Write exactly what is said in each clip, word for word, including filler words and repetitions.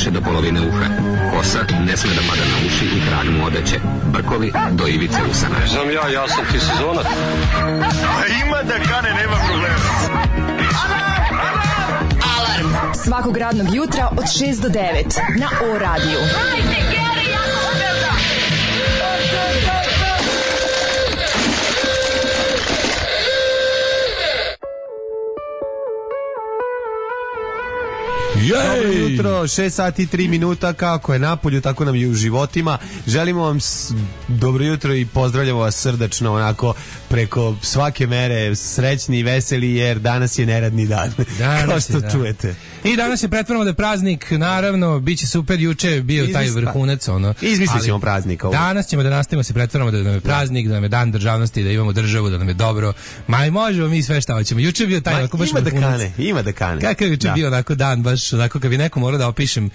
više do polovine uha. Kosa ne sme da pada na uši i krag mu odeće. Brkovi do ivice usana. Znam ja, ja sam ti sezonac. Ima da kane, nema problema. Alarm svakog radnog jutra od šest do devet na O radiju. Dobro jutro, šest sati i tri minuta, kako je napolju, tako nam i u životima. Želimo vam s... dobro jutro i pozdravljamo vas srdačno, onako preko svake mere, srećni i veseli, jer danas je neradni dan, danas kao što je, da. Čujete. I danas je pretvaramo da je praznik, naravno, bit će super, juče je bio taj vrhunac, ono. Izmislit ćemo praznika. Ovo. Danas ćemo da nastavimo se pretvaramo da nam je praznik, da nam je dan državnosti, da imamo državu, da nam je dobro. Ma i možemo mi sve šta hoćemo. Juče je bio taj, onako baš ima vrhunac. Da kane, ima da kane. Kakav je juče da. bio onako dan, baš onako kad bi neko morao da opišem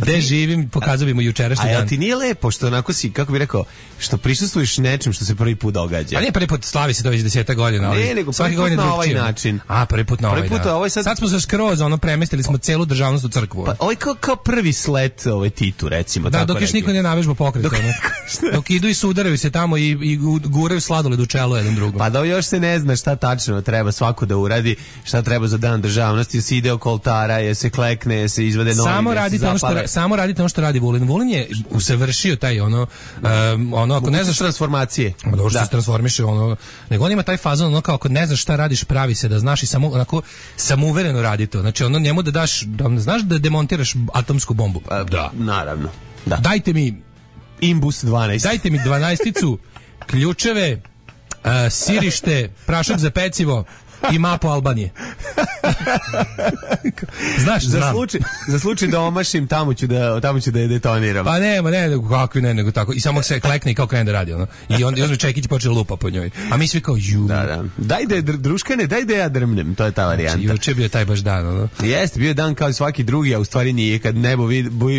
gde živim, pokazao bi mu jučerašnji dan. A ti nije lepo što onako si, kako bi rekao, što prisustvuješ nečem što se prvi put događa? A nije prvi put, slavi se to već deseta godina. Ali ne, nego prvi put na ovaj način. A, prvi put na ovaj, put, da. Ovaj sad... sad smo se skroz, ono, premestili smo celu državnost u crkvu. Pa, ovaj kao, kao prvi slet ovaj Titu, recimo. Da, tako dok još niko ne navežba pokret. Dok, dok idu i sudaraju se tamo i, i guraju sladoled u čelo jedan drugom. Pa da još se ne zna šta tačno treba svako da uradi, šta treba za dan državnosti, se ide oko oltara, je se klekne, je se izvade novi, samo radite ono što samo radite ono što radi Vulin. Vulin je usavršio taj ono um, ono ako ne znaš transformacije. Da što se transformiše ono, nego on ima taj fazon ono kao ako ne znaš šta radiš, pravi se da znaš i samo onako samouvereno radi to. Znači ono njemu da daš, da znaš da demontiraš atomsku bombu. Pa, da, naravno. Da. Dajte mi Imbus dvanaest. Dajte mi dvanaesticu, ključeve, uh, sirište, prašak za pecivo i mapu Albanije. Znaš, za slučaj, za slučaj da omašim, tamo ću da, tamo ću da je detoniram. Pa nema, ne, nego kakvi ne, nego tako. I samo se klekne i kao krene da radi, ono. I on uzme čekić i počne lupa po njoj. A mi svi kao, ju. Da, da. Daj da je druškane, daj da ja drmnem, to je ta varijanta. Znači, juče bio taj baš dan, ono. Jeste, bio je dan kao i svaki drugi, a u stvari nije, kad nebo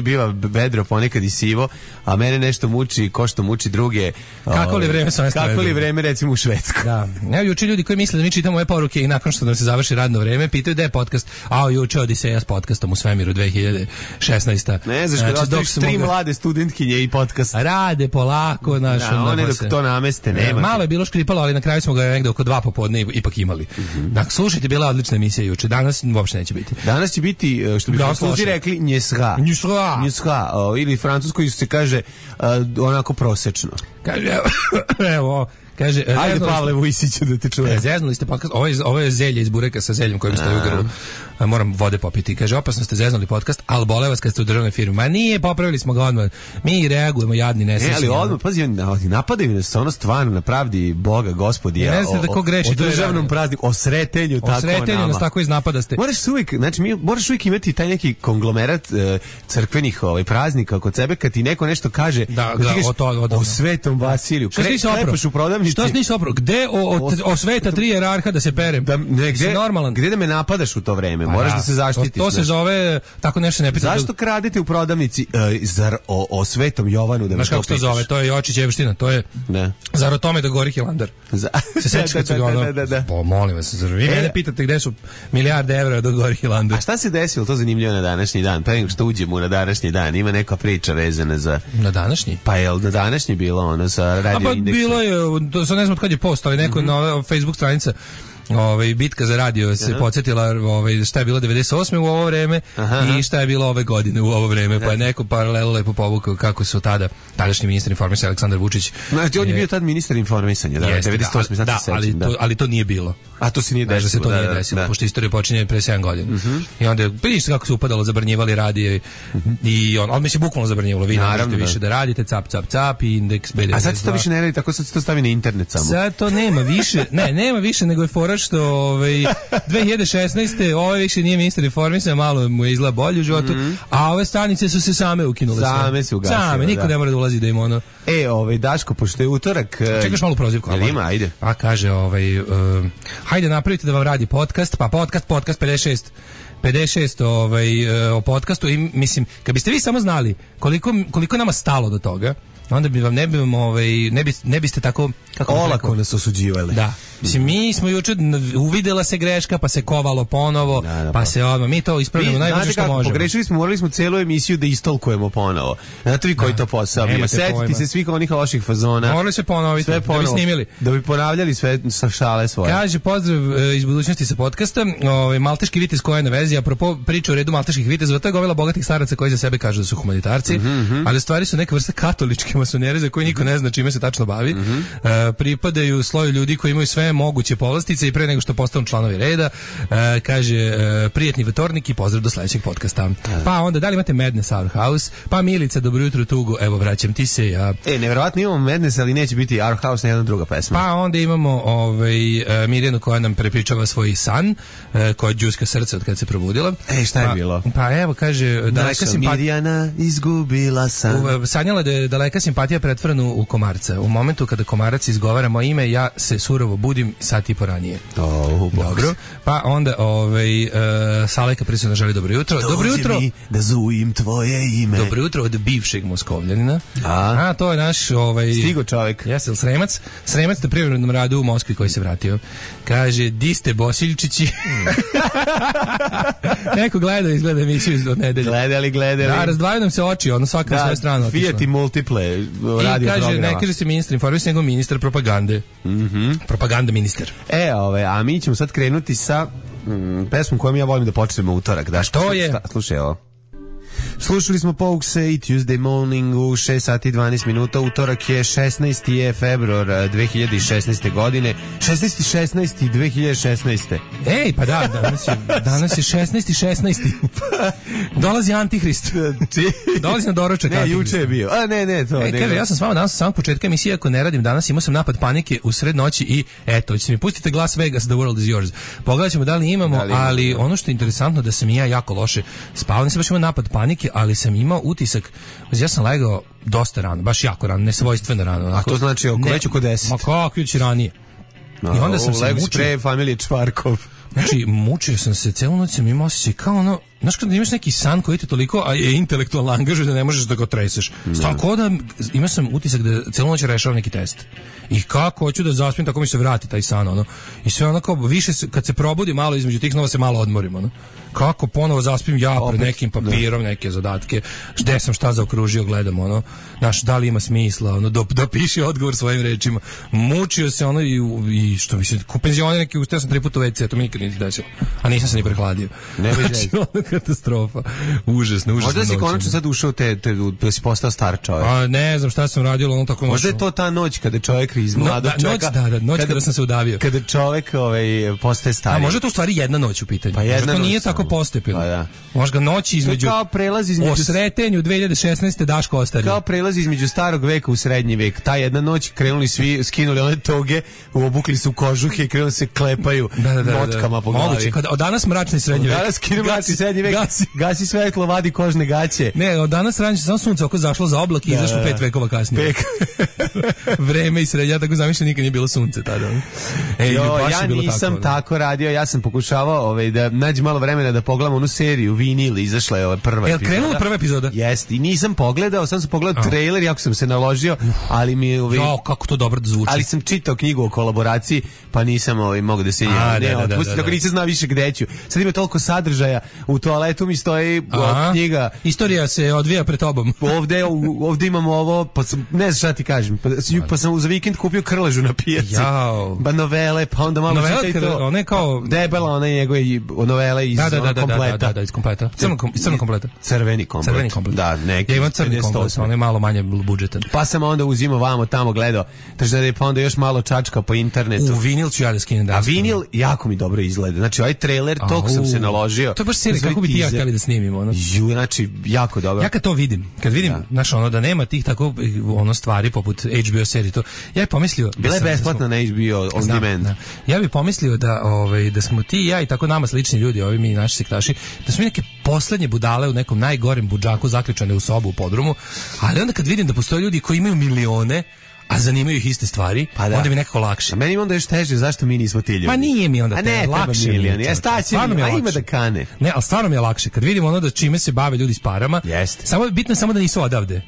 biva vedro, ponekad i sivo, a mene nešto muči, ko što muči druge. Kako li vreme sa Kako li vreme, recimo, u Švedskoj. Da. Evo, juče ljudi koji misle da mi čitamo ove poruke i nakon što nam se završi radno vreme, pitaju da je podcast, a juče Odiseja s podcastom u svemiru dve hiljade šesnaeste. Ne znaš, znači, dok su tri mlade studentkinje i podcast. Rade polako, naš. Da, one dok to nameste, nema. Malo je bilo škripalo, ali na kraju smo ga negde oko dva popodne ipak imali. Mm-hmm. Dakle, slušajte, bila odlična emisija juče. Danas uopšte neće biti. Danas će biti, što bi Francuzi rekli, njeshra. Njeshra. Njeshra. Ili francusko se kaže uh, onako prosečno. Kaže, evo, kaže, ajde Pavle Vujsiću da te čuje. Zeznuli ste podcast, ovo je, ovo je zelje iz bureka sa zeljem kojim stoji u grlu. Moram vode popiti. Kaže, opasno ste zeznuli podcast, ali bole vas kad ste u državnoj firmi. Ma nije, popravili smo ga odmah. Mi reagujemo jadni, nesrećni. Ne, ali odmah, pazi, napadaju nas ono stvarno na pravdi Boga, Gospodija. Ne znate tako greši. O državnom prazniku, o sretenju, tako nama. O sretenju nas tako iznapadaste. Moraš uvijek, znači, mi, moraš uvijek imati taj neki konglomerat uh, crkvenih ovaj, praznika kod sebe, kad ti neko nešto kaže, da, da, kažeš, o, to, o, o Svetom Vasiliju. Što si Klepaš u prodavnici. Što si nisi opro? Gde o, o, o sveta tri jerarha da se perem? Da, ne, gde, normalan. Gde da me napadaš u to vreme? Moraš da, da se zaštitiš. To, to se zove, tako nešto ne pita. Zašto kradete u prodavnici uh, zar o, o Svetom Jovanu da me to pitaš? Znaš kako se to zove? To je Jočić Evština, to je ne. Zar o tome da gori Hilandar? Za... Se sećaš kad su ga ono? Da, da, da. Po, molim vas, zar vi e, mene pitate gde su milijarde evra da gori Hilandar? A šta se desilo, to zanimljivo na današnji dan? Pa nego što uđemo na današnji dan, ima neka priča vezana za... Na današnji? Pa je na današnji bilo ono sa radio pa, indeksom? Bilo je, to sad ne znam od kad je post, ali neko mm-hmm. na Facebook stranica ovaj bitka za radio se podsjetila ovaj šta je bilo devedeset osme u ovo vreme aha, i šta je bilo ove godine u ovo vreme, pa je neko paralelu lepo povukao kako su tada tadašnji ministar informisanja Aleksandar Vučić. Znači on je bio tad ministar informisanja, da, jeste, devedeset osme da, znači da, ali da. to ali to nije bilo. A to se nije desilo. Da se to da, nije da, desilo, da. Pošto istorija počinje pre sedam godina. Uh-huh. I onda vidiš kako se upadalo, zabranjivali radio uh-huh. i on, on mi se bukvalno zabranjivalo, vi ne možete više da radite, cap, cap, cap i indeks be de. A sad se to više ne radi, tako sad se to stavi na internet samo. Sad to nema više, ne, nema više nego je fora što ovaj dve hiljade šesnaeste ovaj više nije ministar informisanja, malo mu je izgleda bolje u životu, mm-hmm. a ove stanice su se same ukinule. Same se ugasile. Same, niko da. ne mora da ulazi da im ono. E, ovaj Daško, pošto je utorak... Čekaš malu prozivku. Jel ima, ajde. Pa kaže, ovaj, uh, hajde napravite da vam radi podcast, pa podcast, podcast pedeset šest pedeset šest ovaj, uh, o podcastu i mislim, kad biste vi samo znali koliko, koliko nama stalo do toga, onda bi vam ne bi vam ovaj ne bi ne biste tako kako olako nas osuđivali. Da. Mislim, mi smo juče uvidela se greška, pa se kovalo ponovo, da, da, pa, pa se odmah, mi to ispravljamo najbolje što možemo. Pogrešili smo, morali smo celu emisiju da istolkujemo ponovo. Znate vi koji da, to posao bio? Setite se svih onih loših fazona. Morali se ponoviti, sve ponovo, da bi snimili. Da bi ponavljali sve sa šale svoje. Kaže, pozdrav e, iz budućnosti sa podcasta, ovaj, malteški vitez koja je na vezi, apropo priča o redu malteških vitezova, to je gomila bogatih staraca koji za sebe kažu da su humanitarci, mm-hmm. ali u stvari su neka vrsta katoličke masonere za koje niko ne zna čime se tačno bavi. Mm-hmm. e, pripadaju sloju ljudi koji imaju sve moguće povlastice i pre nego što postanu članovi reda. E, kaže, e, prijatni vtornik i pozdrav do sledećeg podcasta. Pa onda, da li imate Madness Our House? Pa Milica, dobro jutro Tugo, evo vraćam ti se ja. E, nevjerovatno imamo Madness, ali neće biti Our House, jedna druga pesma. Pa onda imamo ovaj, Mirjanu koja nam prepričava svoj san, koja đuska srce od kad se probudila. E, šta je pa, bilo? Pa evo, kaže, daleka simpatija. Mirjana izgubila san. Sanjala da je daleka simpatija pretvorena u komarca. U momentu kada komarac izgovara moje ime, ja se surovo budim sat i po ranije. Oh, dobro. Pa onda ovaj, uh, Saleka prisutno želi dobro jutro. Dođi dobro jutro. Mi da zujim tvoje ime. Dobro jutro od bivšeg Moskovljanina. A, A to je naš ovaj, stigo čovjek. Jesi, Sremac? Sremac na privrednom radu u Moskvi koji se vratio. Kaže, di ste Bosiljčići? Neko gleda, izgleda emisiju od nedelje. Gledali, gledali. Da, razdvajaju nam se oči, ono svaka na svoju stranu otišla. Fiat i Multiple radio I kaže, programa. ne kaže se ministar informisanja, nego ministar propagande. Mm-hmm. Propaganda ministar. E, ove, a mi ćemo sad krenuti sa mm, pesmom kojom ja volim da počnemo utorak. Da, što je? Slušaj ovo. Slušali smo Pogues i Tuesday Morning u šest sati i dvanaest minuta. Utorak je šesnaesti februar dve hiljade šesnaeste. godine. šesnaesti šesnaesti dve hiljade šesnaeste. Ej, pa da, danas je, danas je šesnaesti šesnaesti. Dolazi Antihrist. Dolazi na doručak. Ne, juče je bio. A ne, ne, to. E, kaže, ja sam s vama danas sa samog početka emisije, ako ne radim danas, imao sam napad panike u sred noći i eto, ćete mi pustite Las Vegas, the world is yours. Pogledat ćemo da li imamo, da li imamo, ali ono što je interesantno da sam i ja jako loše spavao, nisam baš imao napad panike, ali sam imao utisak, ja sam legao dosta rano, baš jako rano, nesvojstveno rano. Onako, a to znači oko već oko deset? Ma kako već ranije. No, I onda sam se mučio. Spray familije Čvarkov. Znači, mučio sam se, celu noć sam imao osjećaj kao ono, znaš kada imaš neki san koji te toliko a je intelektualno angažuje da ne možeš da ga treseš. Tako da imao sam utisak da celu noć rešavam neki test. I kako hoću da zaspim, tako mi se vrati taj san, ono. I sve ono kao, više se, kad se probudi malo između tih snova se malo odmorim, ono. Kako ponovo zaspim ja pred nekim papirom, neke zadatke, gde sam šta zaokružio, gledam, ono. Znaš, da li ima smisla, ono, da, da piše odgovor svojim rečima. Mučio se, ono, i, i što mi se, ko penzioner neki, ustao sam tri puta u ve ce, to mi nikad nije desilo. A nisam se ni prehladio. Ne znači, ono, katastrofa. Užasno, užasno. Možda si konačno sad ušao te, te, da si postao star čovjek. A ne znam šta sam radio, ono tako. Možda je to ta noć kada čovjek iz mladog no, da, čovjeka. Noć, da, da, noć kada, kada sam se udavio. Kada čovjek ovaj, postaje stariji. A možda to u stvari jedna noć u pitanju. Pa jedna možda to nije noć, tako postepeno. Pa da. Možda noć između. Kao prelaz između. O sretenju dve hiljade šesnaeste. Daško ostario. Kao prelaz između starog veka u srednji vek. Ta jedna noć krenuli svi, skinuli one toge, obukli su kožuhe i krenuli se klepaju da, da, da, motkama po glavi. Moguće. Od danas mračni srednji vek. Danas kinu mračni srednji vek. Gasi. Gasi svetlo, vadi kožne gaće. Ne, od danas ranije samo sunce oko zašlo za oblak i da, izašlo pet vekova kasnije. Pek. Vreme i srednja, tako zamišljam, nikad nije bilo sunce tada. Ej, jo, ja nisam tako, tako radio, ja sam pokušavao ovaj, da nađem malo vremena da pogledam onu seriju Vinil, izašla je ova prva e, epizoda. Krenula prva epizoda? Jeste, i nisam pogledao, sam sam pogledao trailer, jako sam se naložio, ali mi ovaj, jo, kako to dobro zvuči. Ali sam čitao knjigu o kolaboraciji, pa nisam ovaj, mogao da se ja, ne, da, da, otpustiti, tako nisam znao više gde ću. Sad ima toliko sadržaja, u toaletu mi stoji o, knjiga. Istorija se odvija pred tobom. Ovde, ovde imamo ovo, pa sam, ne znam šta ti kažem, pa, pa sam za vikend kupio krležu na pijaci. Jao. Ba novele, pa onda malo čitaj to. One kao debela, one njegove novele iz da, da, da, kompleta. Da, da, da, iz kompleta. Crno, kom, crno kompleta. Crveni komplet. Crveni komplet. Da, neki. Ja imam crni komplet, on je malo manje budžetan. Pa sam onda uzimao vamo tamo gledao. Takže da je pa onda još malo čačka po internetu. U vinil ću ja da skinem da. A vinil jako mi dobro izgleda. Znači ovaj trailer tog sam se naložio. To je baš serija kako bi ti ja htjeli da snimimo, ono. Ju, znači jako dobro. Ja kad to vidim, kad vidim, znaš, ono da nema tih tako ono stvari poput H B O serije to. Ja bih pomislio bila je besplatna na H B O on demand. Ja bih pomislio da ovaj da smo ti i ja i tako nama slični ljudi, ovi mi naši sektaši, da smo neke poslednje budale u nekom najgorem budžaku zaključane u sobu u podrumu, ali onda kad vidim da postoje ljudi koji imaju milione a zanimaju ih iste stvari, pa da. Onda mi nekako lakše. A meni onda još teže, zašto mi nismo ti ljudi? Pa nije mi onda te, ne, lakše milion, mi je. Stvarno mi je lakše. A ima da kane. Ne, ali stvarno mi je lakše. Kad vidim ono da čime se bave ljudi s parama, Jeste. Samo, bitno je samo da nisu odavde.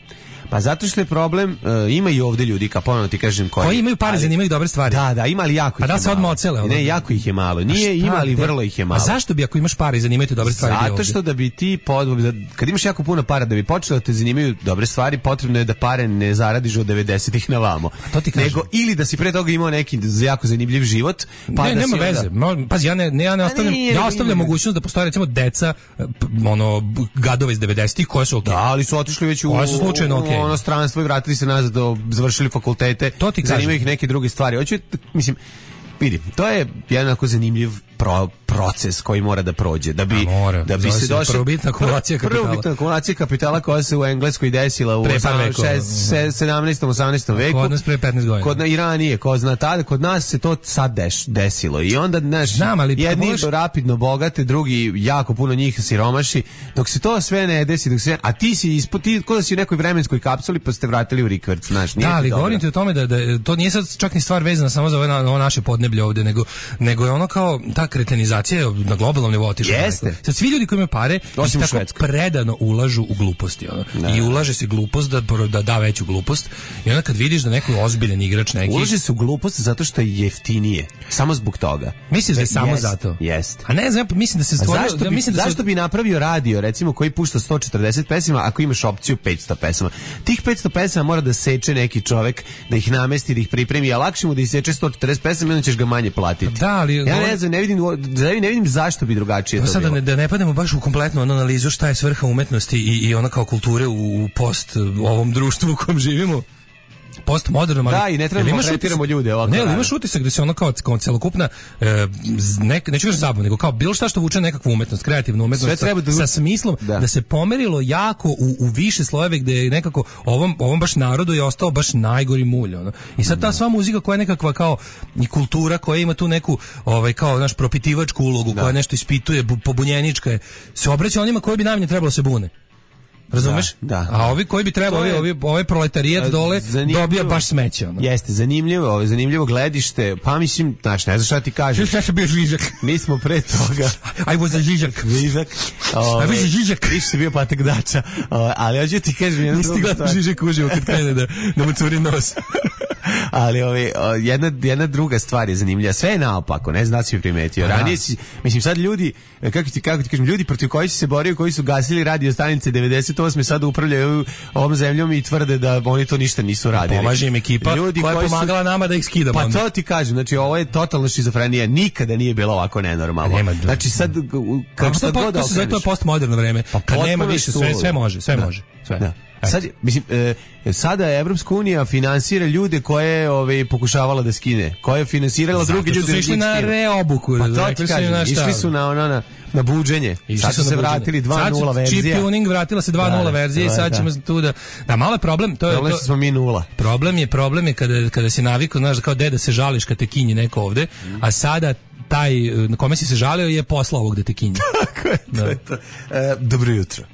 Pa zato što je problem, uh, ima i ovde ljudi, kao ponovno ti kažem, koji, koji imaju pare, zanimaju dobre stvari. Da, da, ima ali jako ih je malo. A da se odmah ocele. Ne, jako ih je malo. Nije ima, ali vrlo ih je malo. A zašto bi ako imaš pare i zanimaju te dobre stvari? Zato što da bi ti, pod, kad imaš jako puno para, da bi počelo da te zanimaju dobre stvari, potrebno je da pare ne zaradiš od devedesetih na vamo. To ti kažem. Nego, ili da si pre toga imao neki jako zanimljiv život, pa ne, da nema si veze. onda... Pazi, ja ne, ne, ja ne ostavljam, nije, ja ostavljam nije. mogućnost da postoje recimo deca, ono, gadove iz devedesetih koje su okej. Okay. Da, ali su otišli već u, koje su slučajno okej. u ono stranstvo i vratili se nazad, do, završili fakultete, zanimaju ih neke druge stvari. Hoću, mislim, vidi, to je jednako zanimljiv pro, proces koji mora da prođe da bi mora, da bi se došlo prvobitna akumulacija kapitala. Prvobitna akumulacija kapitala koja se u Engleskoj desila u sedamnaestom osamnaestom veku. Kod nas pre petnaest godina. Kod i ranije, ko zna tada, kod nas se to sad deš, desilo. I onda znaš, jedni možeš... rapidno bogate, drugi jako puno njih siromaši. Dok se to sve ne desi, dok se a ti si ispod ti kod da si u nekoj vremenskoj kapsuli pa ste vratili u rikverc, znaš, nije. Da, ali govorim ti o tome da, da to nije sad čak ni stvar vezana samo za ovo, ovo naše podneblje ovde, nego nego je ono kao ta kretenizacija na globalnom nivou otišla. Jeste. Sad svi ljudi koji imaju pare osim tako Švedskoj predano ulažu u gluposti, ono. I ulaže se glupost da, da da veću glupost. I onda kad vidiš da neko ozbiljan igrač neki ulaže se u glupost zato što je jeftinije. Samo zbog toga. Misliš da je samo jest, zato? Jeste. A ne znam, mislim da se stvorio, zašto bi, ja mislim da zašto se... bi napravio radio recimo koji pušta sto četrdeset pesama ako imaš opciju petsto pesama? Tih petsto pesama mora da seče neki čovek, da ih namesti, da ih pripremi, a lakše mu da iseče sto četrdeset pesama i onda ćeš ga manje platiti. Da, ali ja ne znam, ne vidim, ne vidim zašto bi drugačije to sad bilo. Da ne, da ne pademo baš u kompletnu analizu šta je svrha umetnosti i, i ona kao kulture u, u post u ovom društvu u kojem živimo. Postmodernom, ali da, i ne trebamo tretiramo ljude ovako. Ne, ali imaš utisak da se ono kao, kao celokupna e, ne, neću kažem zabavu, nego kao bilo šta što vuče nekakvu umetnost, kreativnu umetnost sa, da... sa smislom da. da se pomerilo jako u, u više slojeve gde je nekako ovom, ovom baš narodu je ostao baš najgori mulj. Ono. I sad ta sva muzika koja je nekakva kao i kultura koja ima tu neku ovaj, kao naš propitivačku ulogu, da. koja nešto ispituje, pobunjenička je, se obraća onima koji bi najmanje trebalo se bune. Razumeš? Da, da. A ovi koji bi trebali, je, ovi, ovaj proletarijat dole dobija baš smeće. Ono. Jeste, zanimljivo, ovo, zanimljivo gledište, pa mislim, znaš, ne znaš šta ti kažeš. Šta sam bio Žižak? Mi smo pre toga. I was a Žižak. Žižak. I was a Žižak. Ti si bio patek dača, ali hoću ti kažem jednu drugu stvar. Nisi gledao Žižak uživo kad krene da, da mu curi nos. Ali ovaj, jedna, jedna druga stvar je zanimljiva. Sve je naopako, ne znam da si primetio. Ranije si, mislim sad ljudi, kako ti, kako ti kažem, ljudi protiv koji si se borio, koji su gasili radio stanice devedeset osme sad upravljaju ovom zemljom i tvrde da oni to ništa nisu radili. Pomaže im ekipa ljudi koja je pomagala su, nama da ih skidamo. Pa to ti kažem, znači ovo je totalna šizofrenija, nikada nije bilo ovako nenormalno. Nema, znači sad, kako sad god okreneš. To je postmoderno vreme, pa kad nema više, sve, sve može, sve da. može. Sve. Da. Sad, mislim, e, sada Evropska unija finansira ljude koje ove, pokušavala da skine, koje je finansirala druge ljude. Zato su išli na reobuku. Pa to ti kažem, išli su na, na, na, na buđenje. Sad su se vratili dva nula verzija. Chip tuning, vratila se dva nula verzija i sad ćemo tu da... Da, malo je problem. To je, problem to, smo mi nula. Problem je, problem je kada, kada si navikao, znaš, kao deda se žališ kad te kinji neko ovde, a sada taj na kome si se žalio je posla ovog da te kinji. Tako je, to je to. E, dobro jutro.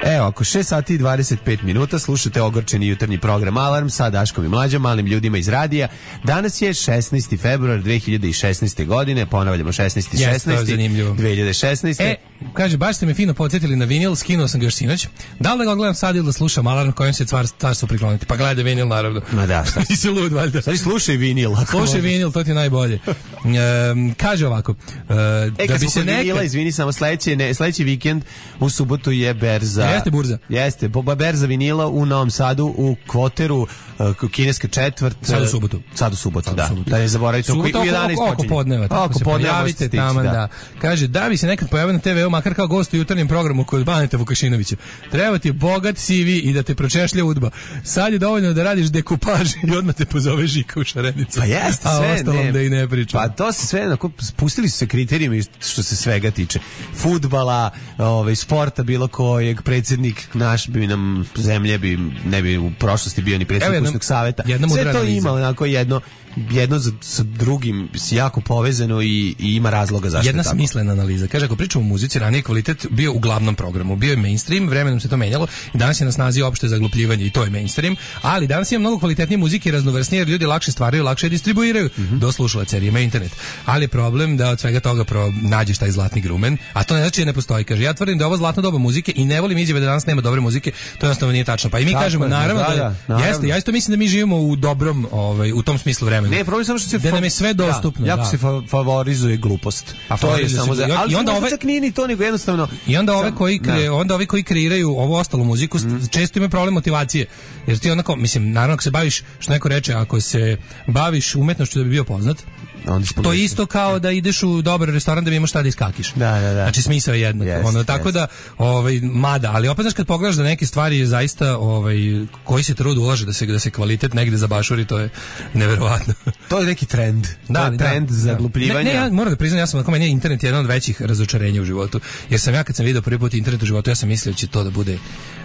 Evo, ako šest sati i dvadeset pet minuta slušate ogorčeni jutarnji program Alarm sa Daškom i Mlađom, malim ljudima iz radija. Danas je šesnaesti februar dve hiljade šesnaeste. godine, ponavljamo šesnaesti šesnaesti dve hiljade šesnaeste. E, kaže, baš ste me fino podsjetili na vinil, skinuo sam ga još sinoć. Da li da ga gledam sad ili da slušam Alarm kojem se cvar, carstvo prikloniti? Pa gledaj vinil, naravno. Ma da, šta? Ti si lud, valjda. Sad slušaj vinil. Slušaj vinil, to ti je najbolje. Um, kaže ovako. Uh, e, da kad bi smo se neka... vinila, izvini, samo sledeći, ne, sledeći vikend u subotu je berza. Jeste burza. Jeste, Boba berza vinila u Novom Sadu, u Kvoteru, uh, kineska četvrt. Sad u subotu. Sad u subotu, sad da. U subotu. Da ne zaboravite, u jedanaest počinje. Oko podneva, tako se pojavite tamo, da. Kaže, da bi se nekad pojavio na te ve u, makar kao gost u jutarnjem programu kod Baneta Vukašinovića. Treba ti bogat C V i da te pročešlja udba. Sad je dovoljno da radiš dekupaž i odmah te pozove Žika u Šarenicu. Pa jeste, sve. A ostalom ne. Da i ne pričam. Pa to se sve, onako, spustili su se kriterijumi što se svega tiče. Fudbala, ovaj, sporta bilo kojeg, predsjednik naš bi nam zemlje bi ne bi u prošlosti bio ni predsjednik kućnog saveta. Sve to analiza. Ima onako jedno jedno za, sa drugim jako povezano i, i ima razloga zašto. Jedna tako. smislena analiza. Kaže, ako pričamo o muzici, ranije kvalitet bio u glavnom programu, bio je mainstream, vremenom se to menjalo i danas je na snazi opšte zaglupljivanje i to je mainstream, ali danas ima mnogo kvalitetnije muzike i raznovrsnije jer ljudi lakše stvaraju, lakše distribuiraju mm-hmm. do slušalaca jer ima internet. Ali je problem da od svega toga pro nađeš taj zlatni grumen, a to ne znači da ne postoji. Kaže, ja tvrdim da je ovo zlatna doba muzike i ne volim izjave da danas nema dobre muzike, to jednostavno nije tačno. Pa i mi tako kažemo, je, naravno, da, da, naravno. Jeste, ja isto mislim da mi živimo u dobrom, ovaj, u tom smislu vremena. Ne, problem samo što se da nam je sve dostupno. Da, jako da. se fa favorizuje glupost. A to je samo za, ali i onda ove čak nije ni to nego jednostavno. I onda ove koji kre, onda ovi koji kreiraju ovu ostalu muziku mm. često imaju problem motivacije. Jer ti onako, mislim, naravno ako se baviš, što neko reče, ako se baviš umetnošću da bi bio poznat, to je isto kao da ideš u dobar restoran da bi imaš šta da iskakiš. Da, da, da. Znači smisao je jednak. Yes, ono, tako yes. da, ovaj, mada, ali opet znaš kad pogledaš da neke stvari zaista, ovaj, koji se trud ulaže da se, da se kvalitet negde zabašuri, to je neverovatno. To je neki trend. Da, to je trend da, zaglupljivanja. Ne, ne, ja moram da priznam, ja sam ako meni je internet jedan od većih razočarenja u životu. Jer sam ja kad sam video prvi put internet u životu, ja sam mislio da će to da bude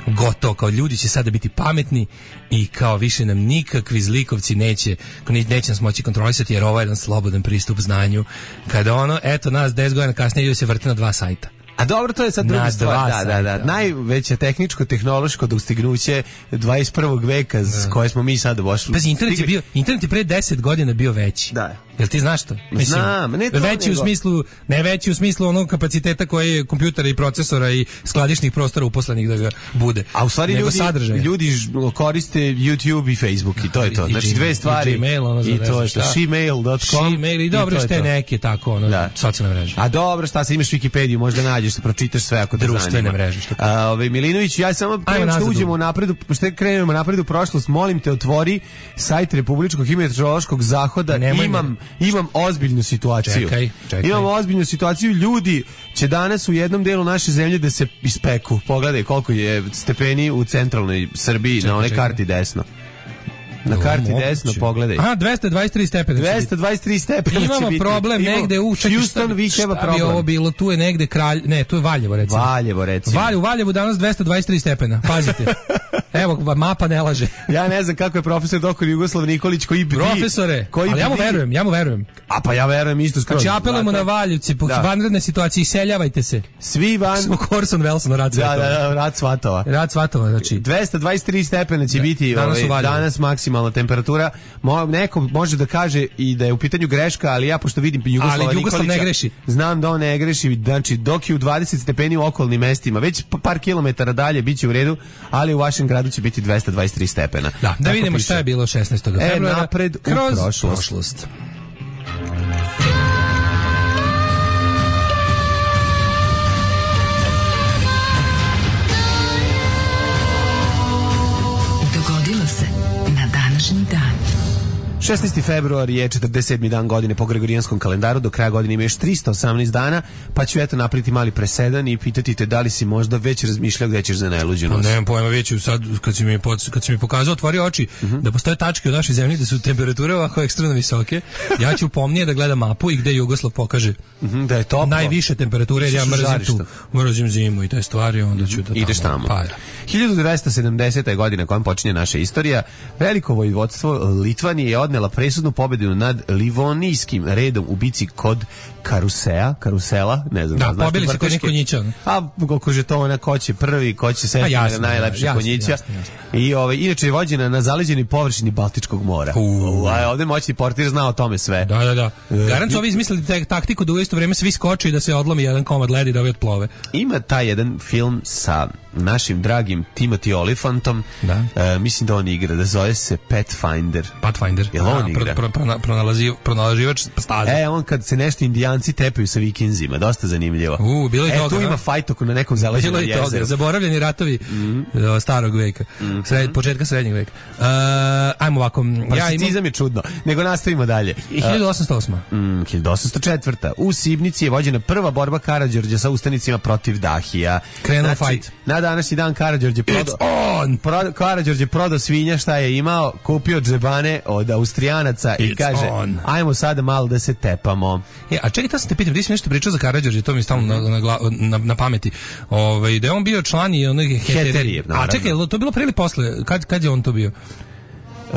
gotovo, kao ljudi će sada biti pametni i kao više nam nikakvi zlikovci neće, neće nas moći kontrolisati jer ovo je jedan slobodan pristup znanju. Kada ono, eto nas deset godina kasnije ljudi se vrte na dva sajta. A dobro, to je sad druga stvar. Da, da, da. Najveće tehničko-tehnološko dostignuće dvadeset prvog veka s da. koje smo mi sad došli. Pazi, internet je bio, internet je pre deset godina bio veći. Da. Jel ti znaš to? Mislim, Znam, ne to veći nego. u smislu, ne veći u smislu onog kapaciteta koji je kompjutera i procesora i skladišnih prostora uposlenih da ga bude. A u stvari ljudi, ljudi koriste YouTube i Facebook i to je to. Znači dve stvari. I Gmail, ono i to je to. Shemail dot com. Shemail i dobro što je neke tako, ono, da. socijalne mreže. A dobro, šta se imaš Wikipediju, možda nađeš, da pročitaš sve ako te zanima. Društvene mreže. Što A, ovaj Milinović, ja samo prema što uđemo napred, što krenemo napred u prošlost, molim te otvori sajt Republičkog hidrometeorološkog zahoda. Imam imam ozbiljnu situaciju. Čekaj, čekaj. Imam ozbiljnu situaciju. Ljudi će danas u jednom delu naše zemlje da se ispeku. Pogledaj koliko je stepeni u centralnoj Srbiji čekaj, na onoj karti desno. Na karti o, desno pogledaj. Aha, dvesta dvadeset tri stepena. dvesta dvadeset tri stepena. Imamo problem Imamo negde u Houston, vi treba problem. Ovo bilo, tu je negde kralj, ne, tu je Valjevo recimo. Valjevo recimo. Valjevo, Valjevo danas dvesta dvadeset tri stepena. Pazite. Evo, mapa ne laže. Ja ne znam kako je profesor doktor Jugoslav Nikolić koji bi profesore, koji ali ja mu verujem, ja mu verujem. A pa ja verujem isto skroz. Znači apelujemo na Valjevci, po da. vanredne situacije, iseljavajte se. Svi van. Smo Orson Welles na rad Svatova. Da, da, da, rad Svatova. Rad Svatova, znači. dvesta dvadeset tri stepena će da. biti danas, ovaj, danas maksimalna temperatura. Mo, neko može da kaže i da je u pitanju greška, ali ja pošto vidim Jugoslava ali Jugoslav Nikolića, ne greši. Znam da on ne greši, znači dok je u dvadeset stepeni u okolnim mestima, već par kilometara dalje biće u redu, ali u vašem gradu će biti dvesta dvadeset tri stepena. Da, da vidimo piše. Šta je bilo šesnaestog februara. E, napred u kroz prošlost. prošlost. Dogodilo se na današnji dan. šesnaesti februar je četrdeset sedmi dan godine po Gregorijanskom kalendaru, do kraja godine ima još tristo osamnaest dana, pa ću eto napraviti mali presedan i pitati te da li si možda već razmišljao gde ćeš za najluđu noć. Nemam pojma, već sad kad si mi, kad si mi pokazao, otvorio oči, uh-huh. da postoje tačke u našoj zemlji da su temperature ovako ekstremno visoke, ja ću pomnije da gledam mapu i gde Jugoslav pokaže uh-huh, da je toplo. Najviše temperature, jer ja mrzim tu, mrzim zimu i te stvari, onda ću da tamo. Ideš tamo. Pa, hiljadu dvesta sedamdeseta godina kojom počinje naša istorija, veliko vojvodstvo Litvanije je odnela presudnu pobedu nad Livonijskim redom u bici kod Karusea, Karusela, ne znam. Da, da pobili se kod njih konjića. A koliko žetona, ko će prvi, ko će sesti na najlepše jasno, konjića. Jasno, jasno. I ovaj, inače je vođena na zaleđenoj površini Baltičkog mora. Uh. A ovdje moćni portir zna o tome sve. Da, da, da. Garant su ovi izmislili te, taktiku da u isto vrijeme svi skoči i da se odlomi jedan komad leda i da ovi otplove. Ima taj jedan film sa našim dragim Timothy Olyphantom, da. Uh, mislim da on igra, da zove se Pathfinder. Pathfinder. Jel on igra? Pro, pro, pro, pronalazi, pronalaživač staze. E, on kad se nešto Indijanci tepaju sa vikinzima, dosta zanimljivo. U, bilo je e, toga. Tu ima fajt oko na nekom zaleđenom jezeru. Bilo je toga, zaboravljeni ratovi mm-hmm. starog veka, mm-hmm. Sred, početka srednjeg veka. Uh, ajmo ovako. Particizam ja imam... je čudno, nego nastavimo dalje. hiljadu osamsto osma. Mm, hiljadu osamsto četvrta. U Sibnici je vođena prva borba Karađorđa sa ustanicima protiv Dahija. Krenuo znači, fight. Na današnji dan Karađorđe prodao pro, Karađorđe prodao svinja šta je imao, kupio džebane od Austrijanaca i It's kaže on. Ajmo sada malo da se tepamo. E, a čekaj, to sam te pitam, ti si nešto pričao za Karađorđe, to mi je stalno na, na, na, na pameti. Ove, da je on bio član i onih heterije. Heterije, a čekaj, to je bilo pre ili posle? Kad, kad je on to bio? Uh,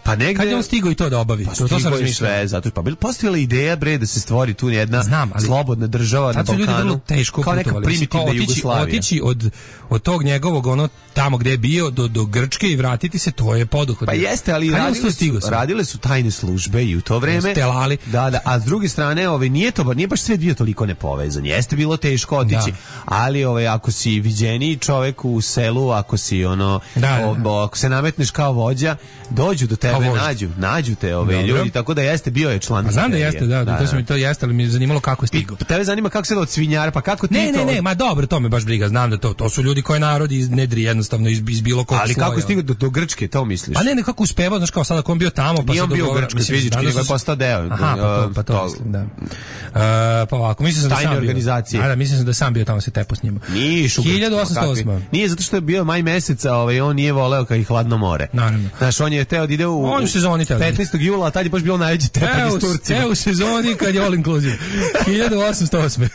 pa negde... Kad je on stigao i to da obavi? Pa to, to sam razmišljao. Sve, zato pa postojala ideja bre da se stvori tu jedna Znam, ali, slobodna država na Balkanu. Ljudi vrlo teško kao neka primitivna otići, Jugoslavija. Otići od, od tog njegovog ono tamo gde je bio do, do Grčke i vratiti se, to je poduhod. Pa jeste, ali radile su, radile su tajne službe i u to vreme. Stelali. Da, da, a s druge strane, ovaj nije to, nije baš sve bio toliko nepovezan. Jeste bilo teško otići, da. Ali ovaj ako si viđeniji čovjek u selu, ako si ono, da, o, da. ako se nametneš kao vođa, dođu do tebe, nađu, nađu te ove ljudi, tako da jeste bio je član. Pa znam da jeste, da, da, to se mi to jeste, ali mi je zanimalo kako je stigao. Pa tebe zanima kako se da od svinjara, pa kako ti ne, to? Ne, ne, ne, ma dobro, to me baš briga, znam da to, to su ljudi koje narod iznedri jednostavno iz, iz bilo kog ali sloja. Ali kako je stigao do, do Grčke, to misliš? Pa ne, ne, kako uspevao, znaš kao sada ako on bio tamo, pa nije on bio u Grčkoj fizički, nego je postao deo. Aha, pa to, pa to, to mislim, da. Uh, pa ovako, mislim sam da sam organizacije. bio. Da, mislim sam da sam bio tamo se tepo s njima. Niš, hiljadu osamsto osma. Nije zato što je bio maj meseca, ovaj on nije voleo kad i hladno more. Naravno. Znaš, on je teo da ide u on u sezoni teo. petnaestog jula, a tad je baš bilo najveći tepak iz Turcije. Evo u sezoni kad je all inclusive. hiljadu osamsto osme.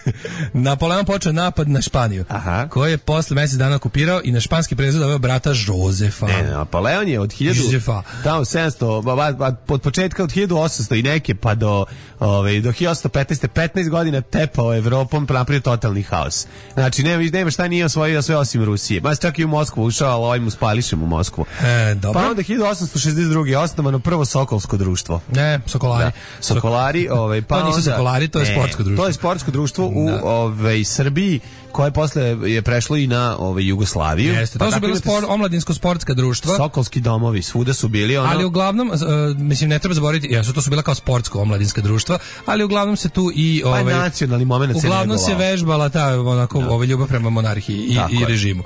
Napoleon počeo napad na Španiju. Aha. Koji je posle mjesec dana okupirao i na španski prezid doveo brata Josefa. Ne, Napoleon je od hiljadu tamo sedamsto od početka od hiljadu osamsto i neke pa do ovaj do hiljadu osamsto petnaeste petnaest godina tepao Evropom, napravio totalni haos. Znači nema nema šta nije osvojio sve osim Rusije. Ma čak i u Moskvu ušao, ali ovaj mu spališem u Moskvu. E, dobro. Pa onda hiljadu osamsto šezdeset druge osnovano prvo Sokolsko društvo. Ne, Sokolari. Da. Sokolari, ovaj pa to nisu onda, Sokolari, to je ne, sportsko društvo. To je sportsko društvo u ovaj Srbiji koje posle je prešlo i na ovaj Jugoslaviju. Jeste, to pa su bila sport, omladinsko sportska društva. Sokolski domovi, svuda su bili ono. Ali uglavnom uh, mislim ne treba zaboraviti, jesu to su bila kao sportsko omladinska društva, ali uglavnom se tu i ovaj pa nacionalni momenat se uglavnom se vežbala ta onako no. ovaj ljubav prema monarhiji i, i režimu.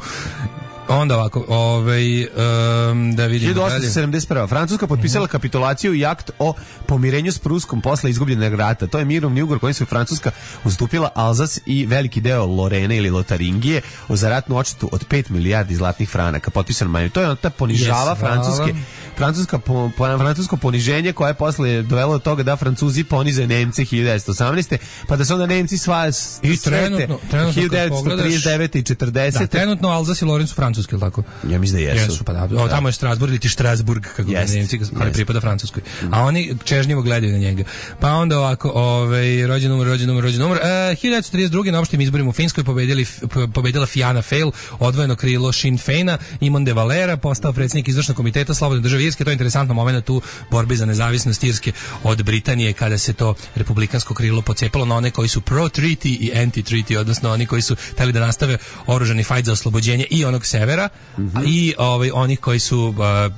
Onda ovako, ovaj um, da vidimo hiljadu osamsto sedamdeset prva Francuska potpisala uh-huh. kapitulaciju i akt o pomirenju s Pruskom posle izgubljenog rata. To je mirovni ugovor kojim se Francuska ustupila Alzas i veliki deo Lorene ili Lotaringije za ratnu odštetu od pet milijardi zlatnih franaka. Potpisan maj. To je ta ponižava yes, Francuske. Francuska po, po, francusko poniženje koje je posle dovelo do toga da Francuzi ponize Nemce hiljadu devetsto osamnaeste pa da se onda Nemci sva i trenutno, trenutno hiljadu devetsto trideset devete i četrdesete Da, trenutno Alzas i Loren su francuski, ili tako? Ja mislim da jesu. Jesu, pa da. O, tamo je Strasburg ili ti Strasburg, kako yes, Nemci, ali yes. pripada Francuskoj. A oni čežnjivo gledaju na njega. Pa onda ovako, ovaj, rođen umr, rođen umr, rođen umr. E, hiljadu devetsto trideset druge na opštim izborima u Finskoj pobedili, pobedila Fianna Fáil, odvojeno krilo Sinn Féina, Imon de Valera postao predsjednik izvršnog komiteta Slobodne države Irske. To je interesantno moment tu borbe za nezavisnost Irske od Britanije, kada se to republikansko krilo pocepalo na one koji su pro-treaty i anti-treaty, odnosno oni koji su hteli da nastave oružani fajt za oslobođenje i onog severa, mm-hmm. i ovaj, onih koji su uh,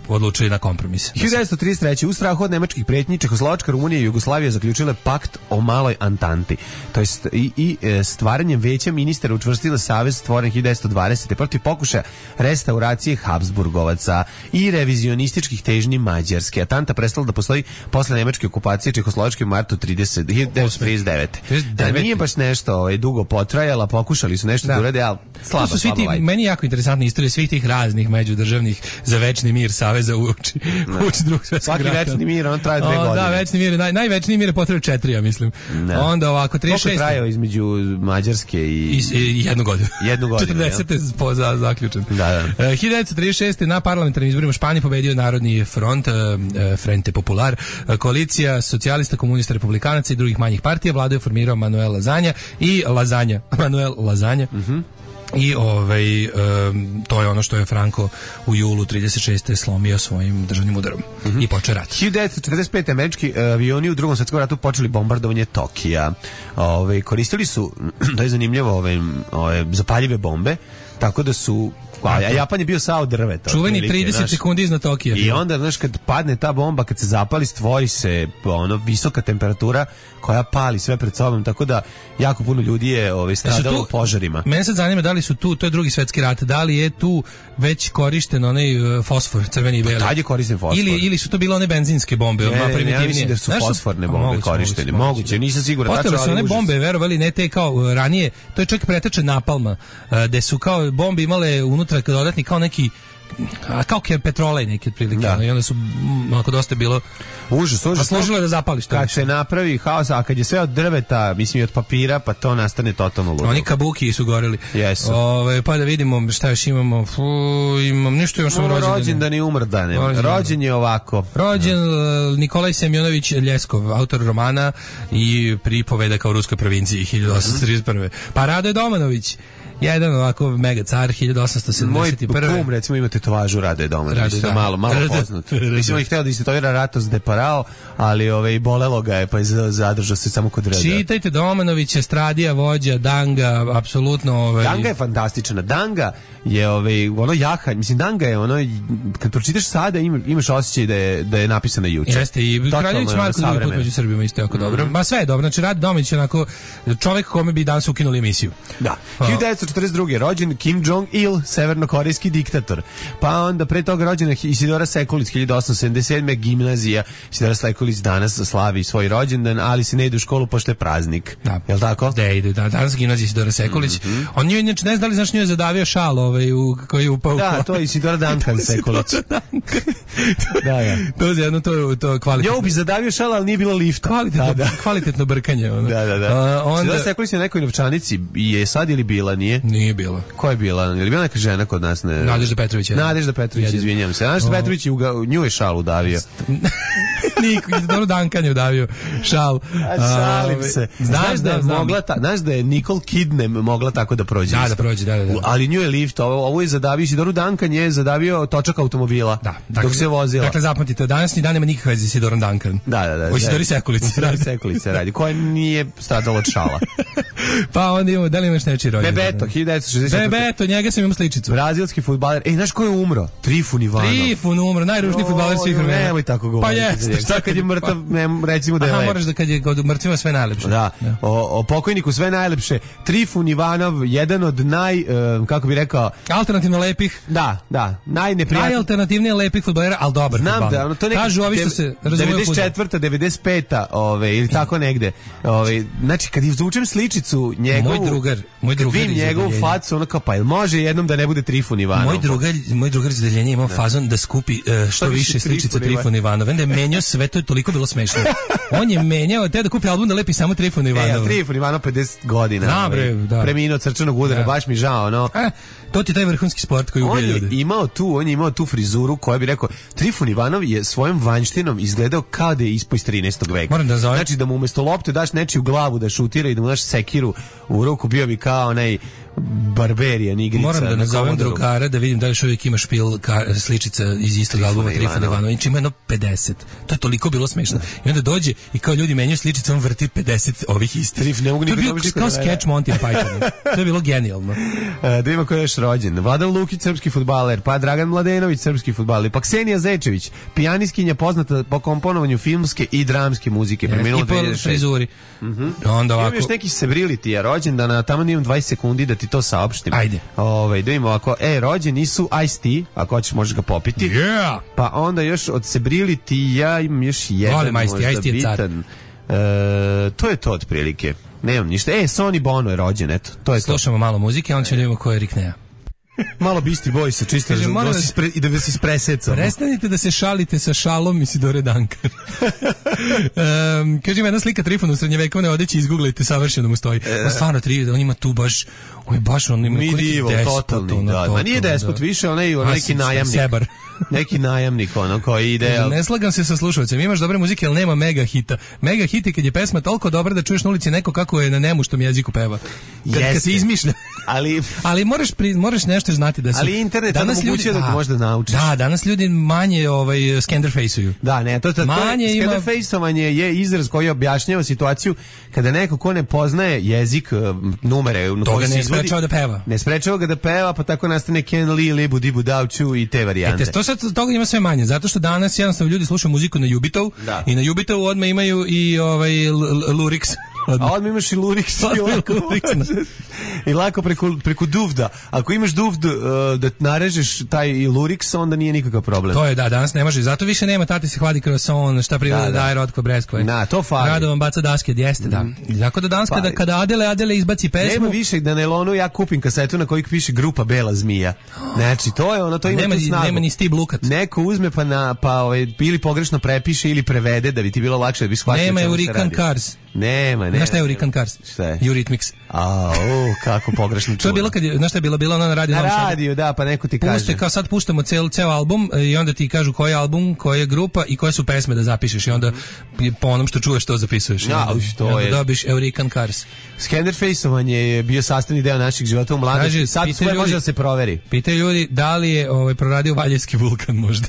odlučili na kompromis. hiljadu devetsto trideset treće u strahu od nemačkih pretnji Čehoslovačka, Rumunija i Jugoslavija zaključile pakt o maloj Antanti. To jest i, i stvaranjem veća ministara učvrstila savez stvoren hiljadu devetsto dvadesete protiv pokušaja restauracije Habsburgovaca i revizionističkih težnji Mađarske. Atanta prestala da postoji posle nemačke okupacije Čehoslovačke u martu hiljadu devetsto trideset devete Da nije baš nešto ovaj, dugo potrajala, pokušali su nešto da, da urade, ali slabo, to su svi slabo ti, vajde. Meni jako interesantna istorija svih tih raznih međudržavnih za večni mir saveza uči, uči drugog svjetskog rata. Svaki večni mir, on traje dve o, godine. Da, večni mir, naj, največniji mir je potrebno četiri, ja mislim. Ne. Onda ovako, trideset šeste Koliko trajao između Mađarske i... I, i jednu godinu. Jednu godinu, četrdesete po za, zaključen. Da, da. Uh, hiljadu devetsto trideset šeste na parlamentarnim izborima u Španiji pobedio Narodni front, uh, Frente Popular, uh, koalicija socijalista, komunista, republikanaca i drugih manjih partija. Vladu je formirao Manuel Lazanja i Lazanja, Manuel Lazanja. Mhm. I ovaj, um, to je ono što je Franco u julu trideset šeste slomio svojim državnim udarom mm-hmm. i počeo rat. hiljadu devetsto četrdeset pete američki avioni u drugom svjetskom ratu počeli bombardovanje Tokija. Ove, koristili su, to je zanimljivo, ove, ove zapaljive bombe, tako da su a Japan je bio sao drveta. Čuveni trideset sekundi iznad Tokija. I onda, znaš, kad padne ta bomba, kad se zapali, stvori se ono visoka temperatura koja pali sve pred sobom, tako da jako puno ljudi je ovaj, stradalo u požarima. Mene sad zanima da li su tu, to je drugi svetski rat, da li je tu već korišten onaj uh, fosfor, crveni i beli. Pa tad je koristen fosfor. Ili, ili su to bile one benzinske bombe, ne, ne, primitivnije. Ne, ja mislim da su znaš, fosforne bombe moguće, korištene. Moguće, moguće, nisam siguran. Postale su one bombe, verovali, ne te kao uh, ranije, to je čak preteče napalma, uh, gde su kao bombe imale unutra dodatni kao neki a kao ke petrolej neki otprilike, Da. ono, i onda su m, onako dosta bilo Užas, užas. a služilo je da zapališ to Kad više. se napravi haos, a kad je sve od drveta, mislim i od papira, pa to nastane totalno ludo. Oni kabuki su goreli. Jesu. Ove, pa da vidimo šta još imamo. Fu, imam nešto još sam No, rođendan. rođendan i umrdan. Rođendan. Rođen je ovako. Rođen uh, Nikolaj Semjonović Ljeskov, autor romana i pripovedaka o ruskoj provinciji hiljadu osamsto trideset prve. Pa Radoje Domanović, jedan ovako mega car hiljadu osamsto Moj sedamdeset prve. kum, recimo, ima tetovažu Rade Domanović. Rade, To je da. malo, malo Rade. poznat. Rade. Mislim, on je hteo da istetovira Ratos de Parao, ali ove, bolelo ga je, pa je zadržao se samo kod Rada. Čitajte Domanovića, Stradija, vođa, Danga, apsolutno... Ovaj, Danga je fantastična. Danga je ovaj, ono jaha, mislim, Danga je ono, kad pročitaš sada ima, imaš osjećaj da je, da je napisana juče. Jeste, i Totalno Kraljević je ono Marko drugi put savremeno. među Srbima isto jako dobro. Ma sve je dobro, znači Rade Domanović je onako čovjek kome bi danas ukinuli emisiju. Da. Pa- hiljadu devetsto četrdeset druge. rođen Kim Jong-il, severnokorejski diktator. Pa onda pre toga rođena Isidora Sekulić, hiljadu osamsto sedamdeset sedme. gimnazija. Isidora Sekulić danas slavi svoj rođendan, ali se ne ide u školu pošto je praznik. Da. Jel tako? Da ide, da, danas gimnazija Isidora Sekulić. Mhm. On nju, inače, ne zna da li znaš nju je zadavio šal ovaj, u, koji je upao u Da, to je Isidora Duncan Sekulić. Da, da. To je jedno, to je to kvalitetno. Nju bi zadavio šala, ali nije bilo lifta. Kvalitetno, Da, da. kvalitetno brkanje. Ono. Da, da, da. A, onda... Isidora Sekulić je na nekoj novčanici. Je sad ili bila, nije? Nije bilo. Ko je bila? Je li bila neka žena kod nas? Ne? Nadežda Petrović. Nadežda Petrović, Jedino. izvinjam se. Nadežda O. Petrović je uga, nju je šal udavio. Niko, dobro Duncan je udavio šal. A šalim ovaj, se. Znam, Znaš da je znam, znam. mogla ta, znaš da je Nicole Kidman mogla tako da prođe. Da, isto. da prođe, da, da, da. U- Ali nju je lift, ovo, ovo je zadavio Isidoru Duncan je zadavio točak automobila. Da, dok se vozila. Dakle, zapamtite, današnji dan nema nikakve veze s Isidorom Duncan. da, da, da. O Isidori Sekulić. Isidori Sekulić se radi, koja nije stradala od šala. Pa onda imamo, da li imaš nečiji rođendan? Bebeto, hiljadu devetsto šezdeset četvrte. Bebeto, njega sam imao sličicu. Brazilski fudbaler. Ej, znaš ko je umro? Trifun Ivanov. Trifun umro, najružniji fudbaler svih Oj, vremena. Nemoj tako Pa govoriti. jeste, Šta kad je mrtav, ne, recimo da je Aha, lep. moraš da kad je kod mrtvima sve najlepše. Da, o, o pokojniku sve najlepše. Trifun Ivanov, jedan od naj, um, kako bi rekao, Alternativno lepih, da, da, najneprijatniji. najalternativnije lepih fudbalera, ali dobar Znam fudbaler. da, ono, to neki Kažu ovi što se razumeju u devedeset fudbal. četvrta, devedeset peta, ove, ili tako negde. Ove, znači, kad izvučem sličicu njegovu, Moj drugar, moj kad drugar vidim iz njegovu odeljenja. facu, ono kao, pa jel može jednom da ne bude Trifun Ivanov? Moj drugar, moj drugar iz odeljenja imao fazon da skupi uh, što više više sličica Trifun Trifuna Ivanova. Onda je menjao sve, to je toliko bilo smešno. On je menjao, te da kupi album da lepi samo Trifuna E, a Ivanova. Trifun Ivanov pedeset godina. Znam, bre, ovaj, da. Preminuo od srčanog udara, Da. baš mi žao, no. E, to ti je taj vrhunski sport koji On ubija je ljude. imao tu, on je imao tu frizuru koja bi rekao, Trifun Ivanov je svojom vanjštinom izgledao kao da je ispao iz trinaestog veka. Moram da nazovem. Znači da mu umesto lopte daš nečiju glavu da šutira i da mu daš sekiru u ruku, bio bi kao onaj barberijan igrica. Moram da na nazovem Komodoru. drugara da vidim da li još uvijek ima špil ka, sličica iz istog albuma Trifuna Ivanova. Ivanović. Ima jedno pedeset. To je toliko bilo smešno. I onda dođe i kao ljudi menjaju sličice, on vrti pedeset ovih istih. Trif, ne mogu To je nikad bio dobiti kao kod mene. sketch Monty Python. To je bilo genijalno. E, da ima ko je još rođen. Vladan Lukić, srpski fudbaler, pa Dragan Mladenović, srpski fudbaler, pa Ksenija Zečević, pijaniskinja poznata po komponovanju filmske i dramske muzike. Preminula I po dve hiljade šeste. frizuri. Onda Imam ovako... još neki Sebrilityja rođendana, tamo imam dvadeset sekundi da ti to saopštim. Ajde. Ovaj, da imamo ovako, e, rođeni su Ice-T, ako hoćeš možeš ga popiti. Yeah! Pa onda još od Sebrilityja imam još jedan Volim Ice-T, možda Ice-T je car. bitan. E, to je to otprilike. Nemam ništa. E, Sonny Bono je rođen, eto. To je Slušamo malo muzike, onda ćemo da vidimo ko je Rick Nea. to. Malo Beastie Boys, čisto Kaže, da, molim da vas- se ispre, i da se ispresecamo. Prestanite da se šalite sa šalom Isidore Duncan. um, kaže ima jedna slika Trifuna u srednjevekovne odeći, izguglajte, savršeno mu stoji. On stvarno tri, on ima tu baš, on je baš, on ima koliko Medieval, despot, totalni, ono, da. Ma nije totalno, despot, da. više onaj, A, onaj neki s- najamnik. Sebar. Neki najamnik, ono, koji ide... Kaže, ne slagam se sa slušalcem, imaš dobre muzike, ali nema mega hita. Mega hit je kad je pesma toliko dobra da čuješ na ulici neko kako je na nemuštom jeziku peva. Kad, kad Jeste. se izmišlja. Ali... Ali moraš pri, moraš nešto znati da se Ali internet sad omogućuje da možda naučiš. Da, danas ljudi manje ovaj skenderfejsuju. Da, ne, to, to, to Manje je, ima- skenderfejsovanje je izraz koji objašnjava situaciju kada neko ko ne poznaje jezik, uh, numere na To koje ga se ne izvodi, sprečava da peva. ne sprečava ga da peva, pa tako nastane Ken Lee, Libu Dibu Davču i te varijante. E, to sad toga ima sve manje, zato što danas jednostavno ljudi slušaju muziku na Jubitov Da. i na Jubitovu odmah imaju i ovaj l- l- Lurix. A odmah imaš i Lurix i lako, i lako preko, preko duvda. Ako imaš duvd uh, da narežeš taj i Lurix, onda nije nikakav problem. To je, da, danas ne može. Zato više nema, tati se hladi kroson, šta priroda da, da. daje Rotko Breskove. Na, to fali. Radovan baca daske, jeste, mm. da. Tako da danas kada, kada Adele, Adele izbaci pesmu... Nema više da na elonu ja kupim kasetu na kojoj piše grupa Bela zmija. Znači, to je ono, to ima nema, tu snagu. Nema ni Steve Lukat. Neko uzme pa, na, pa ovaj, ili pogrešno prepiše ili prevede da bi ti bilo lakše da bi shvatio nema čemu se Hurricane radi. Cars. Nema, nema. Znaš šta je Hurricane Cars? Šta je? Eurythmics. A, o, kako pogrešno čuo. To je bilo kad je, znaš šta je bilo, bilo ono na radiju. Na radiju, da, pa neko ti kaže. Puste, kao sad puštamo cel, cel album i onda ti kažu koji je album, koja je grupa i koje su pesme da zapišeš i onda po onom što čuješ to zapisuješ. Ja, onda, to onda je. dobiš Hurricane Cars. Skenderfaceovanje je bio sastavni deo naših života u mladosti. Sad sve može da se proveri. Pitaju ljudi da li je ovaj, proradio Valjevski vulkan možda.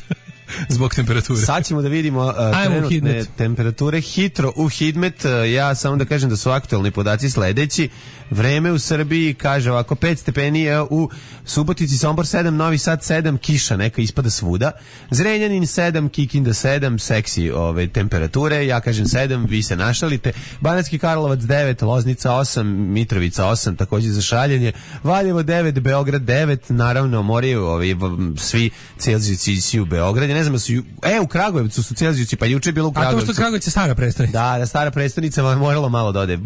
Zbog temperature. Sad ćemo da vidimo uh, trenutne temperature. Hitro u Hidmet, uh, ja samo da kažem da su aktualni podaci sledeći. Vreme u Srbiji kaže ovako, pet stepeni u Subotici, Sombor sedam, Novi Sad sedam, kiša neka ispada svuda. Zrenjanin sedam, Kikinda sedam, seksi ove temperature, ja kažem sedam, vi se našalite. Banatski Karlovac devet, Loznica osam, Mitrovica osam, takođe za šaljenje. Valjevo devet, Beograd devet, naravno moraju ovi, svi Celzijusi u Beogradu. Ne znam, su, e, u Kragujevcu su Celzijusi, pa juče je bilo u Kragujevcu. A to što Kragujevac je stara prestonica. Da, da, stara prestonica, vam moralo malo da ode.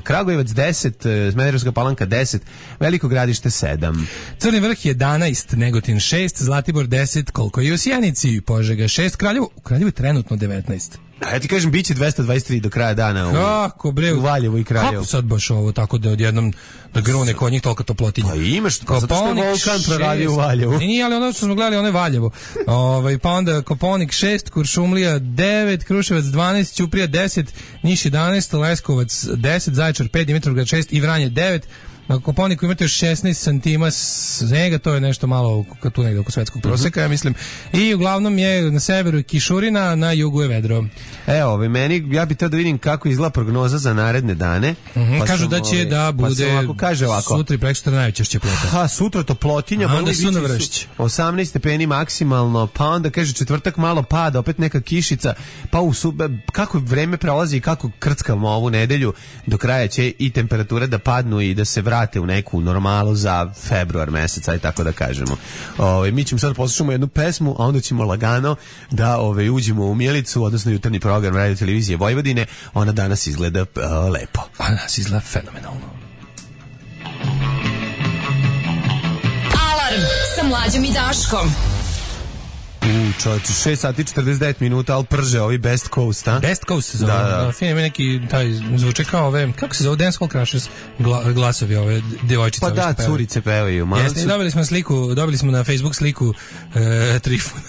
Kragujevac deset, Smederevska Palanka deset, Veliko Gradište sedam. Crni vrh jedanaest, Negotin šest, Zlatibor deset, koliko je u Sjenici, Požega šest, Kraljevo, u Kraljevu je trenutno devetnaest. A ja ti kažem, bit će dvesta dvadeset tri do kraja dana u, kako, bre, u Valjevu i Kraljevu. Kako sad baš ovo tako da odjednom da grune kod njih tolika toplotinja? Pa imaš, pa zato što je Volkan proradio u Valjevu. Nije, ali ono što smo gledali, ono je Valjevo. Ovaj, pa onda Koponik šest, Kuršumlija devet, Kruševac dvanaest, Ćuprija deset, Niš jedanaest, Leskovac deset, Zaječar pet, Dimitrovgrad šest i Vranje devet. Na Koponiku imate još šesnaest santima snega, to je nešto malo tu negde oko svetskog proseka, ja mislim. I uglavnom je na severu kišurina, na jugu je vedro. Evo, ovaj, meni, ja bih teo da vidim kako izgleda prognoza za naredne dane. Mm-hmm, pa kažu da će ovaj, da bude pa ovako, kaže ovako, sutra i prekosutra najveća plota. Ha, sutra toplotinja, a onda su na vršć. osamnaest stepeni maksimalno, pa onda kaže četvrtak malo pada, opet neka kišica, pa u sube, kako vreme prolazi i kako krckamo ovu nedelju, do kraja će i temperature da padnu i da se vrate u neku normalu za februar mesec, aj tako da kažemo. Ove, mi ćemo sad poslušamo jednu pesmu, a onda ćemo lagano da ove, uđemo u Mijelicu, odnosno jutarnji program Radio Televizije Vojvodine. Ona danas izgleda uh, lepo. Ona danas izgleda fenomenalno. Alarm sa Mlađom i Daškom. U čovječe, šest sati četrdeset devet minuta, ali prže ovi Best Coast, a? Best Coast se zove. Da, da. Fin je neki, taj, zvuče kao ove, kako se zove, Dance Hall Crashers, gla, glasovi ove devojčice. Pa da, pevaju. curice pevaju. Jeste, su... dobili smo sliku, dobili smo na Facebook sliku e, Trifuna.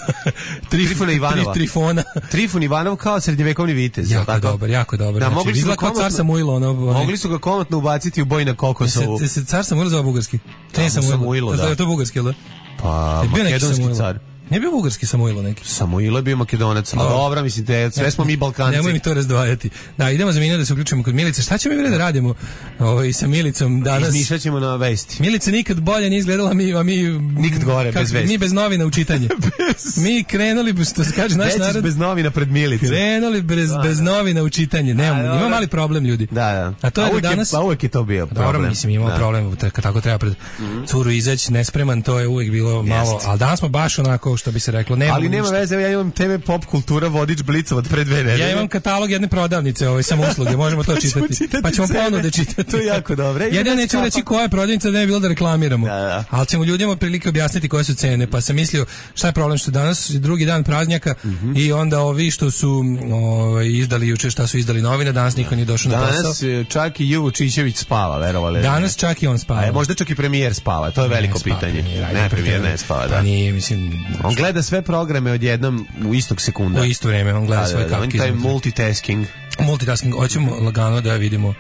Trif, Trifuna Ivanova. Tri, trifona. Trifun Ivanov kao srednjevekovni vitez. Jako tako? dobar, jako dobar. Da, znači, mogli su ga kao car Samuilo. Ono, mogli su ga komotno ubaciti u boj na Kokosovu. Se, se car Samuilo zove bugarski? Ne, Samuilo, da. Je to bugarski, ili da? Pa, makedonski car. Nije bio bugarski Samuilo neki. Samuilo je bio Makedonac. A dobro, mislim, te, sve smo mi Balkanci. Nemoj mi to razdvajati. Da, idemo za minut da se uključimo kod Milice. Šta ćemo mi vrede da radimo ovaj, sa Milicom danas? Izmišljat ćemo na vesti. Milica nikad bolje nije izgledala, mi, a mi... Nikad gore, bez vesti. Mi bez novina u čitanje. bez... Mi krenuli, što se kaže naš narod... bez novina pred Milicom. Krenuli bez, bez novina u čitanje. Nemamo, da, ima mali problem, ljudi. Da, da. A to je a da danas... Je, a uvijek je to bio problem. Dobro, mislim, imamo da. problem. Tako treba pred mm-hmm. curu izaći nespreman, to je uvijek bilo malo... Jest. Ali danas smo baš onako, što bi se reklo, ne ali nema veze, ja imam te ve Pop kultura vodič Blica od pre dve nedelje. Ja imam katalog jedne prodavnice, ovaj samo usluge, možemo to čitati. Pa ćemo ponude čitati. To je jako dobro. Ja ne neću reći koja je prodavnica, da ne bi bilo da reklamiramo. Da, da. Ali ćemo ljudima prilike objasniti koje su cene, pa sam mislio šta je problem što danas drugi dan praznjaka mm-hmm. i onda ovi što su ovaj izdali juče šta su izdali novine, danas niko nije došao na posao. Danas čak i Juvo Čičević spava, verovali. Danas čak i on spava. A možda čak i premijer spava, to je veliko spava, pitanje. Premijer, ne, premijer ne spava, da. Pa nije, mislim, on gleda sve programe odjednom u istog sekunda. U isto vrijeme on gleda da, svoje da, kapke. Taj multitasking. Multitasking, hoćemo lagano da vidimo.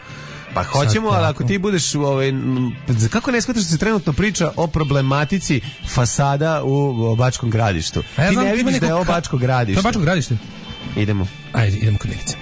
Pa hoćemo, ali ako ti budeš ovaj, kako ne shvataš da se trenutno priča o problematici fasada u Bačkom Gradištu? Ja ti ne vidiš da je ovo Bačko Gradište. To je Bačko Gradište? Idemo. Ajde, idemo kod Milice.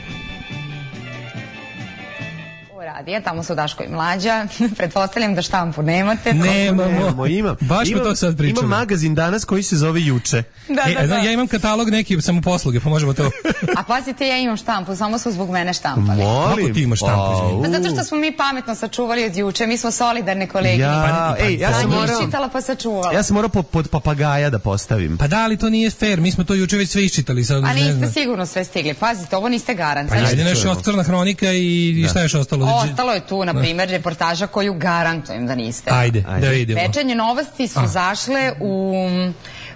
radija, tamo su Daško i Mlađa. Pretpostavljam da štampu nemate. Nemamo. Nemamo, imam. Baš imam, smo to sad pričali. Imam magazin danas koji se zove Juče. Da, E, da, da. Znam, ja imam katalog neki samoposluge, pa možemo to. A pazite, ja imam štampu, samo su zbog mene štampali. Molim. Kako ti imaš štampu, izvini? Pa zato što smo mi pametno sačuvali od juče, mi smo solidarne kolege. Ja, Pa, ej, ja pa sam njih morao, čitala pa sačuvala. ja sam morao po- pod papagaja da postavim. Pa da, ali to nije fair, mi smo to juče već sve iščitali. Sad, A ne niste znam. sigurno sve stigli. Pazite, ovo niste garant. Pa Znači, ajde nešto još Crna hronika i, i šta je još ostalo? ostalo je tu, na primjer, reportaža koju garantujem da niste. Ajde, Ajde. da vidimo. Večernje novosti su A. zašle u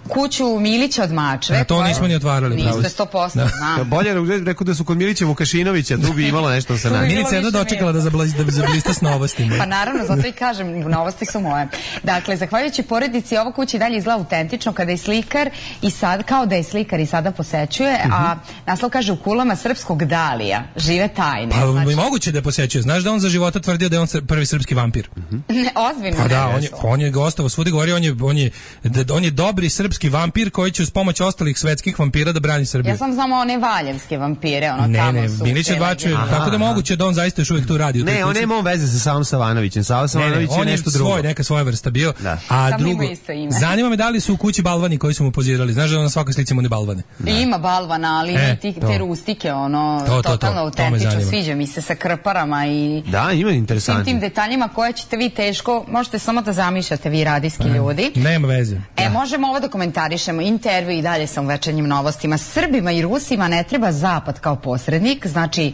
kuću Milića od Mačve. A to koja- nismo ni otvarali, pravo Niste si. sto posto, Da. znam. Bolje re- rekao da su kod Milića Vukašinovića, tu bi imalo nešto sa nama. bi bilo Milica je jedno više dočekala da zablista, da zablista s novostima. Pa naravno, zato i kažem, novosti su moje. Dakle, zahvaljujući porodici, ova kuća i dalje izgleda autentično kada je slikar i sad, kao da je slikar i sada posećuje, a naslov kaže u kulama srpskog Dalija žive tajne. Pa Znači, i moguće da je posećuje. Znaš da on za života tvrdio da je on sr- prvi srpski vampir? ne, ozbiljno. Pa da, ne, on je, on je gostovao svudi, govori, on je, on je, da- on je dobri srpski vampir koji će uz pomoć ostalih svetskih vampira da brani Srbiju. Ja sam znamo one valjevske vampire, ono Ne, tamo ne, su. Milić je te dvačuje, legende. tako da je moguće da on zaista još uvijek tu radi. u toj Ne, on kući. nema on veze sa Savom Savanovićem. Sava Ne, ne, Savanović je on je nešto drugo. svoj, neka svoja vrsta bio. Da. A Samo drugo, ima isto ime. zanima me da li su u kući balvani koji su mu pozirali. Znaš da on na svakoj slici mu ne balvane. I ima balvana, ali E, i tih, to. te rustike, ono, To, to, to, totalno to me autentično, zanima. sviđa mi se sa krparama i Da, ima svim tim interesantno. detaljima koje ćete vi teško, možete samo da zamišljate vi radijski ljudi. Nema veze. E, možemo ovo da komentarišemo, intervju i dalje sam u večernjim novostima. Srbima i Rusima ne treba zapad kao posrednik, znači e,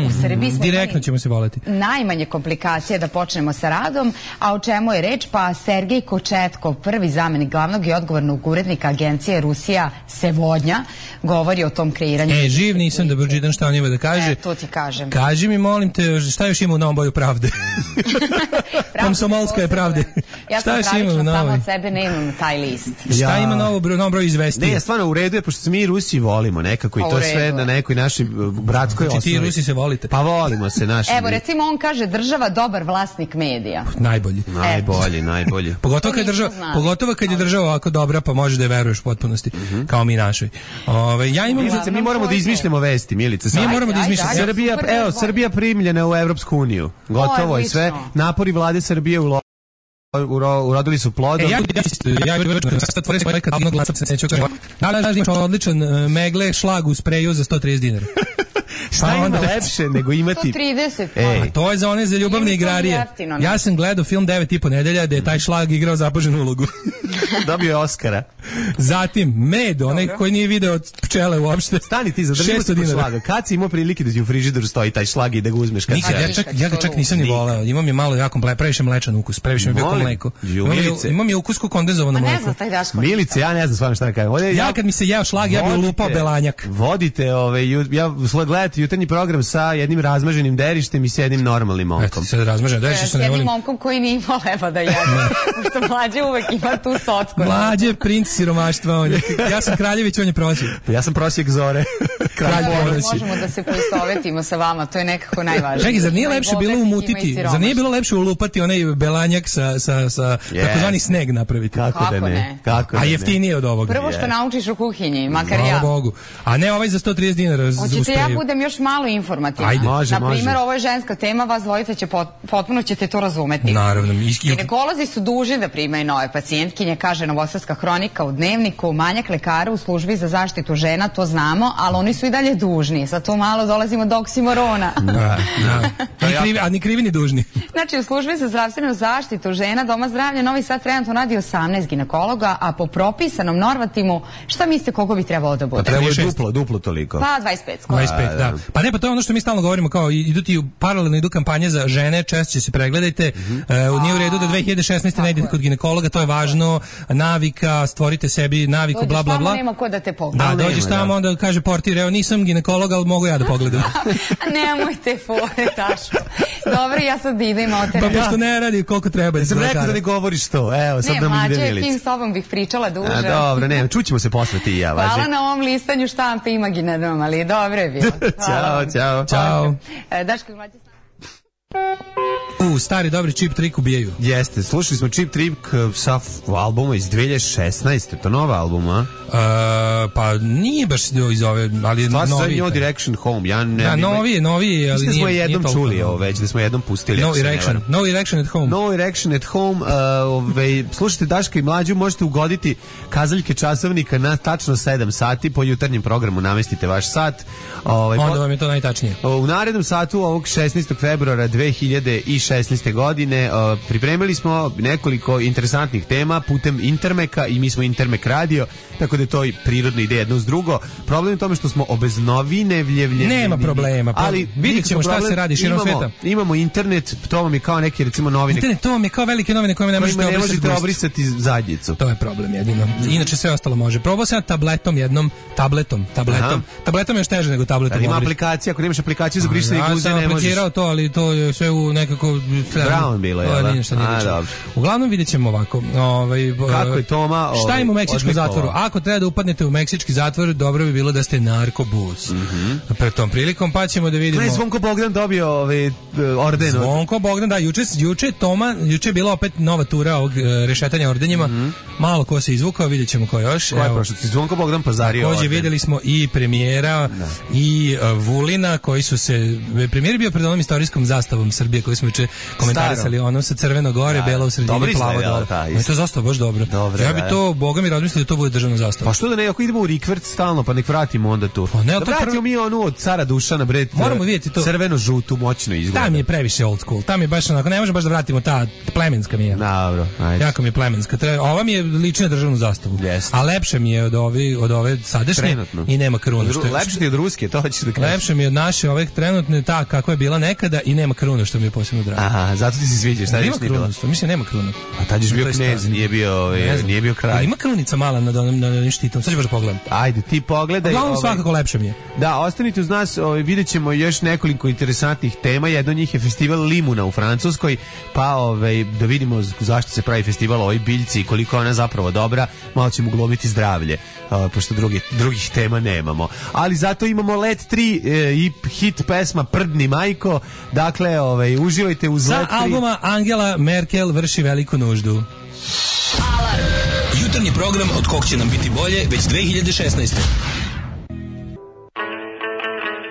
u Srbiji smo Direktno imali ćemo se voleti. najmanje komplikacije da počnemo sa radom, a o čemu je reč? Pa Sergej Kočetkov, prvi zamenik glavnog i odgovornog urednika agencije Rusija Sevodnja, govori o tom kreiranju. E, živ nisam da Brđidan šta on ima da kaže. E, to ti kažem. Kaži mi, molim te, šta još ima u Novom Boju pravde? Komsomolska je pravde. Ja Šta sam još ima u pravično samo Novoj? od sebe nemam taj list. Šta Ja. ima novo broj, novom broju izvesti? Ne, stvarno u redu je, pošto se mi Rusi volimo nekako i Pa, u to redu sve je. na nekoj našoj uh, bratskoj Znači ti osnovi. Rusi se volite. Pa volimo se naši. Evo, recimo on kaže država dobar vlasnik medija. Najbolji. Najbolji, najbolji. Pogotovo To kad, je nismo država, znali. pogotovo kad je država ovako dobra, pa možeš da je veruješ u potpunosti, kao mi našoj. Ove, ja imam... Milice, mi moramo da izmišljamo vesti, Milice. Mi sad. moramo da Ajde, izmišljamo. ajde. Srbija, Super, evo, bolje. Srbija primljena u Evropsku uniju. Gotovo je sve. odlično. Napori vlade Srbije ulo- uro- urodili su plodom. E, ja ja ja ja sad tvorim svoj katalog glasaca se neću kažem. Da, da, da, imaš odličan uh, megle šlag u spreju za sto trideset dinara. Šta Pa ima onda- lepše nego imati... sto trideset. Ej. pa. A to je za one za ljubavne Nije mi to igrarije. jeftino, ne? Ja sam gledao film devet i po nedelja da je taj šlag igrao zapaženu ulogu. Dobio je Oskara. Zatim, med, onaj koji nije video od pčele uopšte. Stani ti, zadržimo šesto se kod dinara. šlaga. Kad si imao prilike da ti u frižideru stoji taj šlag i da ga uzmeš kad Nikad, se... ja, čak, ja ga čak nisam ni voleo. Imam je malo jako mle, previše mlečan ukus, previše mi je bio kao Molim. mleko. Ju, Imam je, Milice. imam je ukus kao kondenzovano Pa ne mleko. znam taj Daško. Milice, ja ne znam stvarno šta da kažem. Ovdje Ja kad mi se jeo šlag, ja bih Vodite- lupao belanjak. Vodite, ove, ju- ja sl- gledate jutarnji program sa jednim razmaženim derištem i s jednim normalnim Eto, momkom. ti sad razmažem, da E, što S ne jednim volim. momkom koji nije imao leba da jede. Pošto mlađe uvek ima tu socku. Mlađe, princ siromaštva, on je. Ja sam Kraljević, on je prosjek. Ja sam prosjek zore. Kralj Kralj Da, ponoći. možemo da se poistovetimo sa vama, to je nekako najvažnije. Čekaj, zar nije Ima i lepše bilo bogatih, ima i umutiti, siromašnih. zar nije bilo lepše ulupati onaj belanjak sa, sa, sa Yes. takozvani sneg napraviti? Kako, Kako da ne? ne? Kako A da ne? jeftinije od ovoga. Prvo što naučiš u kuhinji, makar Hvala ja. Bogu. A ne ovaj za sto trideset dinara. z- Hoćete uspeju. ja budem još malo informativna. Ajde. Može, Na primjer, može. ovo je ženska tema, vas dvojica će pot, potpuno ćete to razumeti. Naravno. i- i- Ginekolozi su dužni da primaju nove pacijentkinje, kaže Novosadska hronika u Dnevniku, manjak lekara u službi za zaštitu žena, to znamo, ali oni su i dalje dužni. Sad tu malo dolazimo do oksimorona. Da, da. Ni krivi, a ni krivi ni dužni. Znači, u službi za zdravstvenu zaštitu žena Doma zdravlja Novi Sad trenutno radi osamnaest ginekologa, a po propisanom normativu, šta mislite koliko bi trebalo da bude? Pa treba je šest. duplo, duplo toliko. Pa dvadeset pet skoro. dvadeset pet, da. Pa ne, pa to je ono što mi stalno govorimo, kao i- idu ti u- paralelno idu kampanje za žene, češće se pregledajte. E, nije u redu da dve hiljade šesnaeste ne idete kod ginekologa, to je važno, navika, stvorite sebi naviku, Dođeš bla bla tamo, bla. nema ko da te pogleda. Da, Ali dođeš nema, tamo, da. onda kaže portir, evo nisam ginekolog, ali mogu ja da pogledam. A nemojte fore, Taško. Dobro, ja sad idem o Pa teren. pošto ne radi koliko treba. Ja sam da rekao da lekara. ne govoriš to. Evo, sad Ne, da mi ide mlađe, Milica. tim s tobom bih pričala duže. A, dobro, ne, čućemo se posle ti i ja, važi. Hvala na ovom listanju štampe imaginarnom, ali dobro je bilo. Hvala Ćao, vam. ćao. Ćao. E, Daško, mlađe s nama. U, stari dobri Cheap Trick ubijaju. Jeste, slušali smo Cheap Trick sa albuma iz dve hiljade šesnaeste. To nova albuma, a? Uh, pa nije baš iz ove, ali Stvar se novi. New Direction Home. Ja ne, da, novi je, novi je, ali nije, nije, smo jednom nije čuli toliko, ovo već, da smo jednom pustili. No Erection, No Erection at Home. No Erection at Home. Uh, ove, slušajte Daška i Mlađu, možete ugoditi kazaljke časovnika na tačno sedam sati, po jutarnjem programu namestite vaš sat. Ove, Onda vam je to najtačnije. U narednom satu ovog šesnaestog februara dve hiljade šesnaeste. godine uh, pripremili smo nekoliko interesantnih tema putem Intermeka i mi smo Intermek radio, tako da je to i prirodno ide jedno uz drugo. Problem je u tome što smo obeznovinevljevljeni. Nema problema, ali vidjet ćemo šta se radi širom imamo, sveta. Imamo internet, to vam je kao neke recimo novine. Internet, to vam je kao velike novine koje ne možete ne obrisati, možete obrisati zadnjicu. To je problem jedino. Inače sve ostalo može. Probao sam tabletom jednom, tabletom, tabletom. Aha. Tabletom je još teže nego tabletom. Da, ima aplikacija, ako nemaš aplikaciju za brisanje guze, ne možeš. Ja sam aplikirao to, ali to je sve u nekako Brown bilo je, da? A, uglavnom vidjet ćemo ovako. Ovaj, kako je Toma ovaj, šta ima u meksičkom zatvoru? Ako treba da upadnete u meksički zatvor, dobro bi bilo da ste narkobus. Mm -hmm. Pred tom prilikom pa ćemo da vidimo. Ne, Zvonko Bogdan dobio ovaj orden. Zvonko Bogdan, da, juče, juče Toma, juče je bila opet nova tura ovog rešetanja ordenjima. Mm -hmm. Malo ko se izvukao, vidjet ćemo ko još. Ko je prošao? Zvonko Bogdan pazario. Takođe videli smo i premijera da. i uh, Vulina koji su se... Premijer bio pred onom istorijskom zastavom Srbije koju smo juče komentarisali, ono sa crveno gore, da, belo u sredini, plavo dole. No, to je zastava baš dobro. Dobre, ja bi to, Boga mi razmislio da to bude državna zastava. Pa što da ne, ako idemo u rikvert stalno, pa nek vratimo onda tu. Pa ne, da vratimo prv... mi onu od cara Dušana, bre, moramo vidjeti to. Crveno-žutu, moćno izgleda. Tam je previše old school, tam je baš onako, ne možemo baš da vratimo ta plemenska mi je. Dobro, ajde. Jako mi je plemenska. Ova mi je lična državnu zastavu. Yes. A lepše mi je od ove, od ove sadašnje. Trenutno. I nema kruna. Što je, lepše ti od ruske, to hoćeš da kažeš. Lepše mi je od naše ove trenutne, ta kako je bila nekada i nema kruna, što mi je posebno drago. Aha, zato ti se sviđa, šta nema kruna, mislim nema kruna. A tad je bio knez, nije bio, je, nije bio kralj. Ima krunica mala nad onim na onim štitom. Sad ću baš pogledam. Ajde, ti pogledaj. Uglavnom ovaj, svakako lepše mi je. Da, ostanite uz nas, ovaj, vidjećemo još nekoliko interesantnih tema. Jedno od njih je festival Limuna u Francuskoj, pa ovaj, da vidimo zašto se pravi festival ovoj biljci i koliko ona zapravo dobra. Malo ćemo glomiti zdravlje, ovaj, pošto drugi, drugih tema nemamo. Ali zato imamo Let tri e, i hit pesma Prdni majko. Dakle, ovaj, uživajte uz Let tri. Sa albuma Angela Merkel vrši veliku nuždu. Alarm. Jutarnji program od kog će nam biti bolje već dve hiljade šesnaeste.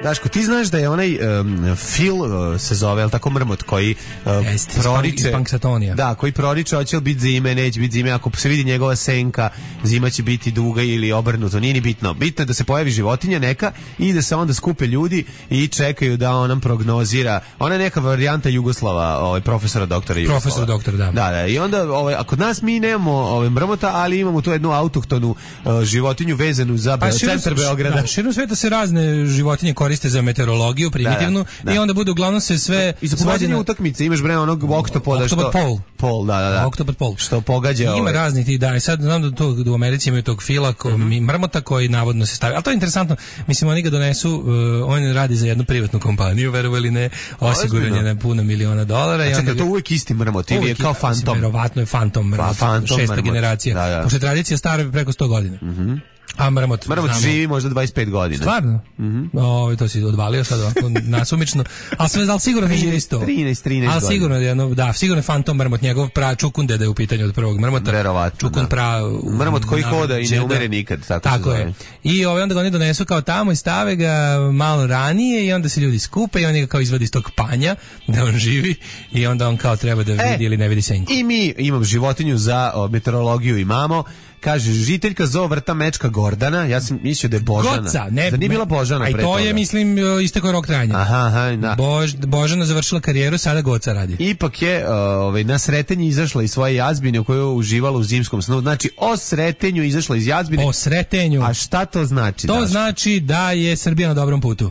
Daško, ti znaš da je onaj um, Phil uh, se zove, ali tako Mrmot, koji uh, Jest, proriče... Punxsutawnija. Da, koji proriče, hoće li biti zime, neće biti zime, ako se vidi njegova senka, zima će biti duga ili obrnuto, nije ni bitno. Bitno je da se pojavi životinja neka i da se onda skupe ljudi i čekaju da on nam prognozira. Ona je neka varijanta Jugoslava, ovaj, profesora doktora Jugoslava. Profesor doktor, da. Da, da, i onda, ovaj, a kod nas mi nemamo ovaj, Mrmota, ali imamo tu jednu autohtonu uh, životinju vezanu za pa, centar Beograda. Da, širom sveta se razne životinje koriste za meteorologiju primitivnu, da, da, da. I onda bude uglavnom se sve i za pogađanje utakmice imaš bre onog oktopoda što Octopod pol pol da da da Octopod pol što pogađa. Ima ovaj. raznih tih, da, i sad znam da to u Americi imaju tog Fila ko, mm -hmm. Mrmota koji navodno se stavi, ali to je interesantno, mislim oni ga donesu, uh, on radi za jednu privatnu kompaniju, verovali ili ne, osiguran je na puno miliona dolara. A čekaj, to uvijek isti Mrmot ili je kao fantom? Verovatno je fantom Mrmot, fantom šesta Mrmot. Generacija, da, da. pošto je tradicija stara preko sto godina. Mhm. Mm A Mrmot, Mrmot živi možda dvadeset pet godina. Stvarno? Mhm. Mm O, to si odvalio sad ovako nasumično. A sve da li sigurno ne živi sto? trinaest, trinaest Ali sigurno je jedno, da, sigurno je fantom Mrmot, njegov pra Čukunde da je u pitanju od prvog Mrmota. Verovatno. Čukun pra Mrmot koji hoda i ne umire nikad, tako, tako je. I ovaj onda ga oni donesu kao tamo i stave ga malo ranije i onda se ljudi skupe i oni ga kao izvadi iz tog panja da on živi i onda on kao treba da vidi e, ili ne vidi senku. I mi imamo životinju za o, meteorologiju imamo. Kaže, žiteljka zoo vrta mečka Gordana, ja sam mislio da je Božana. Goca, ne, da nije bila Božana pre toga. A to je, mislim, istekao rok trajanja. Aha, aha, da. Bož, Božana završila karijeru, sada Goca radi. Ipak je uh, ovaj, na Sretenji izašla iz svoje jazbine u kojoj je uživala u zimskom snu. Znači, o Sretenju izašla iz jazbine. O Sretenju. A šta to znači? To daš? znači da je Srbija na dobrom putu.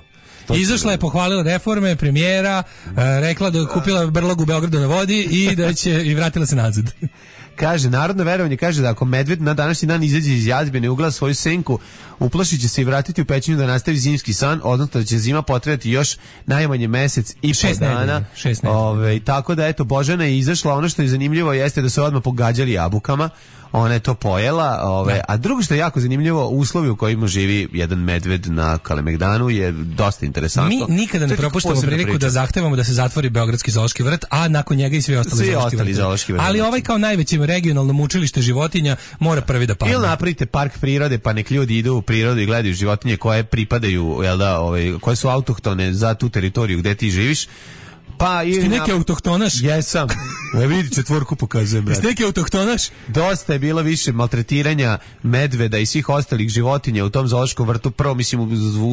Izašla je, pohvalila reforme, premijera, rekla da je kupila brlog u Beogradu na vodi i da će i vratila se nazad. Kaže, narodno verovanje kaže da ako medved na današnji dan izađe iz jazbine i ugleda svoju senku, uplašit će se i vratiti u pećinu da nastavi zimski san, odnosno da će zima potrajati još najmanje mesec i po dana. Ove, tako da, eto, Božana je izašla. Ono što je zanimljivo jeste da su odmah pogađali jabukama. Ona je to pojela, ove, a drugo što je jako zanimljivo, uslovi u kojima živi jedan medved na Kalemegdanu je dosta interesantno. Mi nikada ne propuštamo priliku da zahtevamo da se zatvori Beogradski zoološki vrt, a nakon njega i svi ostali svi zoološki ostali zoološki vrt. Ali ovaj kao najveće regionalno mučilište životinja mora prvi da padne. Ili napravite park prirode, pa nek ljudi idu u prirodu i gledaju životinje koje pripadaju, jel da, ovaj, koje su autohtone za tu teritoriju gde ti živiš. Pa i ti neki autohtonaš? Jesam. Ne vidi, četvorku pokazujem, brate. Ti neki autohtonaš? Dosta je bilo više maltretiranja medveda i svih ostalih životinja u tom zoološkom vrtu. Prvo, mislim,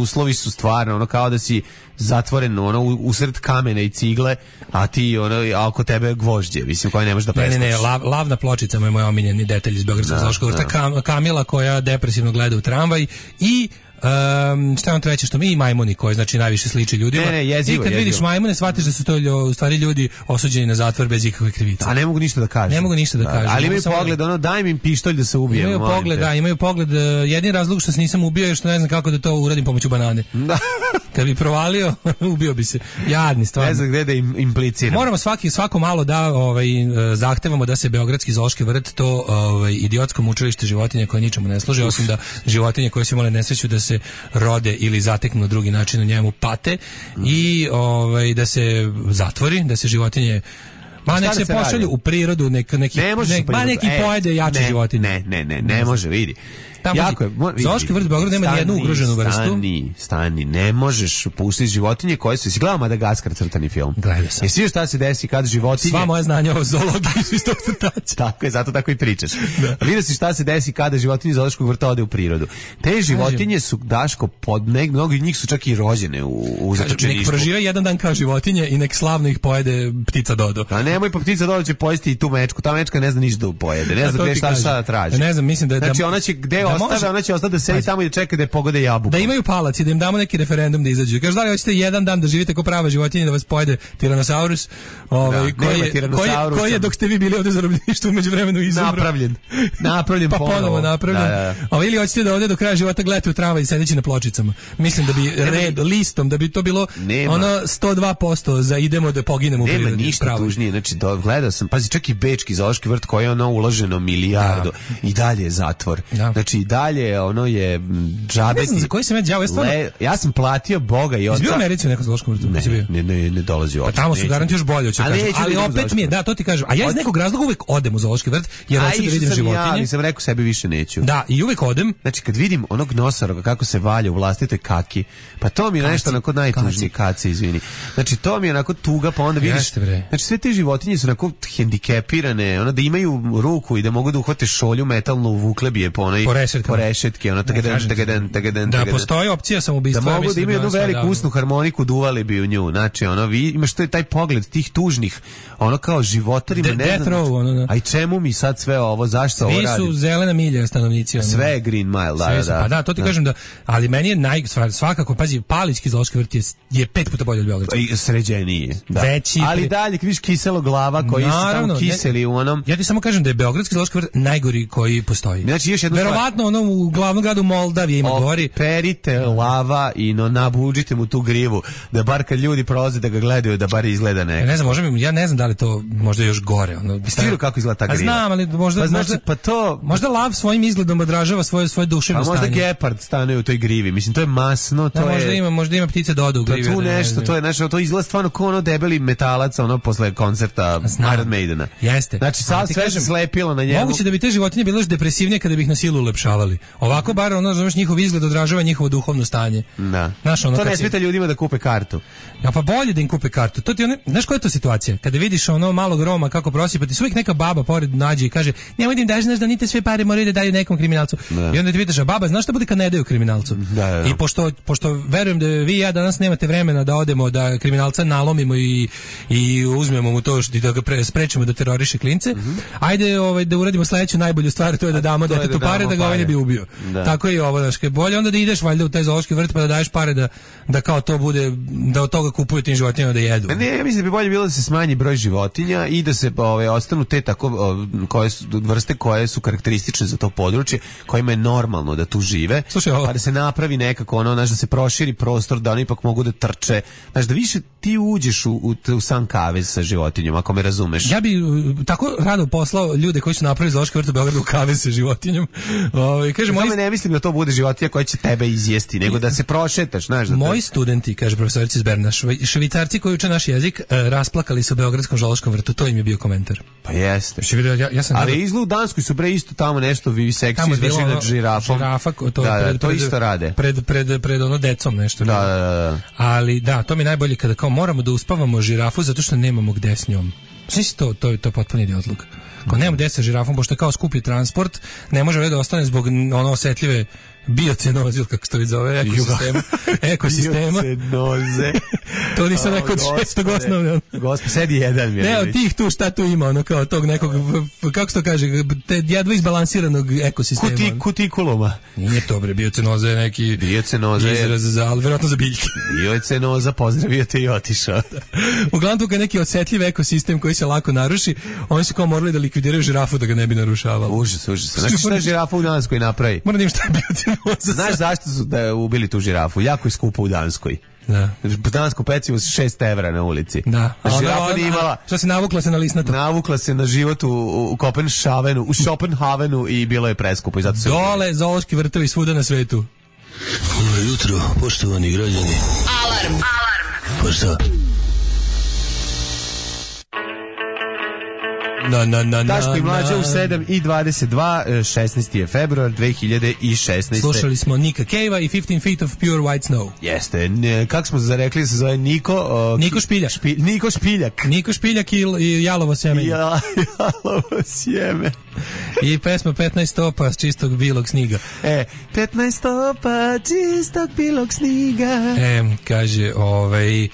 uslovi su stvarno ono kao da si zatvoren ono usred kamena i cigle, a ti ono a oko tebe gvožđe, mislim, koje ne možeš da preskočiš. Ne, ne, ne, lav, lavna pločica je moj omiljeni detalj iz Beogradskog zoološkog vrta. Kam, Kamila koja depresivno gleda u tramvaj i Um, šta vam treće što mi i majmuni koji znači najviše sliči ljudima. Ne, ne, jezivo, i kad jezivo. vidiš majmune shvatiš da su to u stvari ljudi osuđeni na zatvor bez ikakve krivice. A ne mogu ništa da kažu. Ne mogu ništa da, da kažu. Ali imaju pogled, ono daj mi pištolj da se ubijem. Imaju pogled, da, imaju pogled. Jedini razlog što se nisam ubio je što ne znam kako da to uradim pomoću banane. Da. Kad bi provalio, ubio bi se. Jadni stvarno. Ne znam gde da im impliciram. Moramo svaki svako malo da ovaj zahtevamo da se Beogradski zoološki vrt, to ovaj idiotsko mučilište životinja koje ničemu ne služe osim da životinje koje su imale nesreću da se rode ili zateknu na drugi način u njemu pate mm. i ovaj da se zatvori, da se životinje ma nek se, se pošalju u prirodu, nek neki ne nek, ma neki e, pojede jače ne, životinje. Ne, ne, ne, ne može, vidi. Jako je. Zoološki vrt Beograd nema ni jednu ugroženu vrstu. Stani, stani, ne možeš pustiti životinje koje su... Si gledao Madagaskar crtani film? Gledao sam. Jesi vidio šta se desi kad životinje... Sva moja znanja o zoologiji su iz tog crtača. Tako je, zato tako i pričaš. Da. Vidio si šta se desi kada životinje iz zoološkog vrta ode u prirodu. Te životinje su, Daško, pod nek, mnogi njih su čak i rođene u, u zatočeništvu. Nek prožive jedan dan kao životinje i nek slavno ih pojede ptica Dodo. A nemoj, pa ptica Dodo će pojesti i tu mečku. Ta mečka ne zna ništa da pojede. Ne zna gde šta šta traži. Ne znam, mislim da... Znači ona će, gde ostave, ona će ostati da sedi tamo i da čeka da je pogode jabuku. Da imaju palac i da im damo neki referendum da izađu. Kaže, da li hoćete jedan dan da živite kao prava životinja da vas pojede Tiranosaurus, ovaj, da, koji, je, koji, koji je dok ste vi bili ovde zarobljeništvu umeđu vremenu izumro. Napravljen. Napravljen pa ponovo. ponovo napravljen. Da, da. A ili hoćete da ovde do kraja života gledate u tramvaj i sedeći na pločicama. Mislim da bi red, listom, da bi to bilo nema. Ono sto dva posto za idemo da poginemo u prirodi. Nema ništa tužnije. Znači, do, gledao sam, pazi, čak i Bečki zoološki vrt koji je ono uloženo milijardu da. I dalje je zatvor. Da. Znači, i dalje ono je džabe. Ne znam za koji sam ja đavo, ja stvarno... Le, ja sam platio Boga i oca. Izbio Americi u nekom zoološkom vrtu? Ne, ne, ne, ne dolazi uopšte. Pa tamo su garanti još bolje, hoće kažem. Ali opet mi je, da, to ti kažem. A ja iz nekog razloga uvek odem u zoološki vrt, jer hoću da vidim životinje. Ja, ali sam rekao sebi više neću. Da, i uvek odem. Znači, kad vidim onog nosoroga kako se valja u vlastitoj kaki, pa to mi je nešto onako najtužnije, kaci, izvini. Znači, to mi je onako tuga, pa onda vidiš... Znači, sve te životinje su onako hendikepirane, ono da imaju ruku i da mogu da uhvate šolju metalnu, vukle bi je po onoj... Po rešetke, ono tagadan, tagadan, tagadan, da postoji opcija samoubistva, da mogu da imaju jednu veliku usnu harmoniku, duvali bi u nju. Znači, ono, vi imaš to je taj pogled tih tužnih, ono kao životarima, De, ne znam. Row, ono, da. A i čemu mi sad sve ovo, zašto ovo radim? Svi su zelena milja stanovnici. Ono. Sve je Green Mile, da, su, da. Pa da, to ti da. Kažem da, ali meni je naj, svakako, pazi, Palićki zoološki vrt je, je pet puta bolje od Beogradskog. I sređeniji, da. Veći. Ali dalje, vidiš kiselo glava koji su tamo kiseli ne, u onom. Ja ti samo kažem da je Beogradski zoološki vrt najgori koji postoji. Znači, još jedno verovatno ono u glavnom gradu Moldavije ima gori. Perite lava i no nabuđite mu tu grivu da bar kad ljudi prolaze da ga gledaju da bar izgleda neko. Ja ne znam, možda ja ne znam da li to možda još gore, ono bi stvarno kako izgleda ta griva. A znam, ali možda pa znači, možda pa to možda lav svojim izgledom odražava svoje svoje duševno stanje. Pa možda gepard stanuje u toj grivi. Mislim to je masno, to da, je možda ima, možda ima ptice Dodo u grivi. Pa tu nešto, to je nešto, to izgleda stvarno kao ono debeli metalac ono posle koncerta Iron Maidena. Jeste. Znači sad sve se slepilo na njemu. Moguće da bi te životinje bile još depresivnije kada bi ih na silu ulepšavali. Ovako bar ono znaš njihov izgled odražava njihovo duhovno stanje. Da. Znaš, ono, to ne smeta ljudima da kupe kartu. Ja pa bolje da im kupe kartu. To ti one, znaš koja je to situacija? Kada vidiš ono malog Roma kako prosipati, uvijek neka baba pored nađe i kaže: "Nemoj da im daš, znaš da nite sve pare moraju da daju nekom kriminalcu." Da. I onda ti pitaš: "A baba, znaš šta bude kad ne daju kriminalcu?" Da, da. I pošto pošto verujem da vi i ja danas nemate vremena da odemo da kriminalca nalomimo i i uzmemo mu to što da ga pre, sprečimo da teroriše klince. Mm -hmm. Ajde, ovaj da uradimo sledeću najbolju stvar, to je da damo detetu pare da ga ovaj ovaj ne bi ubio. Da. Tako je i ovo, znaš, bolje onda da ideš valjda u taj zoološki vrt pa da daješ pare da, da kao to bude, da od toga kupuju tim životinjama da jedu. Ne, ja mislim da bi bolje bilo da se smanji broj životinja i da se ove, ostanu te tako o, koje su, vrste koje su karakteristične za to područje, kojima je normalno da tu žive. Slušaj, ovo. Pa da se napravi nekako ono, znaš, da se proširi prostor, da oni ipak mogu da trče, znaš, da više ti uđeš u, u, u sam kavez sa životinjom, ako me razumeš. Ja bi uh, tako rado poslao ljude koji su napravili zoološki vrt u Beogradu u kavez sa životinjom. Ovaj kaže moj ne mislim da to bude životinja koja će tebe izjesti, nego da se prošetaš, znaš, da moji te... studenti, kaže profesorica iz Berna, švajcarci koji uče naš jezik, uh, rasplakali se u beogradskom zoološkom vrtu, to im je bio komentar. Pa jeste. Ja, ja sam ali gledao... izlu u Danskoj su bre isto tamo nešto vivisekciju izvršili nad žirafom. Žirafa, to, da, pred, da, to pred, isto rade. Pred, pred, pred, pred ono decom nešto. Da, da, da. Ali da, to mi je najbolje kada kao moramo da uspavamo žirafu zato što nemamo gde s njom. Znači to, to, to je potpuno idiotluk. Ako nemamo gde sa žirafom, pošto je kao skupi transport, ne može ovdje da ostane zbog ono osetljive biocenoze, ili kako se to vidi zove, ekosistema. ekosistema. Biocenoze. To nisam rekao od šestog osnovne. Gospod, sedi jedan. Ne, od tih tu šta tu ima, ono kao tog nekog, kako se to kaže, te jedva izbalansiranog ekosistema. Kuti, kutikuluma. Nije to bre, biocenoza je neki biocenoza izraz za, ali vjerojatno za biljke. Biocenoza, pozdravio te i otišao. Uglavnom tu kad neki osetljiv ekosistem koji se lako naruši, oni su kao morali da likvidiraju žirafu da ga ne bi narušavalo. Užas, užas. Znaš šta je žirafa u Danskoj napravi? Moram da im šta je biocenoza. Znaš zašto su da ubili tu žirafu? Jako je skupo u Danskoj. Da. Dansko pecivo s šest evra na ulici. Da. A žirafa nije imala. Šta se navukla se na lisnato? Navukla se na život u, u Kopenhavenu, u Schopenhavenu i bilo je preskupo. I zato se dole zoološki vrtovi svuda na svetu. Dobro jutro, poštovani građani. Alarm. Alarm. Pa šta? Na, na, na, Daško i Mlađa u sedam i dvadeset dva, šesnaesti je februar dve hiljade šesnaeste. Slušali smo Nika Cave-a i fifteen feet of pure white snow. Jeste, ne, kako smo zarekli da se zove Niko? O, Niko Špiljak. Špi, Niko Špiljak. Niko Špiljak i, i Jalovo sjeme. Ja, Jalovo sjeme. I pesma petnaest stopa s čistog bilog sniga. E, petnaest stopa čistog bilog sniga. E, kaže, ovaj, e,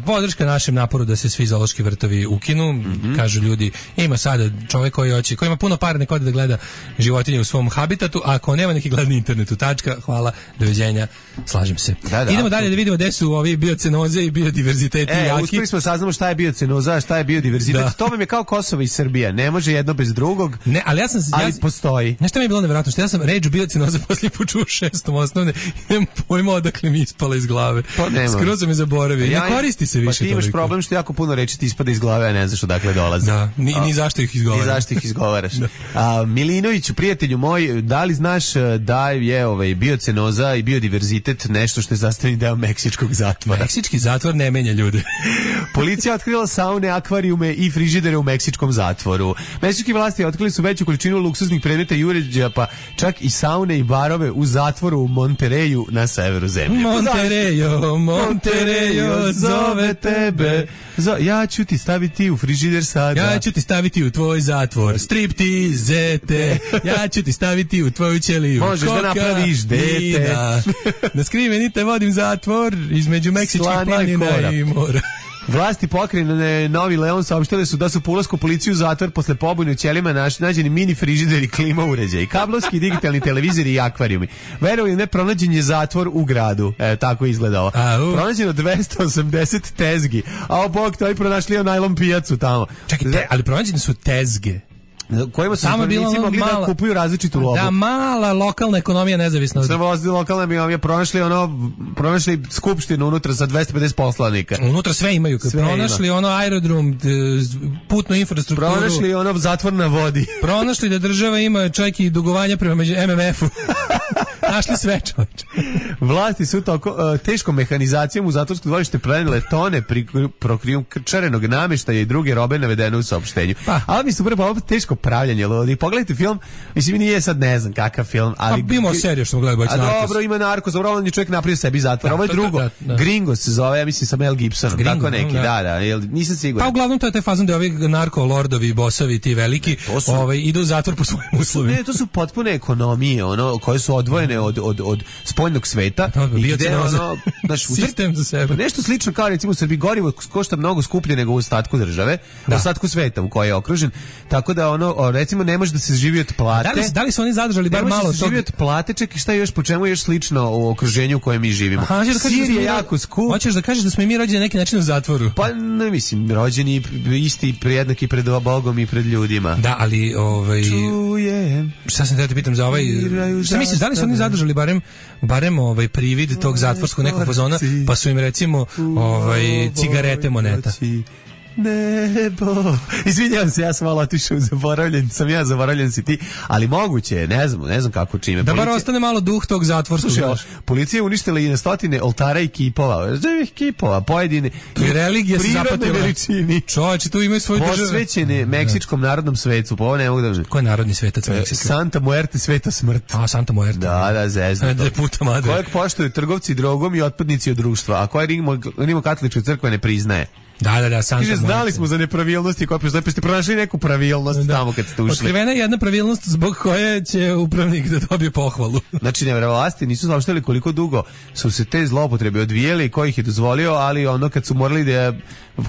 podrška našem naporu da se svi zoološki vrtovi ukinu. Mm-hmm. Kažu ljudi, ima sada čovjek koji hoće, koji ima puno para, nek ode da gleda životinje u svom habitatu, a ako nema neki gledni internetu, tačka, hvala, doviđenja, slažem se. Da, da, idemo dalje da vidimo gde su ovi biocenoze i biodiverziteti e, jaki. Uspeli smo saznamo šta je biocenoza, šta je biodiverzitet. Da. To vam je kao Kosovo i Srbija, ne može jedno bez drugog. Ne, ali ja sam ali ja, postoji. Nešto mi je bilo nevjerojatno, što ja sam reč biocenoza poslije počuo šestom osnovne i nemam pojma odakle mi ispala iz glave. Skroz sam je zaboravio. Ja, ne koristi se više. Pa ti imaš toliko. problem što jako puno reči ti ispada iz glave, a ne znaš odakle dolaze. Da, ni, ni zašto ih izgovaraš. Ni zašto ih izgovaraš. A, Milinoviću, prijatelju moj, da li znaš da je ovaj biocenoza i biodiverzitet nešto što je sastavni deo meksičkog zatvora? Meksički zatvor ne menja ljude. Policija otkrila saune, akvarijume i frižidere u meksičkom zatvoru. Meksički vlasti otkrili su veću količinu luksuznih predmeta i uređaja, pa čak i saune i barove u zatvoru u Montereju na severu zemlje. Monterejo, Monterejo, zove tebe. Zo, ja ću ti staviti u frižider sada. Ja ću ti staviti u tvoj zatvor. Striptizete. Ja ću ti staviti u tvoju ćeliju. Možeš da napraviš dete. Na skriveni te vodim zatvor između meksičkih planina i mora. Vlasti pokrajine Novi Leon saopštile su da su po ulasku policije u zatvor posle pobune u ćelijama nađeni mini frižider i klima uređaji, kablovski digitalni televizori i akvarijumi. Verovali ne, pronađen je zatvor u gradu. E, tako izgleda ovo. Pronađeno dvesta osamdeset tezgi. A o bog, to i pronašli najlon pijacu tamo. Čekaj, te, ali pronađene su tezge. Kojima su zatvornici mogli mala, da kupuju različitu lobu. Da, mala lokalna ekonomija nezavisna. Srvosti lokalna ekonomija, pronašli ono, pronašli skupštinu unutra sa dvesta pedeset poslanika. Unutra sve imaju. Sve pronašli ima. Ono aerodrom, putnu infrastrukturu. Pronašli ono zatvor na vodi. Pronašli da država ima čak i dugovanja prema em em efu. Našli sve, čovječe. Vlasti su toko, uh, teškom mehanizacijom u zatvorsko dvorište prenele tone prokrijumčarenog namještaja i druge robe navedene u saopštenju. Pa. Ali mi su prvo teško pravljanje ljudi. Pogledajte film, mislim nije sad ne znam kakav film, ali pa imamo seriju što gledaju Bojić Narkos. Dobro, ima Narkos, dobro, on je čovjek napravio sebi zatvor. Ovo je drugo. Da, da, da. Gringo se zove, ja mislim sa Mel Gibsonom, Gringo, tako neki, da, da, da jel, nisam siguran. Pa uglavnom to je taj fazon da ovi narko lordovi, bosovi, ti veliki, su, ovaj idu u zatvor po svojim uslovima. Ne, to su potpune ekonomije, ono koje su odvojene od, od, od spoljnog sveta. To bi bio ono, znaš, sistem za sebe. Nešto slično kao recimo u Srbiji gorivo košta mnogo skuplje nego u ostatku države, u ostatku sveta u kojoj je okružen. Tako da ono, recimo ne može da se živi od plate. Da li, da li su oni zadržali bar malo tog? Živi od plate, ček i šta je još, po čemu je još slično u okruženju u kojem mi živimo. Aha, da Sir je jako skup. Hoćeš da kažeš da smo i mi rođeni na neki način u zatvoru? Pa ne mislim, rođeni isti jednaki pred Bogom i pred ljudima. Da, ali ovaj čujem. Šta sam da te pitam za ovaj? Šta misliš, da li su oni zadržali barem barem ovaj privid tog zatvorskog nekog fazona, pa su im recimo ovaj cigarete moneta? Nebo. Izvinjavam se, ja sam malo otišao zaboravljen, sam ja zaboravljen si ti, ali moguće, ne znam, ne znam kako čime. Da bar ostane malo duh tog zatvorskog. Policija je uništila i na stotine oltara i kipova, živih kipova, pojedine. I religija se zapatila. Čovječe, tu imaju svoju državu. Posvećene Meksičkom narodnom svetu, pa ovo ne mogu da... Ko je narodni svetac Meksika? Santa Muerte, sveta smrt. A, Santa Muerte. Da, da, zezno. Da puta madre. Kojeg poštuju trgovci drogom i otpadnici od društva, a koje Rimokatolička crkva ne priznaje. Da, da, da, Santa Kaže, znali smo za nepravilnosti koje pa ste pronašli neku pravilnost da. Tamo kad ste ušli. Otkrivena je jedna pravilnost zbog koje će upravnik da dobije pohvalu. Znači, nevjerovlasti nisu saopštili koliko dugo su se te zloupotrebe odvijele i ko ih je dozvolio, ali ono kad su morali da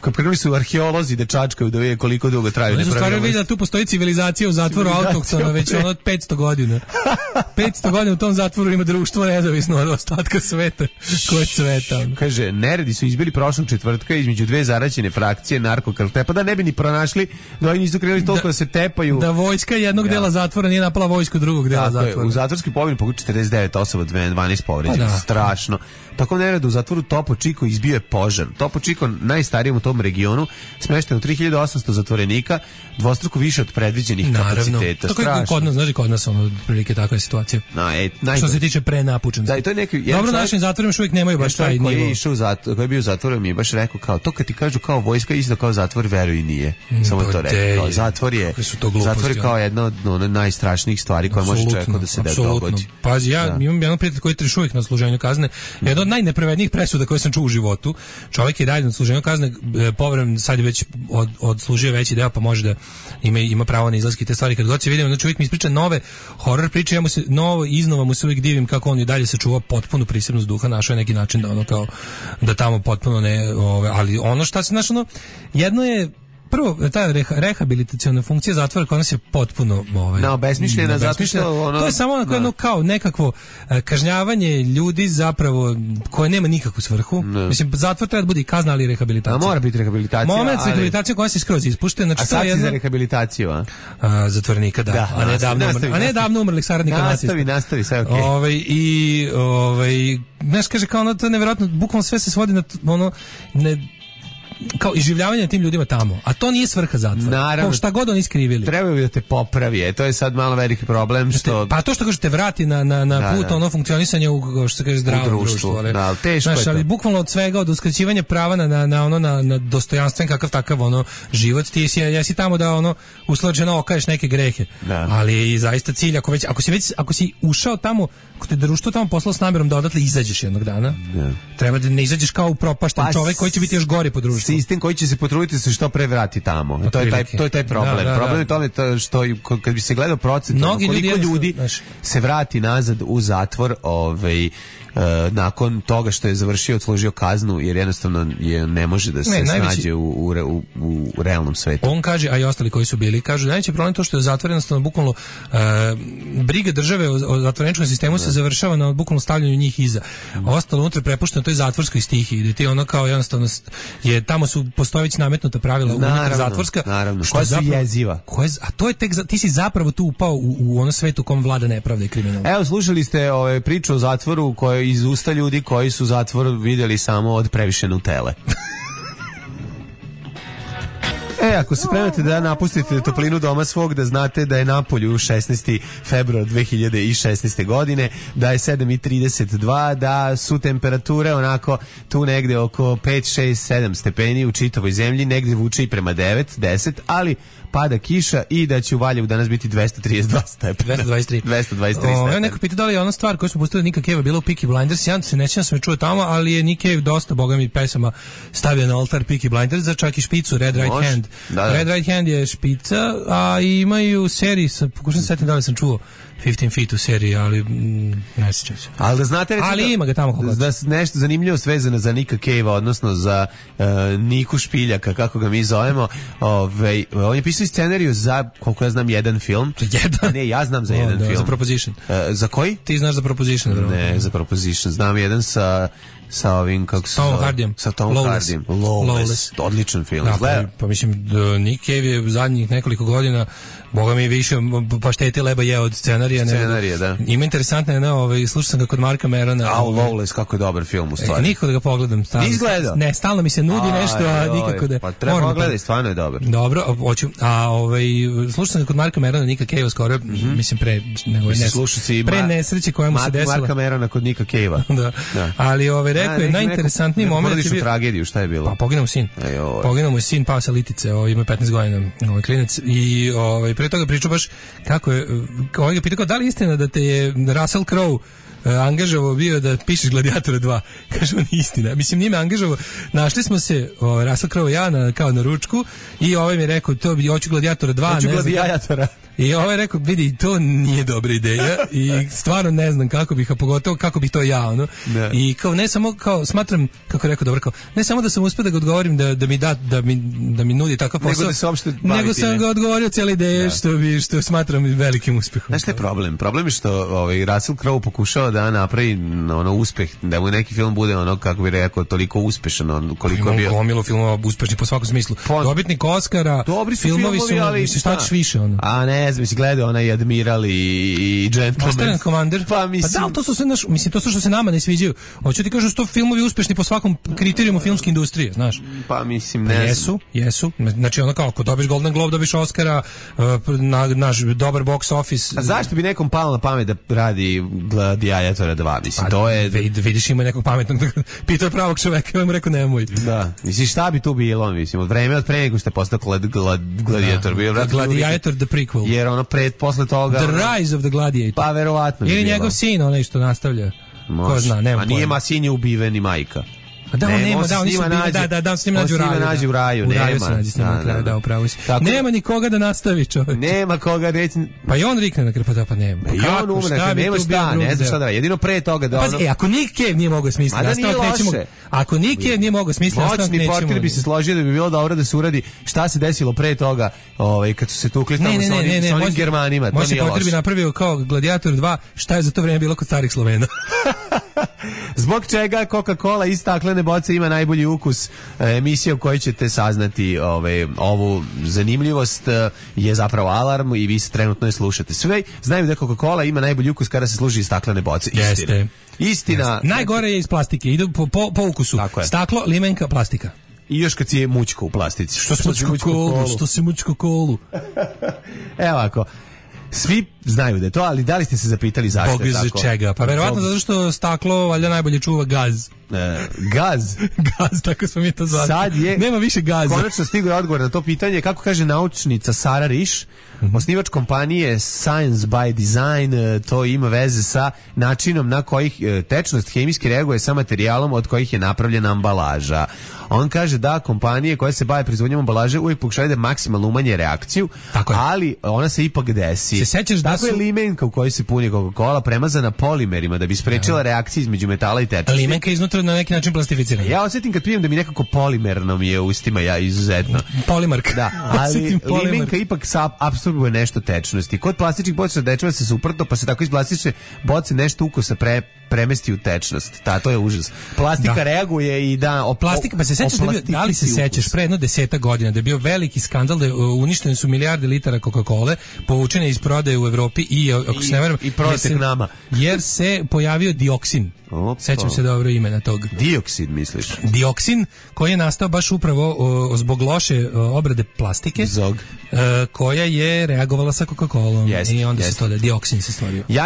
kad krenuli su arheolozi da čačkaju da vide koliko dugo traju nepravilnosti. Oni su stvarno vidjeli da tu postoji civilizacija u zatvoru autohtona već ono od petsto godina. petsto godina u tom zatvoru ima društvo nezavisno od ostatka sveta. Ko je cveta? Kaže, neredi su izbili prošlog četvrtka između dve zaraćene frakcije narkokartela, pa da ne bi ni pronašli da oni nisu krenuli toliko da, da se tepaju. Da vojska jednog ja. dela zatvora nije napala vojsku drugog dela Tako zatvora. Je, u zatvorski pogon pokući četrdeset devet osoba, dvanaest povređenih. Da. Strašno. Tako nereda u zatvoru Topo Chico izbio je požar. Topo Chico, najstarijom u tom regionu, smešten u tri hiljade osamsto zatvorenika, dvostruko više od predviđenih kapaciteta. Tako je kod nas, znači kod nas ono prilike takva je situacija. No, e, naj... Što se tiče prenapučenosti. Da, i to je neki dobro, našim zatvorima još uvijek nemaju baš taj nivo. Koji je išao zatvor, koji je bio u zatvoru, mi je baš rekao kao to kad ti kažu kao vojska isto kao zatvor, veruj nije. Samo to rekao. Zatvor je zatvor je kao jedna od ono, najstrašnijih stvari koje može čovjeku da se da dogodi. Pazi, ja da. imam jedan prijatelj koji je još uvijek na služenju kazne. Jedan od najnepravednijih presuda koje sam čuo u životu. Čovjek je dalje na služenju kazne, povremeno sad je već od, odslužio veći deo, pa može da ima, ima pravo na izlaske i te stvari. Kad god se vidimo, znači čovjek mi ispriča nove horor priče, ja mu se novo iznova mu se uvijek divim kako on i dalje sačuva potpunu prisebnost duha, našao je neki način da ono kao da tamo potpuno ne, ove, ali ono šta se našo, ono, jedno je prvo, ta reha, rehabilitaciona funkcija zatvora kod nas je potpuno ovaj, no, besmišljena, zato što ono, to je samo onako, no. kao nekakvo uh, kažnjavanje ljudi zapravo koje nema nikakvu svrhu. No. Mislim, zatvor treba da bude i kazna, ali i rehabilitacija. A mora biti rehabilitacija. Moment ali... rehabilitacija koja se skroz ispušte. Znači, a sad si jedno... za rehabilitaciju, a? a zatvornika, da. da a ne davno, nastavi, umr... a ne davno umrlih saradnika nacista. Nastavi, nastavi, sve okej. Okay. Ovaj, i, ovaj, znaš, kaže, kao ono, to je nevjerojatno, bukvalno sve se svodi na ono, ne, kao iživljavanje tim ljudima tamo, a to nije svrha zatvora. Naravno, šta god oni iskrivili. Treba bi da te popravi, e, to je sad malo veliki problem što te, pa to što kaže te vrati na na na da, put da. ono funkcionisanje u što se kaže zdravo društvo, društvo ali, da, teško znaš, je to. Ali bukvalno od svega, od uskraćivanja prava na na na ono na, na dostojanstven kakav takav ono život, ti si ja si tamo da ono usloženo okaješ neke grehe. Da. Ali i zaista cilj ako već ako si već ako si ušao tamo, ako te društvo tamo poslalo s namerom da odatle izađeš jednog dana. Da. Treba da ne izađeš kao upropašten pa, čovjek koji će biti još gori po društvu. Sistem koji će se potruditi da se što pre vrati tamo. To je taj to je taj problem. Da, da, da. Problem je tome to što kad bi se gledao procent koliko ljudi, ljudi se vrati nazad u zatvor, ovaj Uh, nakon toga što je završio, odslužio kaznu, jer jednostavno je, ne može da se ne, snađe najveći, u, u, u, u realnom svetu. On kaže, a i ostali koji su bili, kažu najveći problem to što je zatvor jednostavno bukvalno uh, briga države o, o zatvoreničkom sistemu ne. se završava na bukvalno stavljanju njih iza. A ostalo unutra prepušteno toj zatvorskoj stihiji, gdje ti ono kao jednostavno je, tamo su postoje već nametnuta pravila unutra zatvorska, naravno, koja su zapravo, jeziva. Koja, a to je tek, ti si zapravo tu upao u, u ono svetu u kom vlada nepravda i kriminal. Evo, slušali ste ove, priču o zatvoru koje iz usta ljudi koji su zatvor vidjeli samo od previše Nutele. E, ako se spremate da napustite toplinu doma svog, da znate da je napolju šesnaesti februar dve hiljade šesnaeste. godine, da je sedam i trideset dva, da su temperature onako tu negde oko pet, šest, sedam stepeni u čitavoj zemlji, negde vuče i prema devet, deset, ali pada kiša i da će u Valjevu danas biti dvesta trideset dva stepena. dvesta dvadeset tri. dvesta dvadeset tri stepena. Evo neko pita da li je ona stvar koju smo pustili Nika Cave bila u Peaky Blinders. Ja se nećem da sam je čuo tamo, ali je Nick Cave dosta bogami pesama stavio na oltar Peaky Blinders, za čak i špicu Red Right Hand. Da, da. Red Right Hand je špica, a imaju seriji, pokušam se setiti da li sam čuo fifteen feet u seriji, ali mm, ne sjećam se. Ali da znate, recimo, ali ima ga tamo kako da, da nešto zanimljivo svezano za Nika Cave-a, odnosno za uh, Niku Špiljaka, kako ga mi zovemo. Ovaj, on je pisao scenariju za, koliko ja znam, jedan film. Jedan? Ne, ja znam za o, jedan da, film. Za Proposition. Uh, za koji? Ti znaš za Proposition, bro. Ne, za Proposition. Znam jedan sa sa ovim, kako se Tom zove? Hardyjem. Sa Tom Hardyjem. Lawless. Lawless. Odličan film. Da, pa, pa mislim, Nick Cave je zadnjih nekoliko godina, boga mi više paštete leba je od scenarija. Scenarija, da. Ima interesantno je, ne, ovaj, slušao sam ga kod Marka Merona. A, Lawless, kako je dobar film, u stvari. E, nikako da ga pogledam. Stalno, izgleda? Ne, stalno mi se nudi a, nešto, a nikako da... Pa treba pogledati, stvarno je dobar. Dobro, hoću. A, ovaj, slušao sam ga kod Marka Merona, Nika Cave-a skoro, mm-hmm. mislim, pre, nego, mislim, nes, si pre nesreće koja mu se desila. Marka Merona kod Nika Cave-a. da. da. Ali, ovaj, rekao je, najinteresantniji moment je bio... tragediju, šta je bilo? Pa poginuo mu sin. Poginuo mu sin, pao sa litice, ovaj, ima petnaest godina, ovaj klinac, i ovaj, pre toga pričao baš kako je, ovaj ga pitao, da li je istina da te je Russell Crowe angažovao bio da pišeš Gladiatora dva. Kaže, on istina. Mislim, nije me angažovao. Našli smo se, o, Russell Crowe i ja, na, kao na ručku, i ovaj mi je rekao, to bi, hoću Gladiatora dva. Hoću Gladiatora. I ovaj je rekao, vidi, to nije dobra ideja i stvarno ne znam kako bih, a pogotovo kako bih to ja, ono. Ne. I kao, ne samo, kao, smatram, kako je rekao, dobro, kao, ne samo da sam uspio da ga odgovorim, da, da mi da, da mi, da mi nudi takav posao, nego, da se uopšte nego sam ga odgovorio cijela ideja, da. što bi, što smatram velikim uspehom. Znaš šta je problem? Problem je što ovaj, Russell Crowe pokušava da napravi ono uspeh, da mu neki film bude ono, kako bi rekao, toliko uspešan, ono, koliko je bio. Gomilo filmova uspešni po svakom smislu. Pon... Dobitnik Oscara, dobri su filmovi, filmovi, su, ali mislim, šta ćeš više, ono. A ne znam, mislim, gledao onaj Admiral i, i Gentleman. Master Commander. Pa mislim... Pa da, to su sve naš, mislim, to su što se nama ne sviđaju. Hoću ti kažem, što filmovi uspešni po svakom kriterijumu filmske industrije, znaš. Pa mislim, ne znam. Jesu, jesu. Znači, ono kao, ako dobiš Golden Globe, dobiš Oscara, na, naš dobar box office. A zašto bi nekom palo na pamet da radi Gladiatora dva? Mislim, pa, to je... Vidiš, ima nekog pametnog, pitao pravog čoveka, ja mu rekao, nemoj. Da, mislim, šta bi tu bilo, mislim, od vreme od pre nego što je postao glad, glad, Gladiator. Da. Bio, Gladiator the prequel. Jer ono pred, posle toga... The Rise of the Gladiator. Pa, verovatno. Ili njegov sin, onaj što nastavlja. Može. Ko zna, nema. A nije ma sin je ubiven i majka. A da, on nema, da, oni su bili, da, da, da, s njim nađu u raju. nađu u raju, u nema. raju se nađe s njim na kraju, da, upravo si. Nema nikoga da nastavi, čovječ. Nema koga reći. Pa i on rikne na kraju, pa da, pa nema. Pa i on umre, nema šta, ne znam šta da radi. Jedino pre toga da ono... Pazi, e, ako Nick Cave nije mogao smisliti, nastavak nećemo... Ako Nick Cave nije mogao smisliti, nastavak nećemo... Moćni portir bi se složio da bi bilo dobro da se uradi šta se desilo pre toga, ovaj, kad su se tukli tamo sa onim Germanima. Moćni portir bi napravio kao Gladiator dva, šta je za to vreme bilo kod starih Slovena. Zbog čega Coca-Cola iz staklene boce ima najbolji ukus? Emisija u kojoj ćete saznati ove, ovu zanimljivost je zapravo Alarm i vi se trenutno je slušate. Sve znaju da Coca-Cola ima najbolji ukus kada se služi iz staklene boce. Istina. Jeste. Istina. Jeste. Najgore je iz plastike. Ide po, po, po ukusu. Staklo, limenka, plastika. I još kad si je mućko u plastici. Što si mućko kolu? Što si mućko kolu? Evo ako. Svi znaju da je to, ali da li ste se zapitali zašto je tako? Bog čega? Pa verovatno zato što staklo valjda najbolje čuva gaz. E, gaz? Gaz, tako smo mi to zvali. Sad je, nema više gaza. Konačno stigao je odgovor na to pitanje. Kako kaže naučnica Sara Riš, mm-hmm. osnivač kompanije Science by Design, to ima veze sa načinom na kojih tečnost hemijski reaguje sa materijalom od kojih je napravljena ambalaža. On kaže da kompanije koje se bave proizvodnjom ambalaže uvijek pokušavaju da maksimalno umanje reakciju, ali ona se ipak desi. Se sećaš da Tako su... je limenka u kojoj se puni Coca-Cola premazana polimerima da bi sprečila reakciju između metala i tečnosti. Limenka je iznutra na neki način plastificirana. Ja osjetim kad pijem da mi nekako polimerno mi je u ustima, ja izuzetno. Polimark. Da, ali limenka ipak apsorbuje nešto tečnosti. Kod plastičnih boca dečeva se suprotno, pa se tako iz plastične boce nešto ukusa pre premesti u tečnost. Ta, to je užas. Plastika da. reaguje i da... O, Plastika, pa se sećaš da, bio, da li se sećaš pre jedno deseta godina da je bio veliki skandal da je uništene su milijarde litara Coca-Cole povučene iz prodaje u Evropi i, ako se ne verujem, i prodaje nama. Jer se pojavio dioksin. Opa. Sećam se dobro imena tog. Dioksid, misliš? Dioksin, koji je nastao baš upravo o, zbog loše o, obrade plastike. Zog. E, koja je reagovala sa Coca-Colom. Jest, i onda jest. se to da dioksin se stvorio. Ja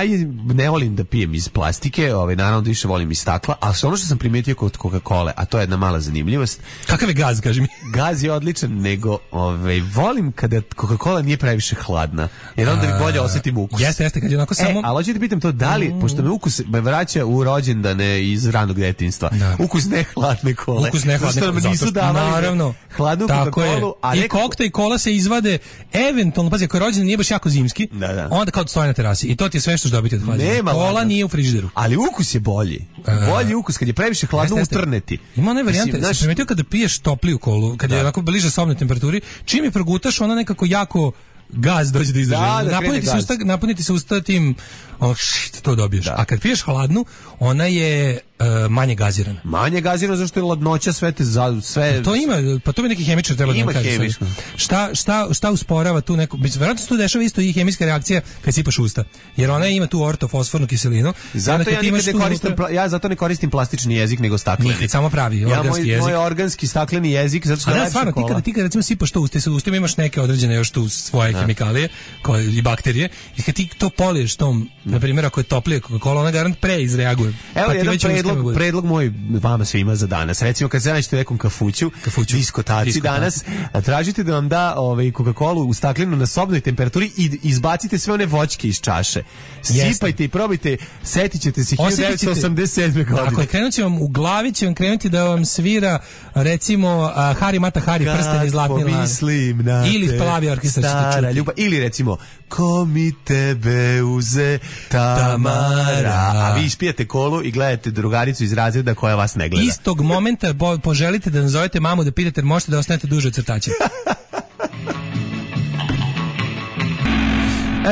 ne volim da pijem iz plastike, ovaj, naravno da više volim iz stakla, ali ono što sam primijetio kod Coca-Cole, a to je jedna mala zanimljivost. Kakav je gaz, kaži mi? Gaz je odličan, nego ovaj, volim kada Coca-Cola nije previše hladna, jer onda mi bolje osjetim ukus. Jeste, jeste, kad je onako samo... E, ali hoću ti pitam to, da li, mm. pošto me ukus me vraća u rođendane iz ranog detinjstva. detinjstva. Da. Ukus ne hladne kole. Ukus ne hladne kole. Nisu zato, davali naravno. Hladnu Coca-Colu. A I kokta i kola se izvade eventualno, pazi, ako je rođendan nije baš jako zimski, da, da. onda kao stoji na terasi. I to ti je sve što će dobiti od hlađenja. Kola hladno. Nije u frižideru. Ali ukus je bolji. Bolji ukus, kad je previše hladno utrneti. Ima one varijante, znaš, sam primetio kada piješ topliju kolu, kada je onako bliže sobnoj temperaturi, čim je progutaš, ona nekako jako gaz dođe do izražaja. Da, napuniti, se usta, napuniti se usta tim, ono, št, to dobiješ. Da. A kad piješ hladnu, ona je uh, manje gazirana. Manje gazirana zašto je ladnoća sve te za sve. Pa to ima, pa to bi neki hemičar trebalo da nam kaže. Šta šta šta usporava tu neku, verovatno se tu dešava isto i hemijska reakcija kad sipaš usta. Jer ona ima tu ortofosfornu kiselinu. Zato ja nikad ne koristim unutra... ja zato ne koristim plastični jezik nego stakleni. Nikad, samo pravi ja organski moj, jezik. Moj organski stakleni jezik zato što da stvarno ti kada ti kad recimo sipaš to usta, sa ustima imaš neke određene još tu svoje hemikalije koje i bakterije i kad ti to poliješ tom, na primjer ako je toplije Coca-Cola, ona garant pre izreaguje. Evo pa jedan predlog, predlog moj vama svima za danas. Recimo kad se nađete u nekom kafuću, kafuću diskotaci, diskotaci danas, tražite da vam da ovaj Coca-Colu u staklenu na sobnoj temperaturi i izbacite sve one voćke iz čaše. Sipajte Jeste. I probajte, setićete se hiljadu devetsto osamdeset sedme godine. Ako je krenut će vam u glavi, će vam krenuti da vam svira recimo uh, Hari Mata Hari, prsten iz zlatne lane. Ili plavi orkestar stara ljubav. Ili recimo ko mi tebe uze Tamara. A vi ispijate kolu i gledate drugaricu iz razreda koja vas ne gleda. Istog momenta po, poželite da nazovete mamu da pitate, možete da ostanete duže od crtača.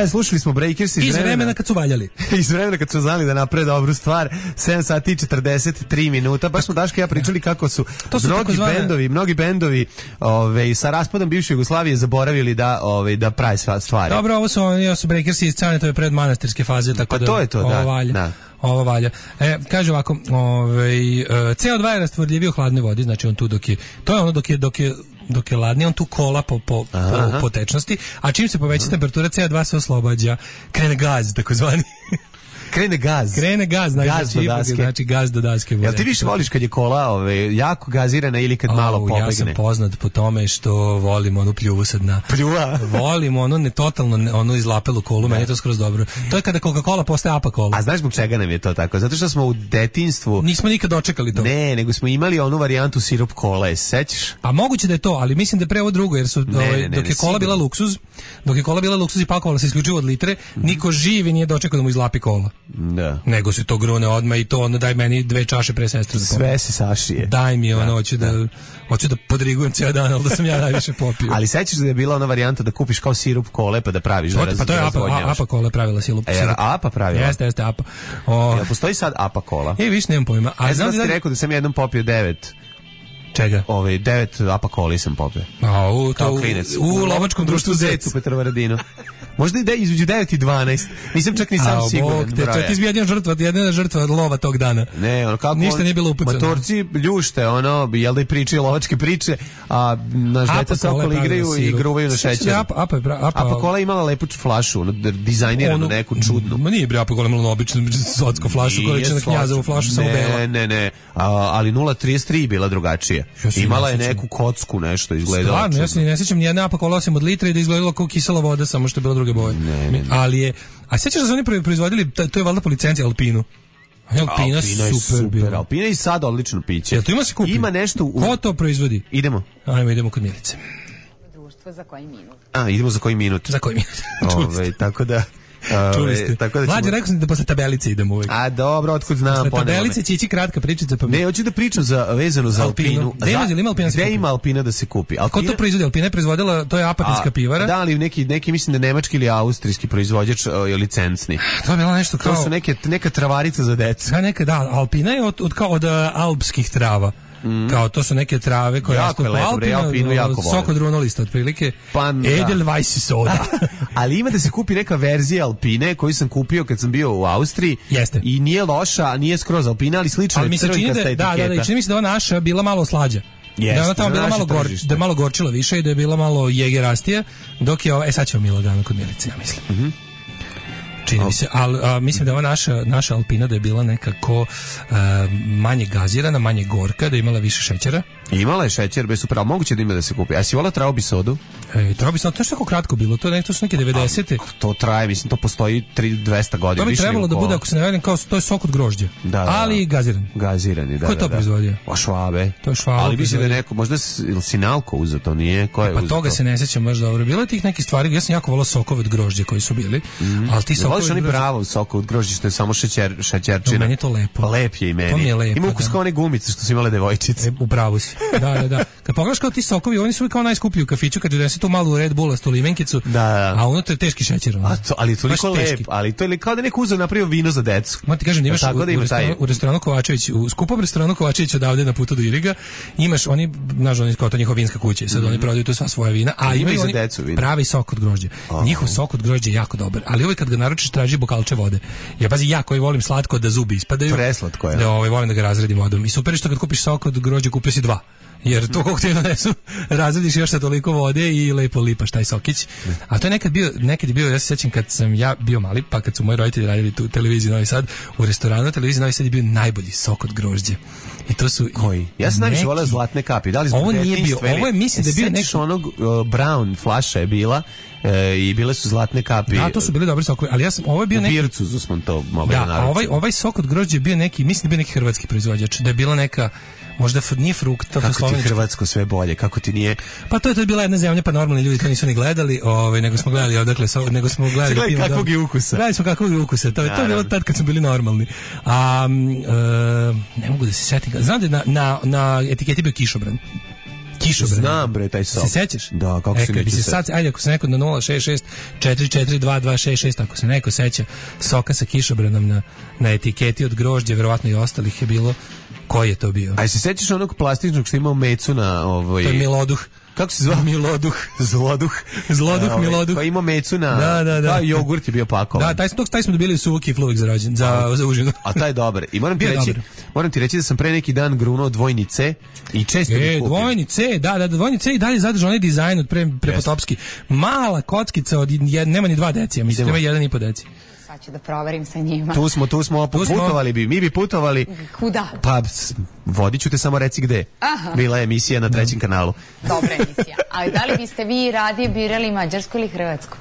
E, slušali smo Breakers iz, iz vremena, vremena kad su valjali. iz vremena kad su znali da naprave dobru stvar. sedam sati i četrdeset tri minuta. Baš smo Daška i ja pričali kako su, to su mnogi zvane... bendovi, mnogi bendovi ove, sa raspadom bivše Jugoslavije zaboravili da ove, da prave stvari. Dobro, ovo su, ovo su Breakersi iz Canetove predmanastirske faze. Tako pa da, to je to, ovo da. Valja. da. Ovo valja. E, kaže ovako, ovaj C O dva je rastvorljiviji u hladnoj vodi, znači on tu dok je, to je ono dok je, dok je dok je ladnije, on tu kola po, po, po, po tečnosti, a čim se poveća temperatura C O dva se oslobađa, krene gaz, takozvani. Krene gaz. Krene gaz, znači, gaz do daske. Znači gaz do daske. Jel ti više voliš kad je kola ove, jako gazirana ili kad oh, malo pobegne? Ja sam poznat po tome što volim onu pljuvu sa dna. Pljuva? Volim onu ne totalno onu izlapelu kolu, meni je to skroz dobro. To je kada Coca-Cola postaje apa kola. A znaš zbog čega nam je to tako? Zato što smo u detinjstvu... Nismo nikad dočekali to. Ne, nego smo imali onu varijantu sirup kola, je sećaš? Pa moguće da je to, ali mislim da je pre ovo drugo, jer su, ne, ovaj, ne, ne, dok je kola bila luksuz, dok je kola bila luksuz i pakovala se isključivo od litre, mm-hmm. niko živi nije dočekao da mu izlapi kola. Da. Nego se to grune odmah i to ono daj meni dve čaše pre sestre. Sve se sašije. Daj mi ono, hoću da, da, hoću da podrigujem cijel dan, ali da sam ja najviše popio. Ali sećaš da je bila ona varijanta da kupiš kao sirup kole pa da praviš da, pa to je apa, apa kola pravila sirup. E, apa pravila? Jeste, jeste, apa. O, jel postoji sad apa kola? E, viš, nemam pojma. A e, znam da ti rekao da sam jednom popio devet. Čega? Ove, devet apa koli sam popio. A, u, to, u, u, u lovačkom društvu Zec. U Petrovaradinu. Možda ide između devet i dvanaest. Nisam čak ni sam A, siguran. Bog, te, to ti izbija jedna žrtva, jedna žrtva od lova tog dana. Ne, ono kako ništa on, nije bilo upucano. Matorci ljušte, ono, jel da i pričaju lovačke priče, a naš deca se okolo igraju i gruvaju na šećer. Apa, apa, apa, apa kola imala lepu flašu, ono, dizajniranu neku čudnu. Ma nije bre apa kola imala običnu sotsku flašu, koja je na Knjazovu flašu samo bela. Ne, ne, ne, a, ali nula trideset tri bila drugačija. Imala je neku kocku, nešto izgledalo. Stvarno, ja se ne sjećam ni jedna apa kola osim od litre i da izgledalo kao kisela voda, samo što je bila druge boje. Ne, ne. Ali je, a sjećaš da su oni proizvodili, to je valjda po licenciji Alpinu. Alpina, Alpina super, super bila. Alpina i sad odlično piće. Jel to ima se kupi? Ima nešto u... Ko to proizvodi? Idemo. Ajmo, idemo kod Milice. Društvo za koji minut? A, idemo za koji minut. Za koji minut. Ove, tako da... Čuli ste. Tako da ćemo... Mlađe, rekao sam da posle tabelice idemo uvijek. A dobro, otkud znam. Posle tabelice će ići kratka pričica. Pa... Ne, hoću da pričam za, vezano za Alpinu. Gde ima, ima Alpina da se kupi? Gde ima Alpina da se kupi? Alpina... Ko to proizvodi? Alpina je proizvodila, to je apatinska pivara. Da, ali neki, neki mislim da nemački ili austrijski proizvođač je licencni. To je bilo nešto kao... To su neke, neka travarica za decu. Da, neka, da, Alpina je od, od, kao od uh, alpskih trava. Mm. Kao to su neke trave koje rastu po Alpinu, Alpinu jako sok od runolista otprilike. Edelweiss soda. Ali ima da se kupi neka verzija Alpine koju sam kupio kad sam bio u Austriji. Jeste. I nije loša, a nije skroz Alpina, ali slično je crvenkasta etiketa. Da, da, da, čini mi se da ona naša bila malo slađa. Jeste, da ona tamo bila malo gor, da je malo gorčila više i da je bila malo jegerastija, dok je, e sad ćemo mi lagano kod Milice, ja mislim. Mhm. Čini mi se, ali mislim da ova naša, naša Alpina da je bila nekako uh, manje gazirana, manje gorka, da je imala više šećera. Imala je šećer, bez super, ali moguće da ima da se kupi. A si volao Traubi sodu? E, Traubi sodu, to je tako kratko bilo, to, ne, to su neke devedesete. To traje, mislim, to postoji dvesta godina. To bi trebalo da bude, ako se ne vedim, kao to je sok od grožđa, da, da, ali gaziran. Gazirani, da. Ko je to da, da. proizvodio? O, Švabe. To je Švabe. Ali mislim da je neko, možda ili Sinalko uzeo, to nije, ko je e, pa toga to? Se ne sjećam baš dobro. Bilo je tih nekih stvari, ja sam jako volao sokove od grožđa koji su bili, mm. ali ti sokovi od grožđa... bravo sok od grožđa što je samo šećer, šećerčina. No, meni je to lepo. Lep je i meni. To mi je lepo. Ima ukus kao one gumice što su imale devojčice. E, upravo si. Da, da, da. Kad pogledaš kao ti sokovi, oni su kao najskuplji u kafiću kad donese tu malu Red Bullastu limenkicu, da, da. A unutra je teški šećer. A to, ali to toliko lep, ali to je kao da neko uzeo napravio vino za decu. Moram ti kažem da imaš da, u, da ima u, restoranu, u restoranu Kovačević, u skupom restoranu Kovačević odavde na putu do Iriga, imaš oni, znaš, oni kao to njihova vinska kuća, sad mm. oni prodaju tu sva svoja vina, a ima imaju i za oni decu vina. Pravi sok od grožđa. Oh. Njihov sok od grožđa je jako dobar, ali uvijek kad ga naručiš traži bokalče vode. Ja pazi, ja koji volim slatko da zubi ispadaju. Preslatko je. Da, ovaj volim da ga razredim vodom. I super je što kad kupiš sok od grožđa kupio si dva. Jer to kako ti donesu, razrediš još sa toliko vode i lepo lipaš taj sokić. A to je nekad bio, nekad je bio, ja se sjećam kad sam ja bio mali, pa kad su moji roditelji radili tu televiziju Novi Sad, u restoranu televiziji Novi Sad je bio najbolji sok od grožđa. I to su koji? Ja sam najviše voleo zlatne kapi. Da li ovo nije bio, ovo je mislim da je bio neki onog uh, brown flaša je bila. E, i bile su zlatne kapi. Da, to su bili dobri sokovi, ali ja sam ovo je bio neki u Bircu smo to mogli da, a ovaj ovaj sok od grožđa je bio neki, mislim da je bio neki hrvatski proizvođač, da je bila neka možda nije frukta, kako ti hrvatsko sve bolje, kako ti nije. Pa to je to je bila jedna zemlja, pa normalni ljudi to nisu ni gledali, ovaj nego smo gledali odakle so, nego smo gledali Gledaj kakvog je ukusa. Gledali smo kakvog je ukusa. To je to je bilo tad kad smo bili normalni. A e, ne mogu da se setim. Znam da na na na etiketi bio kišobran. Kišobran. Znam bre taj sok. Se sećaš? Da, kako e, se neće se sad, ajde ako se neko na nula šest šest četiri četiri dva dva šest šest ako se neko seća soka sa kišobranom na na etiketi od grožđa, verovatno i ostalih je bilo. Koji je to bio? Aj se sećaš onog plastičnog što imao mecu na ovoj. To je Miloduh. Kako se zvao? Miloduh. Zloduh. Zloduh, ovaj, Miloduh. Koji ima mecu na... Da, da, da. Da, jogurt je bio pakovan. Da, taj, taj smo dobili u Suvuki Fluvik za, rođen, za, za užinu. A taj je dobar. I moram ti, reći, moram ti reći da sam pre neki dan grunuo dvojni C i često e, bih kupio. Dvojni C, da, da, dvojni C i dalje zadržao onaj dizajn od pre, prepotopski. Mala kockica od jed, nema ni dva decija, mislim, ima jedan i po deci. Sad ću da proverim sa njima. Tu smo, tu smo, putovali bi, mi bi putovali. Kuda? Pa, vodit ću te, samo reci gde. Aha. Bila je emisija na trećem kanalu. Dobra emisija. Ali da li biste vi radije birali Mađarsku ili Hrvatsku?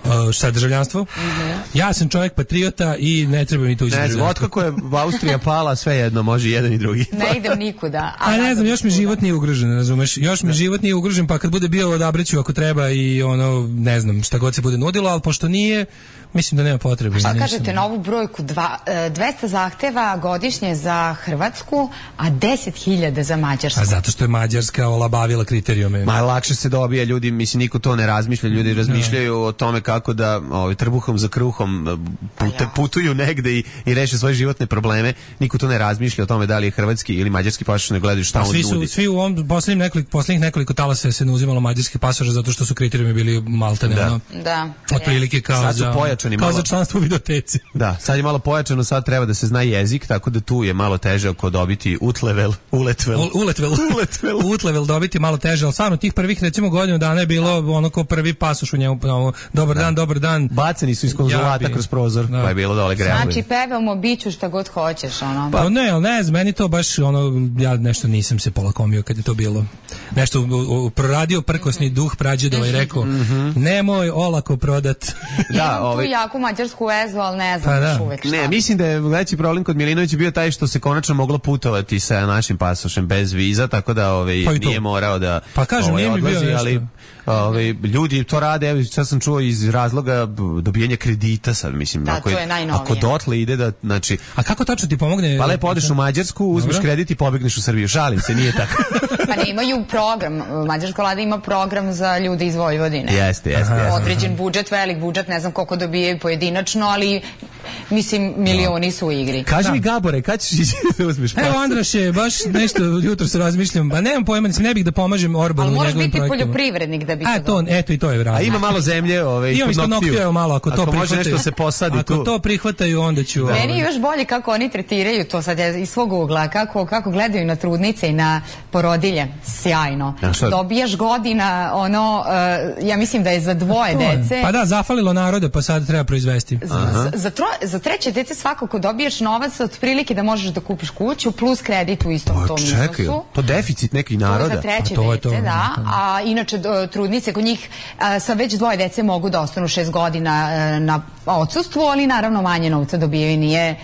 Uh, šta, državljanstvo? Mm-hmm. Ja sam čovjek patriota i ne treba mi tuđi državljanstvo. Ne, otkako je Austrija pala, sve jedno, može jedan i drugi. Ne idem nikuda. A, a ne znam, još mi život nije ugrožen, razumeš? Još mi život nije ugrožen, pa kad bude bio odabraću ako treba i ono, ne znam, šta god se bude nudilo, ali pošto nije, mislim da nema potrebe. A šta kažete na ovu brojku? Dva, dvesta zahteva godišnje za Hrvatsku, a deset hiljada za Mađarsku. A zato što je Mađarska olabavila kriterijume. Ma lakše se dobija, ljudi, mislim, niko to ne razmišlja, ljudi razmišljaju no. o tome kako da ovaj, trbuhom za kruhom pute, ja. putuju negde i, i reše svoje životne probleme. Niko to ne razmišlja o tome da li je hrvatski ili mađarski pasoš, ne gledaju šta on svi nudi. Su, svi u ovom poslednjih nekoliko, poslednjih nekoliko talasa se ne uzimalo mađarski pasoš zato što su kriterijumi bili maltene. Da. Ono, da. Otprilike kao, sad su za, pojačani kao malo. za članstvo u videoteci. Da, sad je malo pojačano, sad treba da se zna jezik, tako da tu je malo teže oko dobiti utlevel, uletvel. U, uletvel. uletvel. Utlevel dobiti malo teže, ali stvarno tih prvih recimo godinu dana je bilo ono ko prvi pasoš u njemu, ono, dobar da. dan, dobar dan. Baceni su iz konzulata ja, kroz prozor, da. pa je bilo dole grejalo. Znači pevamo biću šta god hoćeš, ono. Pa ne, ali ne, meni to baš ono, ja nešto nisam se polakomio kad je to bilo. Nešto u, u, proradio prkosni duh prađedova i rekao, mm-hmm. nemoj olako prodat. Da, imam ovaj... tu jaku mađarsku vezu, ali ne znam pa da. još uvek šta. Ne, mislim da je veći problem kod Milinovića bio taj što se konačno moglo putovati sa našim pasošem bez viza, tako da ovaj, pa nije morao da pa kažem, ovaj, odlazi, bio ali ovaj, ljudi to rade, evo sad sam čuo iz razloga dobijanja kredita sad, mislim, da, ako, to je najnovije. Ako dotle ide da, znači... A kako tačno ti pomogne? Pa lepo odeš u Mađarsku, uzmeš Dobro. kredit i pobegneš u Srbiju, šalim se, nije tako. Pa ne, imaju program, mađarska vlada ima program za ljude iz Vojvodine. Jeste, jeste. Određen budžet, velik budžet, ne znam koliko dobijaju pojedinačno, ali mislim, milioni su u igri. Kaži mi, Gabore, kad ćeš ići da uzmeš pas? Evo, Andraše, baš nešto jutro se razmišljam, pa nemam pojma, ne bih da pomažem Orbanu u njegovim projektima. Ali moraš biti poljoprivrednik da bi A, to, eto i to je razlog. A ima malo zemlje, ove, imam isto Noktiju, evo malo, ako to ako prihvataju. može nešto se posadi ako tu. Ako to prihvataju, onda ću... Da. Meni je još bolje kako oni tretiraju to sad iz svog ugla, kako, kako gledaju na trudnice i na porodilje. Sjajno. Dobijaš godina, ono, uh, ja mislim da je za dvoje dece. Pa da, zafalilo naroda, pa sad treba proizvesti. Za, za, tro, za treće dece svakako dobiješ novac otprilike da možeš da kupiš kuću plus kredit u istom o, tom čekaj, iznosu. To deficit nekih naroda. To za treće to dece, to, da. A inače trudnice kod njih a, sa već dvoje dece mogu da ostanu šest godina a, na odsustvu, ali naravno manje novca dobijaju, nije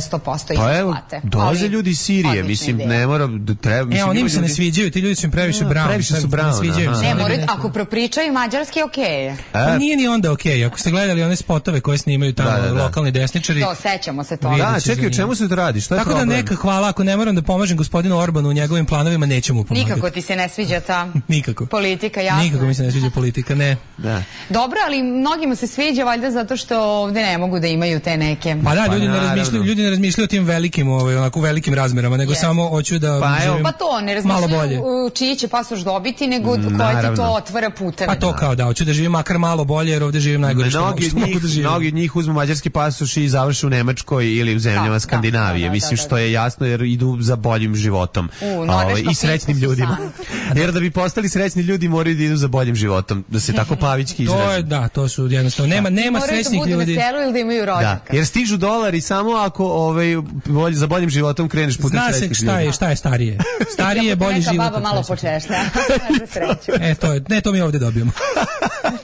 sto posto pa evo, isplate. dolaze ljudi iz Sirije, mislim, ideja. Ne mora da treba... Mislim, e, oni im se ne sviđaju, ti ljudi su im previše brown. Previše su brown, ne sviđaju se. Ne, moraju, ako propričaju mađarski, okej. Okay. Pa nije ni onda okej, okay. Ako ste gledali one spotove koje snimaju tamo da, da, da. lokalni desničari... To, sećamo se toga. Da, čekaj, o čemu se to radi? Šta je tako problem? Da neka hvala, ako ne moram da pomažem gospodinu Orbanu u njegovim planovima, neću mu pomagati. Nikako ti se ne sviđa ta Nikako. politika, jasno. Nikako mi se ne sviđa politika, ne. Da. Dobro, ali mnogima se sviđa valjda zato što ovde ne mogu da imaju te neke... Pa da, ljudi, pa, ne, razmišljaju, ljudi ne razmišljaju o tim velikim, ovaj, onako velikim razmerama, nego yes. samo hoću da pa, živim pa to, ne razmišljaju čiji će pasoš dobiti, nego koja ti to otvara puteve. Pa to kao da, hoću da živim makar malo bolje, jer ovde živim najgore što, mnogi što mogu da živim. Mnogi od njih uzmu mađarski pasoš i završe u Nemačkoj ili u zemljama da, Skandinavije. Da, da, mislim da, da, što je jasno jer idu za boljim životom U, no, ovaj, i srećnim ljudima. Jer da bi postali srećni ljudi moraju da idu za boljim životom, da se tako pavićki izrazi. To je, da, to su jednostavno, nema, nema srećnih ljudi. Moraju da budu na selu ili da imaju rođaka. Da, jer stižu dolari samo ako ovaj, bolj, za boljim životom kreneš putem srećnih ljudi. Zna se šta je, šta je starije. Starije je bolji život. Neka baba malo počešlja, za sreću. E, to je, ne, to mi ovde dobijemo.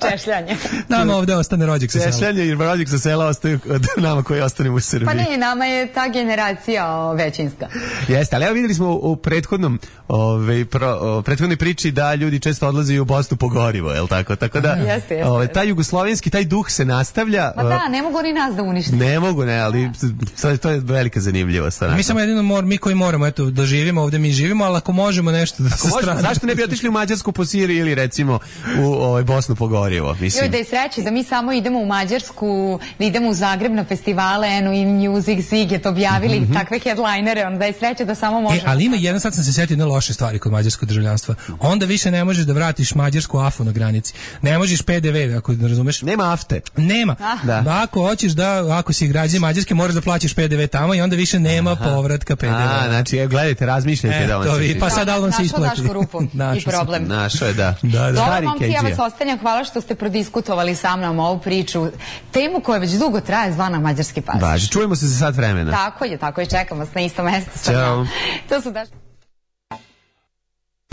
Češljanje. Nama ovde ostane rođak sa sela. Češljanje i rođak sa sela ostaju od nama koji ostanemo u Srbiji. Pa ne, nama je ta generacija većinska. Jeste, ali evo videli smo u prethodnom ove, pro, o, prethodnoj priči da ljudi često odlaze u Bosnu po gorivo, je li tako? Tako da, jeste, jeste. Ove, taj jugoslovenski, taj duh se nastavlja. Ma da, ne mogu oni nas da unište. Ne mogu, ne, ali sad, to je velika zanimljivost. Mi samo jedino mor, mi koji moramo, eto, da živimo ovde, mi živimo, ali ako možemo nešto da se strane. Zašto ne bi otišli u Mađarsku po Siriji ili recimo u ovaj, Bosnu po gorivo? Mislim. Joj, da je sreće da mi samo idemo u Mađarsku, da idemo u Zagreb na festivale, Enu i Music, Ziget, objavili mm-hmm. takve headlinere, onda je sreće da samo možemo... E, ali ima jedan, sad sam se sjetio jedne loše stvari kod mađarskog državljanstva. Onda više ne možeš da vratiš mađarsku afu na granici. Ne možeš P D V, ako ne razumeš. Nema afte. Nema. Ah. Da. Da, ako hoćeš da, ako si građanin Mađarske, moraš da plaćaš P D V tamo i onda više nema Aha. povratka P D V. A, znači, evo, gledajte, razmišljajte e, da vam to se... Vi, pa sad da vam se isplati. Našao rupu i problem. Našao je, da. da, da. Dobro, momci, ja vas ostanjam. Hvala što ste prodiskutovali sa mnom ovu priču. Temu koja već dugo traje, zvana Mađarski pas. Važi, čujemo se za sat vremena. Tako je, tako je, čekam vas na isto mesto. Ćao. To su daš...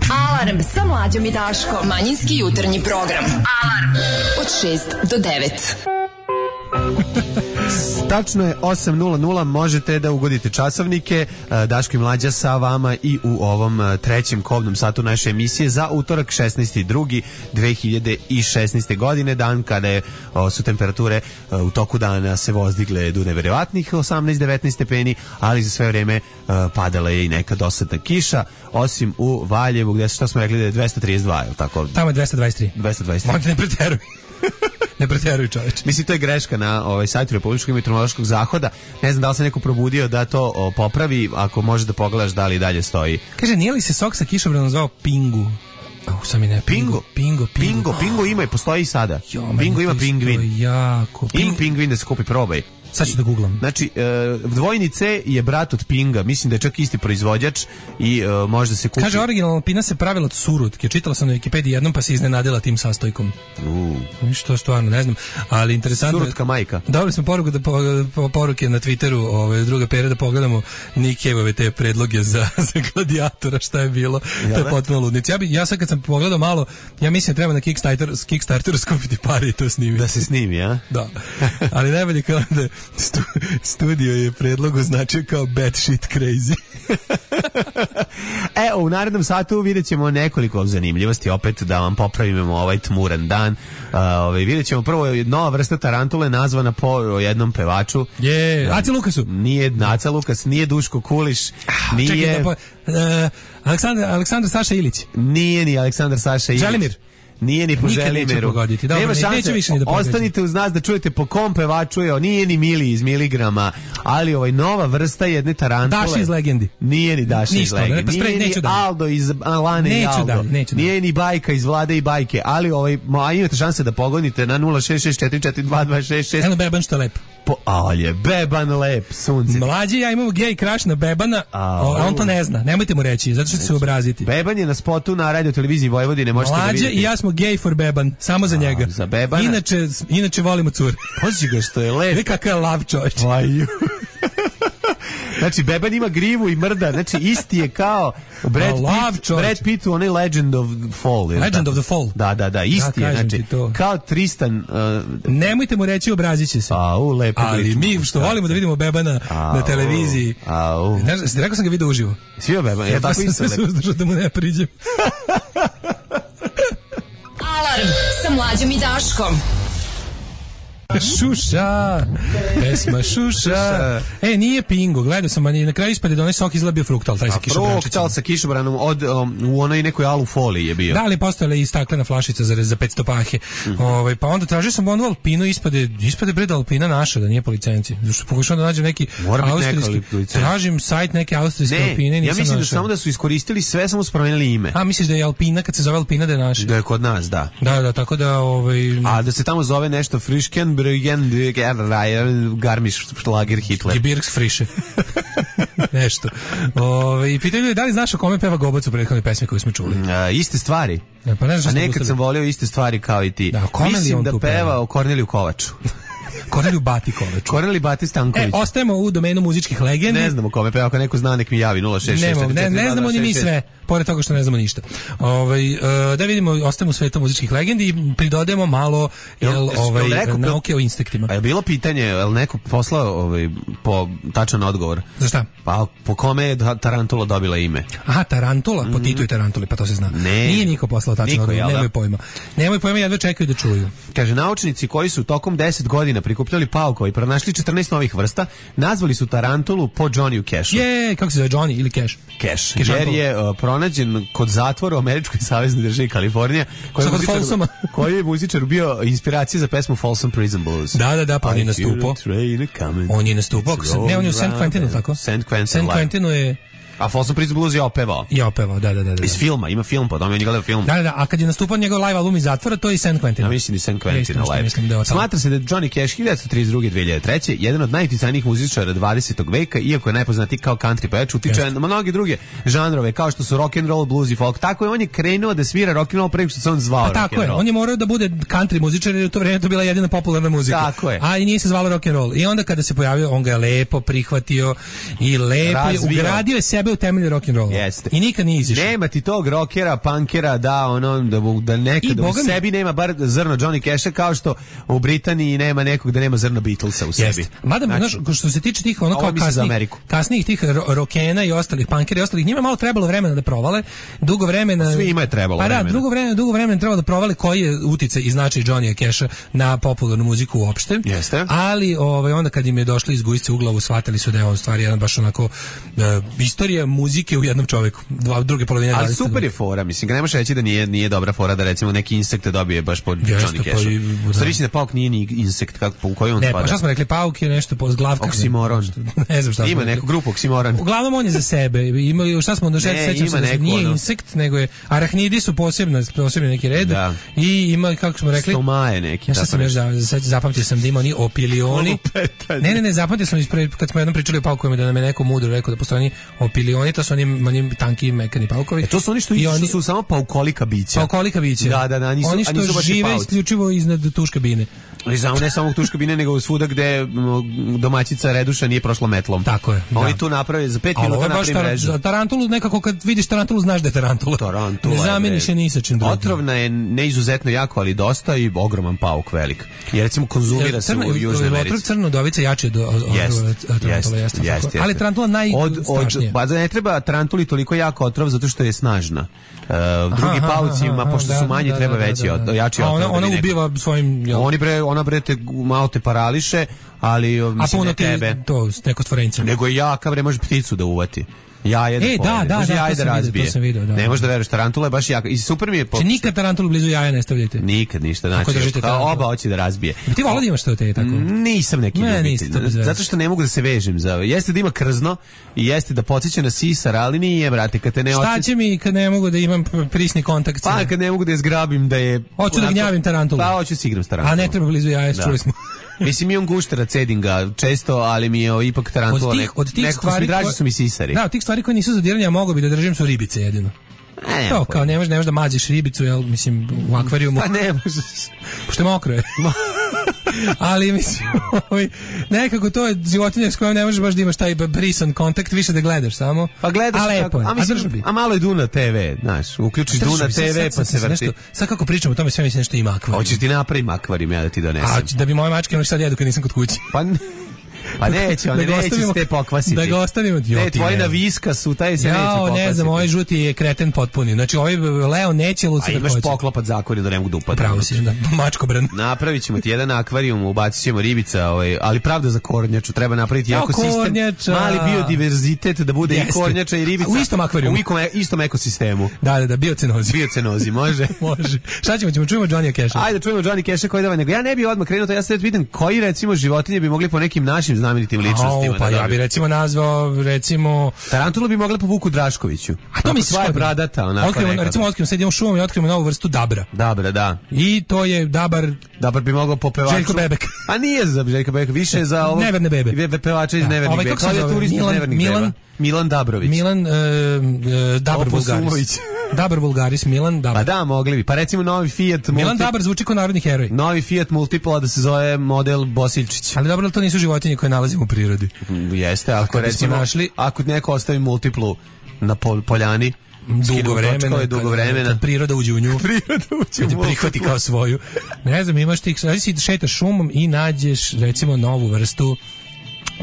Alarm sa Mlađom i Daškom. Manjinski jutarnji program. Alarm od šest do devet. Tačno je osam nula nula, možete da ugodite časovnike. Daško i Mlađa sa vama i u ovom trećem kobnom satu naše emisije za utorak šesnaesti drugi dve hiljade šesnaeste. godine, dan kada je, o, su temperature u toku dana se vozdigle do neverovatnih osamnaest devetnaest stepeni, ali za sve vreme padala je i neka dosadna kiša, osim u Valjevu gde što smo rekli da je dvesta trideset dva, je li tako? Tamo je dvesta dvadeset tri. dvesta dvadeset tri. Možete ne preteruj. Ne preteruj, čoveče. Mislim, to je greška na ovaj sajtu Republičkog meteorološkog zahoda. Ne znam da li se neko probudio da to o, popravi, ako može da pogledaš da li dalje stoji. Kaže, nije li se sok sa kišobranom zvao Pingu? Oh, sam i ne, Pingo. Pingo, Pingo. Pingo, Pingo ima i postoji i sada. Jo, Pingo ima pingvin. Jako. Ping, Ping pingvin da se kupi, probaj. Sad ću da googlam. Znači, e, dvojni C je brat od Pinga, mislim da je čak isti proizvođač i e, može da se kupi. Kaže, originalna pina se pravila od surutke. Čitala sam na Wikipediji jednom pa se iznenadila tim sastojkom. Uh. Što stvarno, ne znam. Ali interesantno... Surutka majka. Dobili smo poruku da po, po, poruke na Twitteru, ove, druga pera, da pogledamo Nikevove te predloge za, za gladijatora, šta je bilo. Ja, to je potpuno ludnici. Ja, bi, ja sad kad sam pogledao malo, ja mislim da treba na Kickstarter, Kickstarteru skupiti pare i to snimiti. Da se snimi, a? Da. Ali najbolje kao da stu, studio je predlog označio kao bad shit crazy. E, u narednom satu vidjet ćemo nekoliko zanimljivosti, opet da vam popravimo ovaj tmuran dan. Uh, ovaj, vidjet ćemo prvo nova vrsta tarantule nazvana po jednom pevaču. Je, Aca Lukasu. Nije Aca Lukas, nije Duško Kuliš, nije... Čekaj, da po, uh, Aleksandar, Aleksandar Saša Ilić. Nije ni Aleksandar Saša Ilić. Želimir. Nije ni po Nikad neće Želimeru. pogoditi. Dobro, Nema ne- šanse. neće više ni da pogađa. Ostanite uz nas da čujete po kom pevaču je. On nije ni Mili iz miligrama, ali ovaj nova vrsta jedne tarantule. Daši iz Legendi. Nije ni Daši iz Ništa, ne, Legendi. pa sprej, Nije ni neću dalje. Aldo iz Alane i Neću Aldo. dalje, neću dalje. Nije ni Bajka iz Vlade i Bajke, ali ovaj, a imate šanse da pogodite na nula šest šest četiri četiri dva dva šest šest. Eno Beban što je lep. Po, a je Beban lep, sunce. Mlađi ja imamo gej crush na Bebana, A, a on to ne zna. Nemojte mu reći, zato što će se obraziti. Beban je na spotu na radio televiziji Vojvodine, možete da Mlađe vidite. i ja smo gay for Beban, samo za njega. za Bebana? Inače, inače volimo cure. Pazi ga što je lep. Vidi kakav je lav čovječ. Vaju. Znači, Beban ima grivu i mrda, znači isti je kao Brad A, lav Pitt, čovječ. Brad Pitt u onaj Legend of Fall. je li Legend tako? of the Fall. Da, da, da, isti Ja je, kažem znači, ti to. kao Tristan, uh, Nemojte mu reći, obrazit će se. au, lepo. Ali liči. mi što volimo da vidimo Bebana Au, na televiziji. au. Ne znam, rekao sam ga video uživo. Svi o Beban, ja tako sam isto. se suzdržao da mu ne priđem. Alarm sa Mlađom i Daškom. Šuša, pesma Šuša. E, nije Pingo, gledao sam, ali na kraju ispade da onaj sok izgleda bio fruktal, taj sa kišobrančićem. Fruktal sa kišobranom od, um, u onoj nekoj alu foliji je bio. Da, ali postojala i staklena flašica za, za petsto pahe. Mhm. Ovaj, pa onda tražio sam onu Alpinu, ispade, ispade bre da Alpina naša, da nije po licenciji. Zašto pokušam da nađem neki Mora biti neka austrijski, licenca. tražim sajt neke austrijske Ne, Alpine, ja nisam mislim da našao. samo da su iskoristili sve, samo su promenili ime. A, misliš da je Alpina, kad se zove Alpina, da je naša? Da je kod nas, da. Da, da, tako da, ovaj... A da se tamo zove nešto Frischken, Brügen, Garmisch, Schlager, Hitler. Gebirgs friše. Nešto. Ove, I pitaju ljudi da li znaš o kome peva Gobac u prethodnoj pesmi koju smo čuli? A, iste stvari. E, pa ne znaš A šta nekad sam sam volio iste stvari kao i ti. Da, o kome li Mislim on da tu peva peva? o Korneliju Kovaču. Korneliju Bati Kovač. Korneli Bati E, Stanković. ostajemo u domenu muzičkih legendi. Ne znamo kome peva, ako neko zna nek mi javi nula šest šest Nemo, četiri ne, četiri ne dva znamo dva ni mi šest šest. sve, pored toga što ne znamo ništa. Ovaj e, da vidimo, ostajemo u svetu muzičkih legendi i pridodajemo malo jel, Jel, ovaj, jel neko- nauke o insektima. A je bilo pitanje, je li neko poslao ovaj, po tačan odgovor? Za šta? Pa po kome je ta- Tarantula dobila ime? Aha, Tarantula, po Titu i Tarantuli, pa to se zna. Ne. Nije niko poslao tačno Niko, odgovor, jel da? nemoj pojma. Nemoj pojma, jedva čekaju da čuju. Kaže, naučnici koji su tokom deset godina prikupljali paukova i pronašli četrnaest novih vrsta, nazvali su Tarantulu po Johnny Cashu. Je, kako se zove, Johnny ili Cash? Cash, Cash jer Antula. je uh, pronađen kod zatvora u američkoj saveznoj državi Kalifornija, koji je Šta, kod muzičar- Folsoma? koji je muzičar bio inspiracija za pesmu Folsom Prison Blues. Da, da, da, pa on je I feel nastupao. the train coming. On je nastupao, ako se- ne, on je u Saint Quentinu, tako? Saint Quentin. Saint live. Quentinu je A Folsom Prison Blues je opevao. i opevao, da, da, da. da. Iz filma, ima film po tome, on je gledao film. Da, da, da, a kad je nastupao njegov live album iz zatvora, to je i Saint Quentin. Ja mislim i Saint Ja Quentin isto nešto live. mislim da je od tamo. Smatra se da je Johnny Cash hiljadu devetsto trideset druge do dve hiljade treće jedan od najuticanijih muzičara dvadesetog veka, iako je najpoznatiji kao country pevač, utiče Jeste. na mnoge druge žanrove, kao što su rock and roll, blues i folk. Tako je, on je krenuo da svira rock and roll pre nego što se on zvao Pa rock tako and je, roll. on je morao da bude country muzičar jer je u to vreme to bila jedina popularna muzika. Tako je. A i nije se zvalo rock and roll. I onda kada se pojavio, on ga je lepo prihvatio i lepo je Razvio. ugradio je sebe u temelje rock and rolla. Jeste. I nikad nije izišao. Nema ti tog rockera, punkera, da ono da bu- da I nekad u boga mi- sebi nema bar zrno Johnny Casha, kao što u Britaniji nema nekog da nema zrno Beatlesa u sebi. Jeste. Mada, Znači, znaš, što se tiče tih ono ovo kao mislim za kasnijih, Ameriku. kasnijih tih ro rokena i ostalih punkera i ostalih, njima je malo trebalo vremena da provale, dugo vremena. Svima je trebalo Pa da, vremena. dugo vremena, dugo vremena je trebalo da provale koji je uticaj i značaj Johnnyja Casha na popularnu muziku uopšte. Jeste. Ali ovaj onda kad im je došlo iz gujsce u glavu, shvatili su da je on stvari jedan baš onako e, istorija muzike u jednom čoveku. Dva druge polovine Ali dvadesetog super je fora, mislim, ga ne možeš reći da nije, nije dobra fora da recimo neki insekt dobije baš po Jeste, Johnny pa Cashu. i- da. Stvari mislim da pauk nije ni insekt, kako, po koji on Ne, spada. pa šta smo rekli, pauk je nešto po zglavka. Oksimoron. Ne znam šta smo Ima rekli. neku grupu oksimoron. Uglavnom on je za sebe. Ima šta smo došli, Ne, sećam ima se da neku, nije ono- insekt, nego je arahnidi su posebna, posebni neki red. Da. I ima kako smo rekli, Stomaje neki. ja šta tako sam još nešto. za, za, zapamtio sam da ima oni opilioni. Lupetanje. Ne, ne, ne, zapamtio sam ispred, kad smo jednom pričali o paukovima da nam je neko mudro rekao da postoje oni opilioni, to su oni, oni tanki mekani paukovi. E, to su oni što, I što oni su samo paukolika bića. paukolika bića. Da, da, da, nisu- oni a što nisu baš i žive pauci. isključivo iznad tuš kabine. Ali samo ne samo u tuš kabine, nego svuda gde m, domaćica Reduša nije prošla metlom. Tako je, Oni da. tu naprave za pet Ali ovo minuta je baš napravi mrežu. tar, tarantulu, nekako kad vidiš tarantulu znaš da je tarantula. Tarantula Ne je, zameniš bre. je ni sa čim drugim. Otrovna je ne izuzetno jako, ali dosta i ogroman pauk velik. Jer recimo konzumira se Crna- u Južnoj otrov Americi. crnodovica jače od od- od Jest, tarantula, jest, jeste, jest, tako. jest. Ali tarantula Od, od, najstrašnije. pa ne treba tarantuli toliko jako otrov zato što je snažna. Uh, drugi Aha, pauci, aha, ma, aha, pošto da, su manji, da, treba da, veći, da, da. od- jači A otrov. ona, da ona bi neko- ubiva svojim... jel, Oni bre, ona bre te malo te parališe, ali a mislim puno ne ti tebe. to neko stvorenje. Nego je jaka bre, može pticu da uvati. Jaje da E, da, pojede. da, Može da, jaje to da sam vidio, razbije. to sam vidio, da. Ne može da veruješ, tarantula je baš jaka. I super mi je... Znači, nikad tarantulu blizu jaja ne stavljate. Nikad ništa, Ako znači, držite kao tarantulu. oba hoće da razbije. Ti volao da imaš to te tako? Nisam neki Ne, ljubitelj. niste, to bez veze. Zato što ne mogu da se vežem za ovo. Jeste da ima krzno i jeste da podsjeća na sisar, ali nije, brate, kad te ne Šta osjeća... će mi kad ne mogu da imam prisni kontakt? sa- Pa kad ne mogu da je zgrabim da je... Hoću da onako- gnjavim tarantulu. Pa hoću da igram s tarantulom. A ne treba blizu jaja, Da. čuli smo. Mislim, imam guštera, cedim ga često, ali mi je o, ipak tarantula Od tih- neko, od tih nekako su mi stvari draži koje- su mi sisari. Da, od tih stvari koje nisu za diranje, a mogu bi da držim su ribice jedino. E, nema To, pojma. kao ne možeš, ne možeš da maziš ribicu, jel, mislim, u akvarijumu. Pa ne možeš. Pošto je mokro je. Ali mislim, ovaj, nekako to je životinja s kojom ne možeš baš da imaš taj brisan kontakt, više da gledaš samo. Pa gledaš a lepo kako, je. a, A mislim, držao bi. a malo je Duna te ve, znaš, uključiš Držao Duna bi, sad- te ve sad- pa sad se sam vrti. nešto- Sad kako pričamo o tome, sve mislim nešto ima akvarijum. Hoćeš ti napravim akvarijum ja da ti donesem. A da bi moje mačke ono sad jedu kad nisam kod kuće. Pa n- Pa neće, oni Da ga neće ostavimo- se te pokvasiti. da ga ostavimo- Jo, Ne, ti tvoji ne. na viska su, taj se neće Jao, pokvasiti. ne znam, ovaj žuti je kreten potpuni. Znači, ovaj Leo neće A luci da imaš hoće. poklopat zakon da ne mogu da upadne. Pravo si, da, mačkobran. Napravit ćemo ti jedan akvarijum, ubacit ćemo ribica, ovaj, ali pravda za kornjaču, treba napraviti Jao, jako sistem, kornjača. mali biodiverzitet da bude Jeste. i kornjača i ribica. U istom akvarijumu. U ikom, istom ekosistemu. Da, da, da, biocenozi. Biocenozi, može? Može. Šta ćemo, ćemo čujemo Johnny Casha. Ajde, čujemo Johnny Cash koji dava, nego ja ne bih odmah krenuo, to ja sad vidim koji recimo životinje bi mogli po nekim našim znamenitim ličnostima. Au, pa da ja bi recimo nazvao, recimo... Tarantulu bi mogla po Vuku Draškoviću. A to misliš sva je kako? bradata, onako Otkrivamo, nekako. recimo otkrivamo, sad idemo šumom i otkrivamo novu vrstu dabra. Dobra, da. I to je dabar... Dabar bi mogao po pevaču. Željko Bebek. A nije za Željko Bebek, više je za ovo. Neverne bebe. Ve- Pevača iz Da. Nevernih Ovaj, beba. kako se zove? Klavijaturista iz Milan- Nevernih Milan- beba. Milan Dabrović. Milan, e, e, Dabar Oposumović. Vulgaris. Dabar Vulgaris, Milan Pa Dabar. da, mogli bi. Pa recimo novi Fiat Milan multi... Dabar zvuči kao narodni heroj. Novi Fiat Multipla da se zove model Bosiljčić. Ali dobro, to nisu životinje koje nalazimo u prirodi. Jeste, ako kad bismo recimo, našli- ako neko ostavi Multiplu na pol, poljani, Dugo skinu vremena, točkove, dugo kad- vremena. kad priroda uđe u nju. Priroda uđe Kad u je prihvati Multiplu. kao svoju. Ne znam, imaš ti, znači si šetaš šumom i nađeš recimo novu vrstu,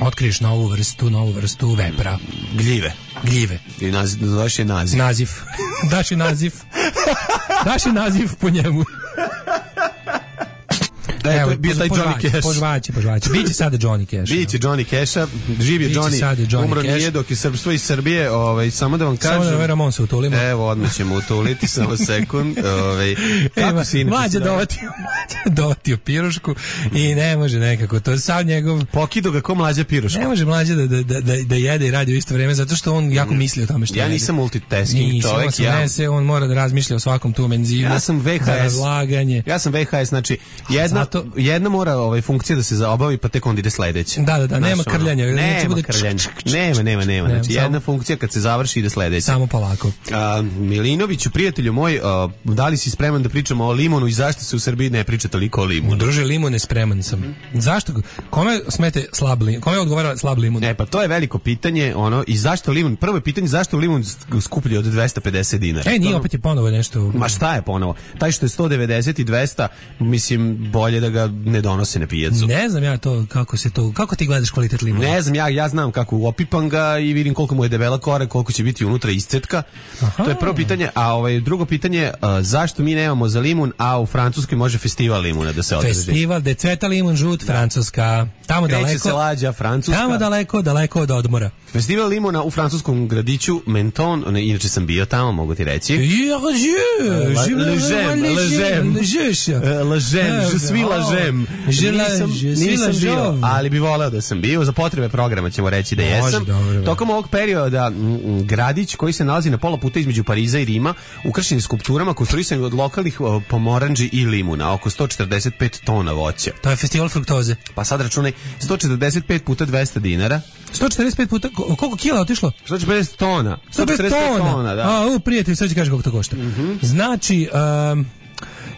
otkriješ novu vrstu, novu vrstu vepra, Gljive. gljive. I naziv, zoveš je naziv. Naziv. Daš je naziv. Daš je naziv po njemu. E, to je bio taj Johnny Cash. Požvaće, požvaće. Biće sada Johnny Cash. Biće Johnny Casha, živ je Biće Johnny, sad Johnny umro Cash. nije dok je srpstvo iz Srbije, ovaj, samo da vam kažem. Samo da ovaj Ramon se utulimo. Evo, odmah ćemo utuliti, samo sekund. Ovaj, kako Evo, si inače? mlađa se zove? dovatio, mlađa dovatio pirušku i ne može nekako, to je sav njegov... Pokido ga ko mlađa piruška. Ne može mlađa da, da, da, da jede i radi u isto vrijeme, zato što on jako misli o tome što Ja jede. nisam multitasking Nisam, čovjek, on se ja- unese, on mora da razmišlja o svakom tom enzimu. Ja sam ve ha es. Za razlaganje. Ja sam ve ha es, znači jedna, zato- jedna mora ovaj, funkcija da se zaobavi, pa tek onda ide sledeće. Da, da, da, Znaš, nema ono, krljanja, znači Nema bude krljanja. čk, čk, čk, Nema, nema, nema. Nema, Znači, samo- jedna funkcija kad se završi ide sledeće. Samo polako. A, Milinoviću, prijatelju moj, a, da li si spreman da pričamo o limonu i zašto se u Srbiji ne priča toliko o limonu? Druže, limune spreman sam. Zašto? Kome smete slab limun? Kome odgovara slab limun? E, pa to je veliko pitanje, ono, i zašto limon, prvo je pitanje zašto je limon skuplji od dvesta pedeset dinara? E, nije To- opet je ponovo nešto... Ma šta je ponovo? Taj što je sto devedeset i dvesta, mislim, bolje da ga ne donose na pijacu. Ne znam ja to, kako se to... Kako ti gledaš kvalitet limuna? Ne znam, ja, ja znam kako opipam ga i vidim koliko mu je debela kora, koliko će biti unutra iscetka. To je prvo pitanje, a ovaj drugo pitanje, a, zašto mi nemamo za limun, a u Francuskoj može festival limuna da se održi? Festival de cveta limun žut, Francuska. Tamo Kreće daleko. se lađa, Francuska. Tamo daleko, daleko od odmora. Festival limuna u francuskom gradiću Menton, ne, inače sam bio tamo, mogu ti reći. La, Ležem, ležem. Lažem, je suis lažem. Nisam, nisam bio, ali bi voleo da sam bio. Za potrebe programa ćemo reći da Može, jesam. dobro. Tokom ovog perioda m, m, gradić koji se nalazi na pola puta između Pariza i Rima, ukrašen je skulpturama konstruisani od lokalnih o, pomoranđi i limuna, oko sto četrdeset pet tona voća. To je festival fruktoze. Pa sad računaj sto četrdeset pet puta dvesta dinara. sto četrdeset pet puta, ko- koliko kila je otišlo? sto četrdeset tona. sto pedeset tona. da. A, u, prijatelj, sad ću kaži koliko to košta. Znači, um,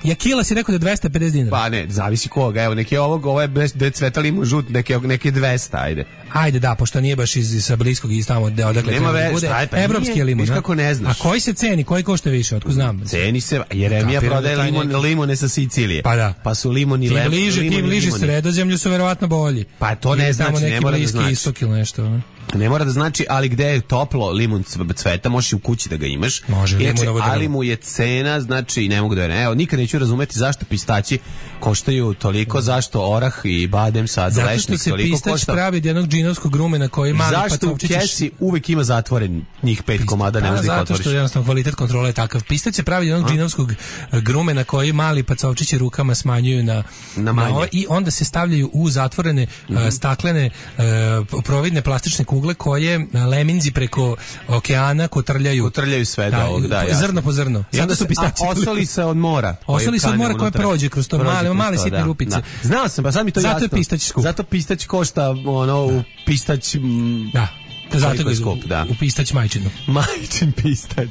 ja kila si rekao da je dvesta pedeset dinara. Pa ne, zavisi koga. Evo, neki je ovog, ovo je bez da je cveta limun žut, neki neki dvesta, ajde. Ajde, da, pošto nije baš iz sa bliskog i tamo da odakle Nema treba da veze, bude. šta je, pa Evropski nije, je limun. viš a? kako ne znaš. A koji se ceni, koji košta više, otko znam. Ceni se, Jeremija Kapiram prodaje da taj limon, neki- limone sa Sicilije. Pa da. Pa su limoni Tim lep, bliže, limoni, tim bliže limoni. Sredozemlju su verovatno bolji. Pa to ne Ili znači, tamo ne neki mora da bliski znači. istok ili nešto. a? Ne mora da znači, ali gde je toplo limun cveta, možeš i u kući da ga imaš. Može, Inače, limunovo ali drvo. mu je cena, znači ne mogu da je. Evo, nikad neću razumeti zašto pistaći koštaju toliko, zašto orah i badem sad zato lešnik što se toliko pistać košta. pravi od jednog džinovskog rumena koji mali Zašto u pacovčić kesi uvek ima zatvoren njih pet komada, ne možeš da ih zato otvoriš? što jednostavno kvalitet kontrole je takav. Pistać se pravi od jednog džinovskog grumena koji mali pacovčići rukama smanjuju na, Na manje. ove, i onda se stavljaju u zatvorene uh, staklene uh, providne plastične kugle koje uh, leminzi preko okeana kotrljaju. Kotrljaju sve do ovog, da, jasno. Zrno po zrno. I onda su se pistaći. a, osoli se od mora. Osoli se od kane mora koje unutra. prođe kroz to Prođe male, kroz male to, sitne da, rupice. da. Znao sam, pa sad mi to Zato jasno. je pistać skup. Zato pistać košta ono u pistać... M, Da. Zato koliko ga je skup, skup, da. u pistać majčinu. Majčin pistać.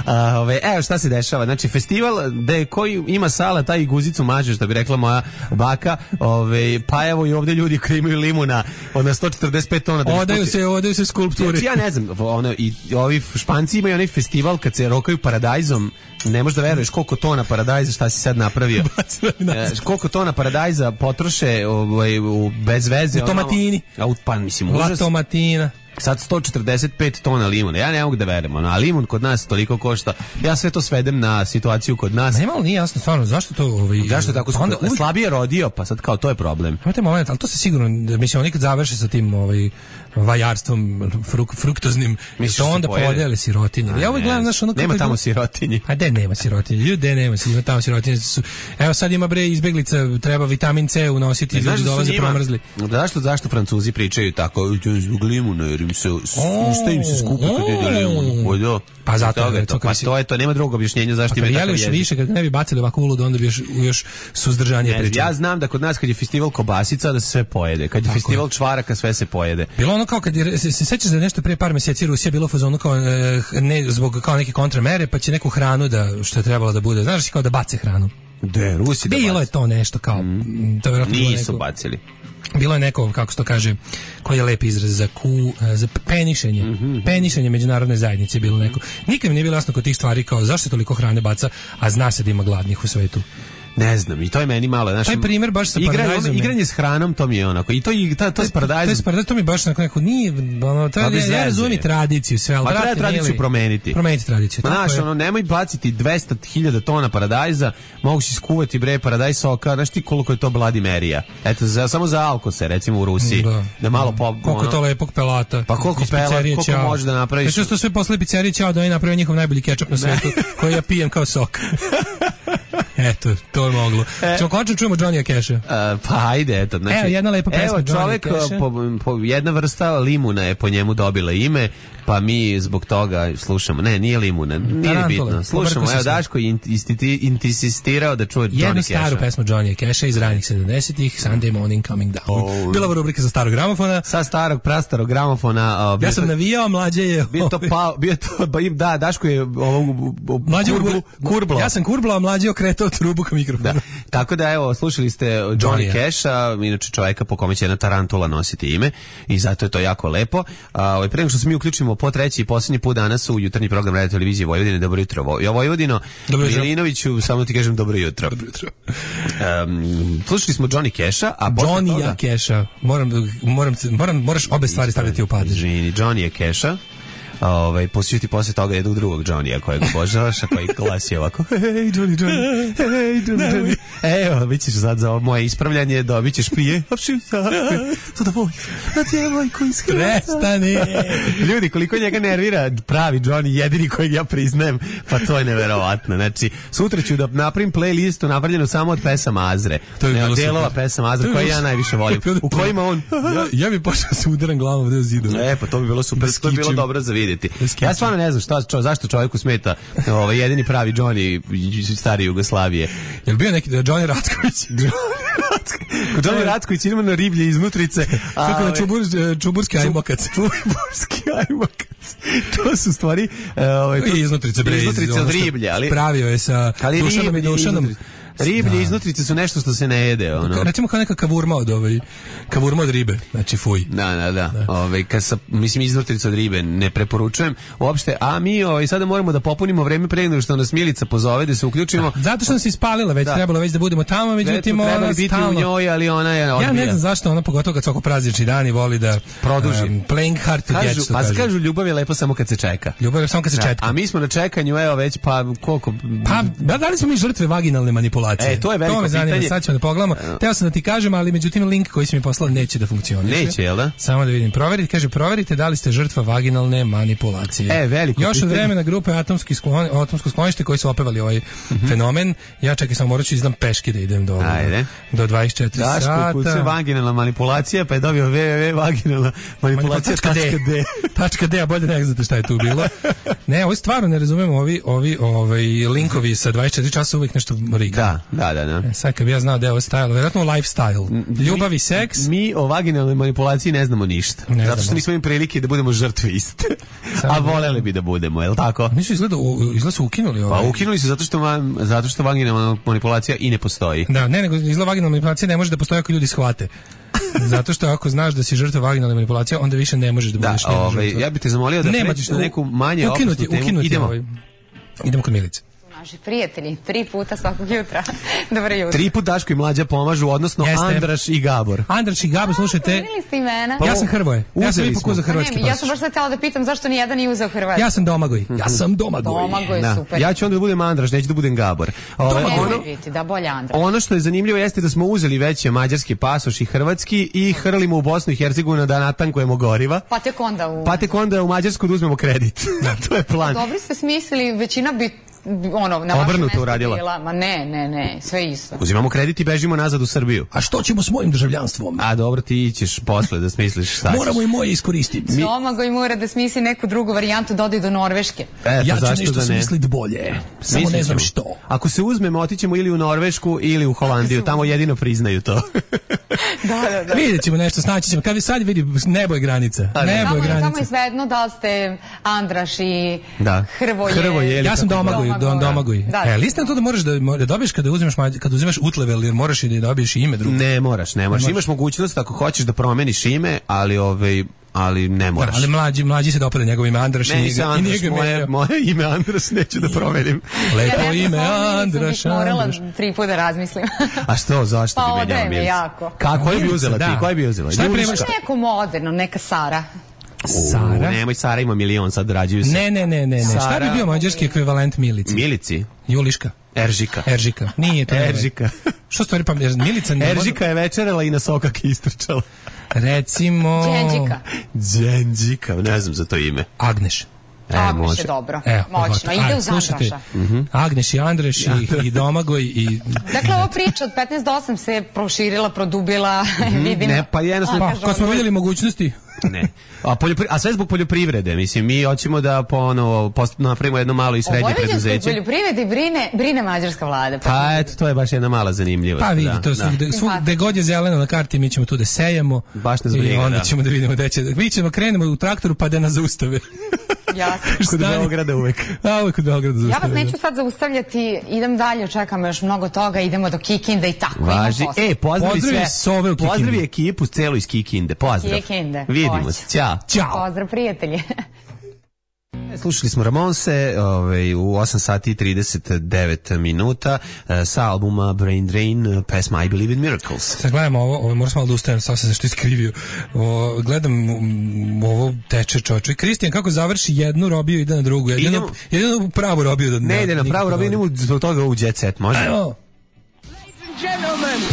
A, ove, evo šta se dešava. Znači, festival gde koji ima sala, taj i guzicu mažeš, da bi rekla moja baka. Ove, pa evo i ovde ljudi koji imaju limuna od na sto četrdeset pet tona. Da Odaju se, odaju se skulpturi. Znači, ja ne znam, ono, i ovi Španci imaju onaj festival kad se rokaju paradajzom. Ne možeš da veruješ koliko tona paradajza, šta si sad napravio. e, koliko tona paradajza potroše ovaj, u, bez veze. U tomatini. Ono, a, pa mislim, La užas. tomatina. Sad sto četrdeset pet tona limuna. Ja ne mogu da verujem, ono, a limun kod nas toliko košta. Ja sve to svedem na situaciju kod nas. Nema li nije jasno stvarno zašto to ovaj Zašto je tako skupo? onda uvijek- Slabije rodio, pa sad kao to je problem. Imate moment, ali to se sigurno, mislim, oni kad završe sa tim ovaj, vajarstvom fruk, fruktoznim, Misliš to da se onda pojede? podele sirotinje. Ja ovaj Ne, gledam, znaš, ono nema kako- tamo sirotinje. A gde nema sirotinje? Ljudi, gde nema, ima tamo sirotinje. Su, evo sad ima bre izbeglica, treba vitamin C unositi, Ne, znaš ljudi da su dolaze njima- promrzli. Zašto, zašto Francuzi pričaju tako zbog limuna, jer im se usta im se skupi kad ide limun. O, da. Pa zato, Toga je recimo, to, pa kad si- to je to, nema drugog objašnjenja zašto Pa ima kad takav jeli još jezik. više, kad ne bi bacili ovako uludo, onda bi još, još suzdržanije Ne, pričali. ja znam da kod nas kad je festival kobasica da se sve pojede, kad je festival čvaraka sve se pojede. Bilo ono kao kad je, se, se sećaš da je nešto prije par mjeseci Rusija bilo u fazonu kao e, ne zbog kao neke kontramere, pa će neku hranu da što je trebalo da bude, znaš, kao da bace hranu. De, Rusi da Bilo je baci. to nešto kao mm. to je vjerojatno bilo Nisu neko, bacili. bilo je neko, kako se to kaže, koji je lep izraz za ku, za penišenje. Mhm. Penišenje međunarodne zajednice je bilo neko. Nikad mi nije bilo jasno kod tih stvari kao zašto se toliko hrane baca, a zna se da ima gladnih u svetu. Ne znam, i to je meni malo, znaš. Taj primjer baš sa igranje, paradajzom je- igranje s hranom, to mi je onako. I to i ta, to s To paradajzom. je paradajz, to mi baš onako neko nije, ono, to Pa je, bez ja, ja veze razumijem je. i tradiciju sve, ali Pa treba brate, tradiciju nije li- promeniti. Promeniti tradiciju. Ma tako znaš, je. ono, nemoj baciti dvesta hiljada tona paradajza, mogu si skuvati bre paradajz soka, znaš ti koliko je to bladimerija. Eto, za, samo za alkose, recimo u Rusiji. Da. Da malo po... Koliko je to lepog pelata. Pa koliko Iz pelat, pizzerije koliko Ćao. može da napraviš? Znači, to sve posle pizzerije Ćao da oni naprave njihov najbolji kečap na svetu, koji ja pijem kao sok. Eto, to je moglo. Ćemo končno čujemo Johnny'a Casha. Uh, pa ajde, eto. Znači, Evo, jedna lepa pesma Evo, Johnny čovek, Casha. po, po, jedna vrsta limuna je po njemu dobila ime, pa mi zbog toga slušamo. Ne, nije limuna, nije Tarantula. bitno. Slušamo, Pobrko se evo sve. Daško je insistirao da čuje Jednu Johnny staru Casha. pesmu Johnny'a Casha iz ranih sedamdesetih, Sunday Morning Coming Down. Oh. Bila ova rubrika za starog gramofona. Sa starog, prastarog gramofona. Uh, bio Ja sam to- navijao, mlađe je... Bio to pa, bio to, ba, im- da, Daško je ovo, Mlađe kurblu, kurblo. Ja sam kurblo, a mlađe je okretao trubu ka mikrofonu. Da. Tako da evo slušali ste Johnny Johnny-a. Casha, inače čovjeka po kome će jedna tarantula nositi ime i zato je to jako lepo. A ovaj pre nego što se mi uključimo po treći i posljednji put danas u jutarnji program Radio televizije Vojvodine, dobro jutro. Vo- Jo Vojvodino, Dobro jutro. Milinoviću, samo ti kažem dobro jutro. Dobro jutro. Um, slušali smo Johnny Casha, a posle Johnny toga... ja Casha. Moram, moram, moram, moraš obe stvari staviti u padež. Izvini, Johnny je Casha. Ovaj posjeću ti posle toga jednog drugog Johnny-a kojeg obožavaš, a koji glasi ovako: hej Johnny, Johnny, hej Johnny, Johnny. Evo, bit ćeš sad za ovo moje ispravljanje, dobit ćeš prije. Sada voj, na djevojku iz Hrvatska. Prestani. Ljudi, koliko njega nervira pravi Johnny, jedini kojeg ja priznajem, pa to je neverovatno. Znači, sutra ću da napravim playlistu napravljenu samo od pesama Azre. To bi bilo Delova super. pesama Azre To bi koje bilo ja najviše volim. U kojima on... Ja, ja bi počeo se udaram glavom ovde u zidu. E, pa to bi bilo super, to bi bilo skičim. dobro za vidjeti. Da skičim. Ja stvarno ne znam šta, čo, zašto čovjeku smeta ovaj jedini pravi Johnny stari Jugoslavije. Jel bio neki Johnny Ratković? Kod Johnny Ratković idemo na riblje iznutrice. Kako na ovaj, čubur, čuburski ajmokac. Čuburski ajmokac. To su stvari... e, Ovaj, to- I iznutrice, bre. Iznutrice ono od što riblje, ali... Pravio je sa Ali Dušanom i riblje Dušanom. iznutrice. Riblje Da. iznutrice su nešto što se ne jede, ono. Recimo kao neka kavurma od ovaj, kavurma od ribe, znači fuj. Da, da, da. Ove, kad sa, mislim, iznutrice od ribe ne preporučujem uopšte, a mi ovaj, sada moramo da popunimo vreme pre nego što nas Milica pozove, da se uključimo. Da, zato što nas ispalila, već Da. trebalo već da budemo tamo, međutim Treba ona biti u stalno... njoj, ali ona je odbija. Ja ne znam zašto ona, pogotovo kad svako praznični dan i voli da Produži. Um, playing hard to Kažu, get, što pa kažu. kažu ljubav je lepo samo kad se čeka. Ljubav je samo kad se Da, četka. a mi smo na čekanju, evo već, pa koliko... Pa, da, da li smo mi žrtve vaginalne manipulacije? E, to je veliko To me zanima, pitanje. sad ćemo da pogledamo. Teo sam da ti kažem, ali međutim link koji si mi poslao neće da funkcioniše. Neće, jel da? Samo da vidim. Proverite, kaže, proverite da li ste žrtva vaginalne manipulacije. E, veliko Još od pitanje. vremena grupe Atomski sklon, Atomsko sklonište koji su opevali ovaj fenomen. Ja čekaj, samo morat ću izdam peški da idem do, Ajde. do dvadeset četiri Daško sata. kuće vaginalna manipulacija, pa je dobio w w w vaginalna manipulacija tačka d. Tačka D, a bolje ne znate šta je tu bilo. Ne, ovo stvarno ne razumemo, ovi, ovi ovaj, linkovi sa dvadeset četiri časa uvijek nešto riga. Da, da, da. da. E, sad kad bi ja znao da je ovo stajalo, vjerojatno lifestyle. Ljubav i seks. Mi o vaginalnoj manipulaciji ne znamo ništa. Ne zato što znamo. nismo imali prilike da budemo žrtve iste. Samo A da- voleli bi da budemo, je li tako? Nisu izgleda, izgleda su ukinuli Pa ovaj. ukinuli su zato što, va- zato što vaginalna manipulacija i ne postoji. Da, ne, nego izgleda vaginalna manipulacija ne može da postoji ako ljudi shvate. Zato što ako znaš da si žrtva vaginalne manipulacije, onda više ne možeš da Da, budeš njena ovaj, žrtva. ja bih te zamolio da Nema, pređeš na u- neku manje ukinuti, opasnu temu. ukinuti Idemo. ovaj. Idemo kod Milice. Naši prijatelji, tri puta svakog jutra. Dobro jutro. Tri put Daško i Mlađa pomažu, odnosno Jeste. Andraš i Gabor. Andraš i Gabo, slušajte, Uzeli ste imena? Pa, ja sam Hrvoje. Ja sam uzeli ipak smo. uzeo Pa hrvatski ne, ja pasoš. sam baš sad htjela da pitam zašto ni jedan nije uzeo Hrvatski. Ja sam Domagoj. Ja sam Domagoj. Domagoj, Da. super. Ja ću onda da budem Andraš, neću da budem Gabor. Ovaj, Nemoj ono, biti, da bolje Andra. ono što je zanimljivo jeste da smo uzeli već mađarski pasoš i hrvatski i hrlimo u Bosnu i Hercegovinu da natankujemo goriva. Pa tek onda u... Pa tek onda u Mađarsku da uzmemo kredit. to je plan. Dobri ste smislili, većina bi ono, na vašem Obrnuto mestu uradila. bila. Ma ne, ne, ne, sve isto. Uzimamo kredit i bežimo nazad u Srbiju. A što ćemo s mojim državljanstvom? A dobro, ti ćeš posle da smisliš šta ćeš. Moramo i moje iskoristiti. Domagoj mora da smisli neku drugu varijantu, da ode do Norveške. E, Ja pa ću zašto nešto da ne? smislit bolje. Samo Mislit ne znam ćemo. što. Ako se uzmemo, otićemo ili u Norvešku ili u Holandiju, tamo jedino priznaju to. Da, da, da. Vidjet ćemo nešto, snaći ćemo. Kad vi sad vidi, nebo je granica. A ne. Nebo Samo, je samo granica. je svejedno da li ste Andraš i Da. Hrvoje. Hrvoje, Ja sam Domagoj, Don Domagoj. Da. E, lista to da možeš da, da dobiješ kada uzmeš mađ- kad uzimaš utlevel, jer moraš i da dobiješ i ime drugo. Ne moraš, ne moraš. Imaš mogućnost ako hoćeš da promeniš ime, ali ovaj ali ne moraš. Da, ali mlađi, mlađi se dopada njegovo ime Andraš i Ne, nije ga- nisam i nije Andraš, ga moje, menjao. moje ime Andraš neću da promenim. Lepo Ja ime sam Andraš, morala Andraš. tri puta da razmislim. A što, zašto Pa bi menjala odaje me Milica? jako. Kako, koju bi Milica, uzela ti? da. Koju bi uzela? Šta je Juliška? prevoz? Neko moderno, neka Sara. Sara? U, nemoj, Sara ima milion, sad rađuju se. Ne, ne, ne, ne, ne. Šta Sara- bi bio mađarski ekvivalent Milici? Milici? Juliška. Eržika. Eržika. Nije to. ne. Eržika. Što stvari pa jer Milica ne može- Eržika je večerala i na sokak istrčala. Recimo Đenđika. Đenđika, ne znam za to ime. Agneš. E, Agneš može. je dobro. Evo, Moćno. pogotovo. Ide Ajde, uz slušajte. Andraša. Agneš i Andraš i, i Domagoj i Dakle, ova priča od petnaest do osam se proširila, produbila, vidim. Ne, pa jednostavno- A, pa, kažu, kad smo ono- vidjeli mogućnosti Ne. A, poljopri... A sve zbog poljoprivrede. Mislim, mi hoćemo da ponovo post... napravimo jedno malo i O srednje vojvođanskoj preduzeće. poljoprivredi brine, brine mađarska vlada. Pa eto, to je baš jedna mala zanimljivost. pa vidi, da, to su, da. gde, svu, gde god je zeleno na karti, mi ćemo tu da sejemo. Baš nas i briga, onda da. ćemo da vidimo gde će. Mi ćemo krenemo u traktoru pa da nas zaustave. Jasno. Kod Stani. Beograda uvek. A, uvek u Beogradu Ja zaustave. vas neću sad zaustavljati, idem dalje, čekam još mnogo toga, idemo do Kikinda i tako. Važi. Imam posla. E, pozdravi Pozdravi sve. sove u Kikindi. Pozdravi ekipu celu iz Kikinde. Pozdrav. Kikinde, Vidimo hoće. se. Ćao. Ćao. Pozdrav, prijatelji. Slušali smo Ramonse ovaj, u osam sati i trideset devet minuta eh, sa albuma Brain Drain, eh, pesma I Believe in Miracles. Sad gledamo ovo, ovo moram malo da ustajem, sad sam se što iskrivio. O, gledam mm, ovo teče čoče. Kristijan kako završi jednu robiju ide na drugu. Jedino, Idemo- jedino u pravu robiju da Ne ide na pravu robiju, idemo zbog toga u Jet Set, može? Ajmo.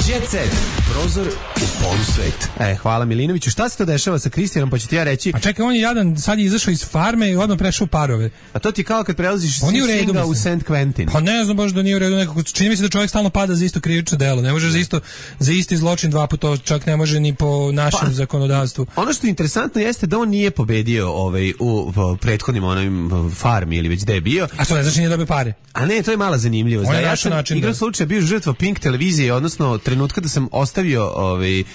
Jet Set, prozor u polusvet. E, hvala Milinoviću. Šta se to dešava sa Kristijanom, pa ću ti ja reći. A čekaj, on je jadan, sad je izašao iz farme i odmah prešao u parove. A to ti je kao kad prelaziš On je u redu, Singa u mislim. Saint Quentin. Pa ne znam baš da nije u redu nekako. Čini mi se da čovjek stalno pada za isto krivično delo. Ne može za isto za isti zločin dva puta, to čak ne može ni po našem Pa. zakonodavstvu. Ono što je interesantno jeste da on nije pobedio ovaj, u, u prethodnim onim farmi ili već gde je bio. A to ne znači nije dobio pare. A ne, to je mala zanimljivost. On Da, je ja našao sam način igrao da- slučaja bio žrtva Pink televizije, odnosno trenutka da sam ostavio ovaj, um,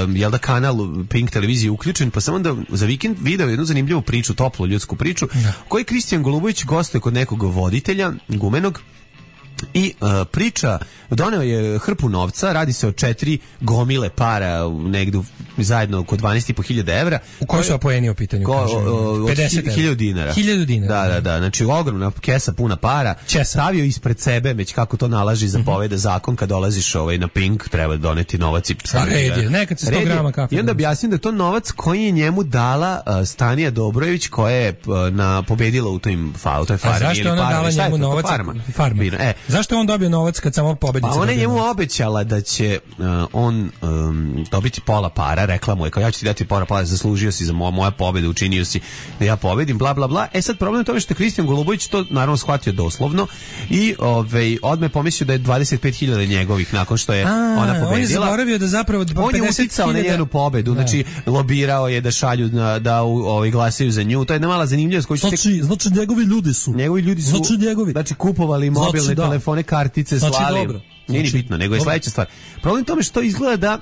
jel da kanal Pink televizije uključen, pa sam onda za vikend video jednu zanimljivu priču, toplu ljudsku priču, u kojoj Kristijan Golubović gostuje kod nekog voditelja, gumenog, I uh, priča, doneo je hrpu novca, radi se o četiri gomile para negde zajedno oko dvanaest i po hiljada evra. U kojoj su apoeni u pitanju? Ko, o, pedeset hiljada dinara. hiljadu dinara. Da, da, da. Znači ogromna kesa puna para. Česa. Stavio ispred sebe, već kako to nalaži zapoveda zakon, kad dolaziš ovaj na Pink, treba doneti novac i red je, nekad se sto grama kafe. I onda objasnim da je to novac koji je njemu dala uh, Stanija Dobrojević, koja je uh, na pobedila u tim fa, u toj farmi. A zašto je ona dala njemu novac? Farma. Farma. E. Zašto je on dobio novac kad samo pobednica? Pa ona je njemu obećala da će uh, on um, dobiti pola para, rekla mu je, kao ja ću ti dati pola para, zaslužio si za moja, moja pobeda, učinio si da ja pobedim, bla bla bla. E sad problem je tome što je Kristijan Golubović to naravno shvatio doslovno i ovaj odme pomislio da je dvadeset pet hiljada njegovih nakon što je A, ona pobedila. On je zaboravio da zapravo on je uticao na njenu pobedu, da. Znači lobirao je da šalju na, da ovaj glasaju za nju. To je jedna mala zanimljivost koju znači, tek... znači njegovi ljudi su. Njegovi ljudi su. Znači njegovi. Znači kupovali mobilne znači, da. telefone, kartice, znači, slali. Dobro. Nije ni bitno, nego je sledeća stvar. Problem tome što izgleda da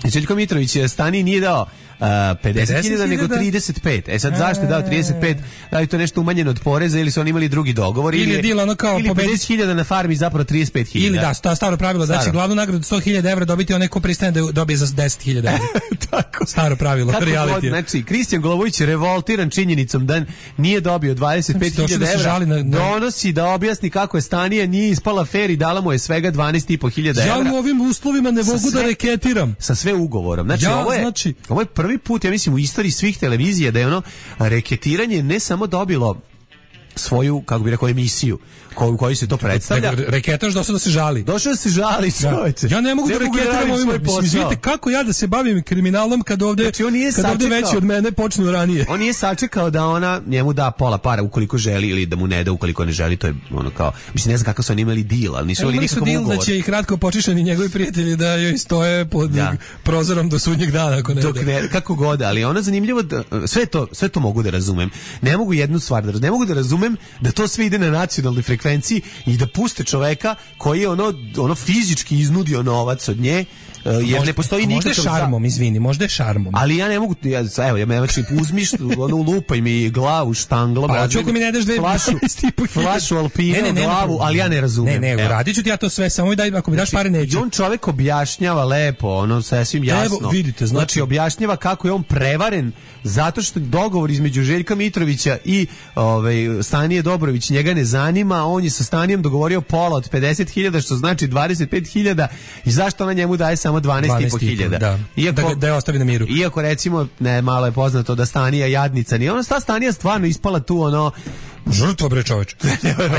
Željko Mitrović Stani nije dao Uh, pedeset hiljada nego trideset pet. E sad zašto je dao trideset pet? Da li to nešto umanjeno od poreza ili su oni imali drugi dogovor ili je bilo ono kao ili pedeset hiljada na farmi zapravo trideset pet hiljada. Ili da, sta, staro pravilo da će glavnu nagradu sto hiljada evra dobiti onaj ko pristane da dobije za deset hiljada evra. Tako. Staro pravilo, reality. Znači, Kristijan Golubović je revoltiran činjenicom da nije dobio dvadeset pet hiljada evra. Na, na... Donosi da objasni kako je Stanija nije ispala fer i dala mu je svega dvanaest i po hiljada evra. Ja u ovim uslovima ne mogu da reketiram. Sa sve ugovorom. Znači, ja, ovo je, znači... ovo je prvi put, ja mislim, u istoriji svih televizija da je ono reketiranje ne samo dobilo svoju, kako bi rekao, emisiju koju koji se to predstavlja. Reketaš došao da se žali. Došao da se žali, čoveče. Ja ne mogu ne da reketiram ovim. Vidite kako ja da se bavim kriminalom kad ovde znači, on nije kad ovde veći od mene počnu ranije. On nije sačekao da ona njemu da pola para ukoliko želi ili da mu ne da ukoliko ne želi, to je ono kao, mislim ne znam kako su oni imali deal, ali nisu imali nikakav ugovor. Da će ih kratko počišani njegovi prijatelji da joj stoje pod da. prozorom do sudnjeg dana ako ne. Dok ne, kako god, ali ona zanimljivo da, sve to sve to mogu da razumem. Ne mogu jednu stvar da ne mogu da razumem da to sve ide na nacionalnoj frekvenciji i da puste čoveka koji je ono ono fizički iznudio novac od nje. Uh, jer možda, ne postoji nikakav... Možda je šarmom, izvini, možda je šarmom. Ali ja ne mogu, ja, evo, ja me znači uzmiš, ono, lupaj mi glavu štanglom. Pa, ću ako mi ne daš dve flašu, flašu Alpina ne, ne, ne, glavu, ali ja ne razumem. Ne, ne, radit ću ti ja to sve, samo daj, ako mi daš pare neću. I on čovek objašnjava lepo, ono, sasvim jasno. Evo, vidite, znači... znači, objašnjava kako je on prevaren zato što dogovor između Željka Mitrovića i ovaj, Stanije Dobrović njega ne zanima, on je sa Stanijem dogovorio pola od pedeset hiljada, što znači dvadeset pet hiljada i zašto ona njemu daje samo dvanaest i po hiljada. Da, iako, da, da je ostavi na miru. Iako recimo, ne, malo je poznato da Stanija jadnica, nije ona sta Stanija stvarno ispala tu ono žrtva bre čoveče.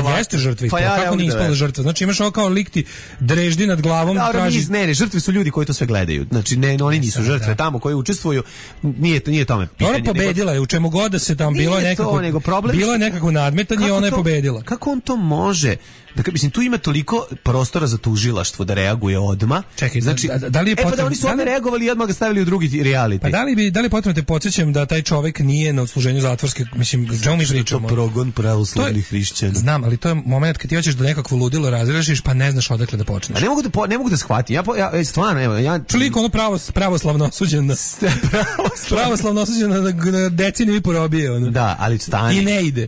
Pa jeste žrtva, pa ja, kako nije ispala žrtva. Znači imaš ovo kao lik ti dreždi nad glavom, da, traži. Ne, ne, žrtve su ljudi koji to sve gledaju. Znači ne, oni nisu ne, žrtve da. Tamo koji učestvuju. Nije to nije tome pitanje. Ona pobedila nego, je u čemu god da se tamo bilo nekako. To, problem, bilo je nekako nadmetanje i ona je pobedila. Kako on to može? Dakle, mislim, tu ima toliko prostora za tužilaštvo da reaguje odma. Čekaj, znači, da, da li je potrebno... E pa da oni su odmah reagovali i odmah ga stavili u drugi reality. Pa da li bi, da li potrebno te podsjećam da taj čovjek nije na odsluženju zatvorske, mislim, čemu mi pričamo? To progon pravoslavnih hrišćana. Znam, ali to je moment kad ti hoćeš da nekakvo ludilo razrešiš, pa ne znaš odakle da počneš. A ne mogu da, po, ne mogu da shvatim. Ja, ja, stvarno, evo, ja... Čuliko ono pravo, pravoslavno osuđen na... pravoslavno osuđen na, na deceniju i porobije. Ono. Da, ali stani. I ne ide.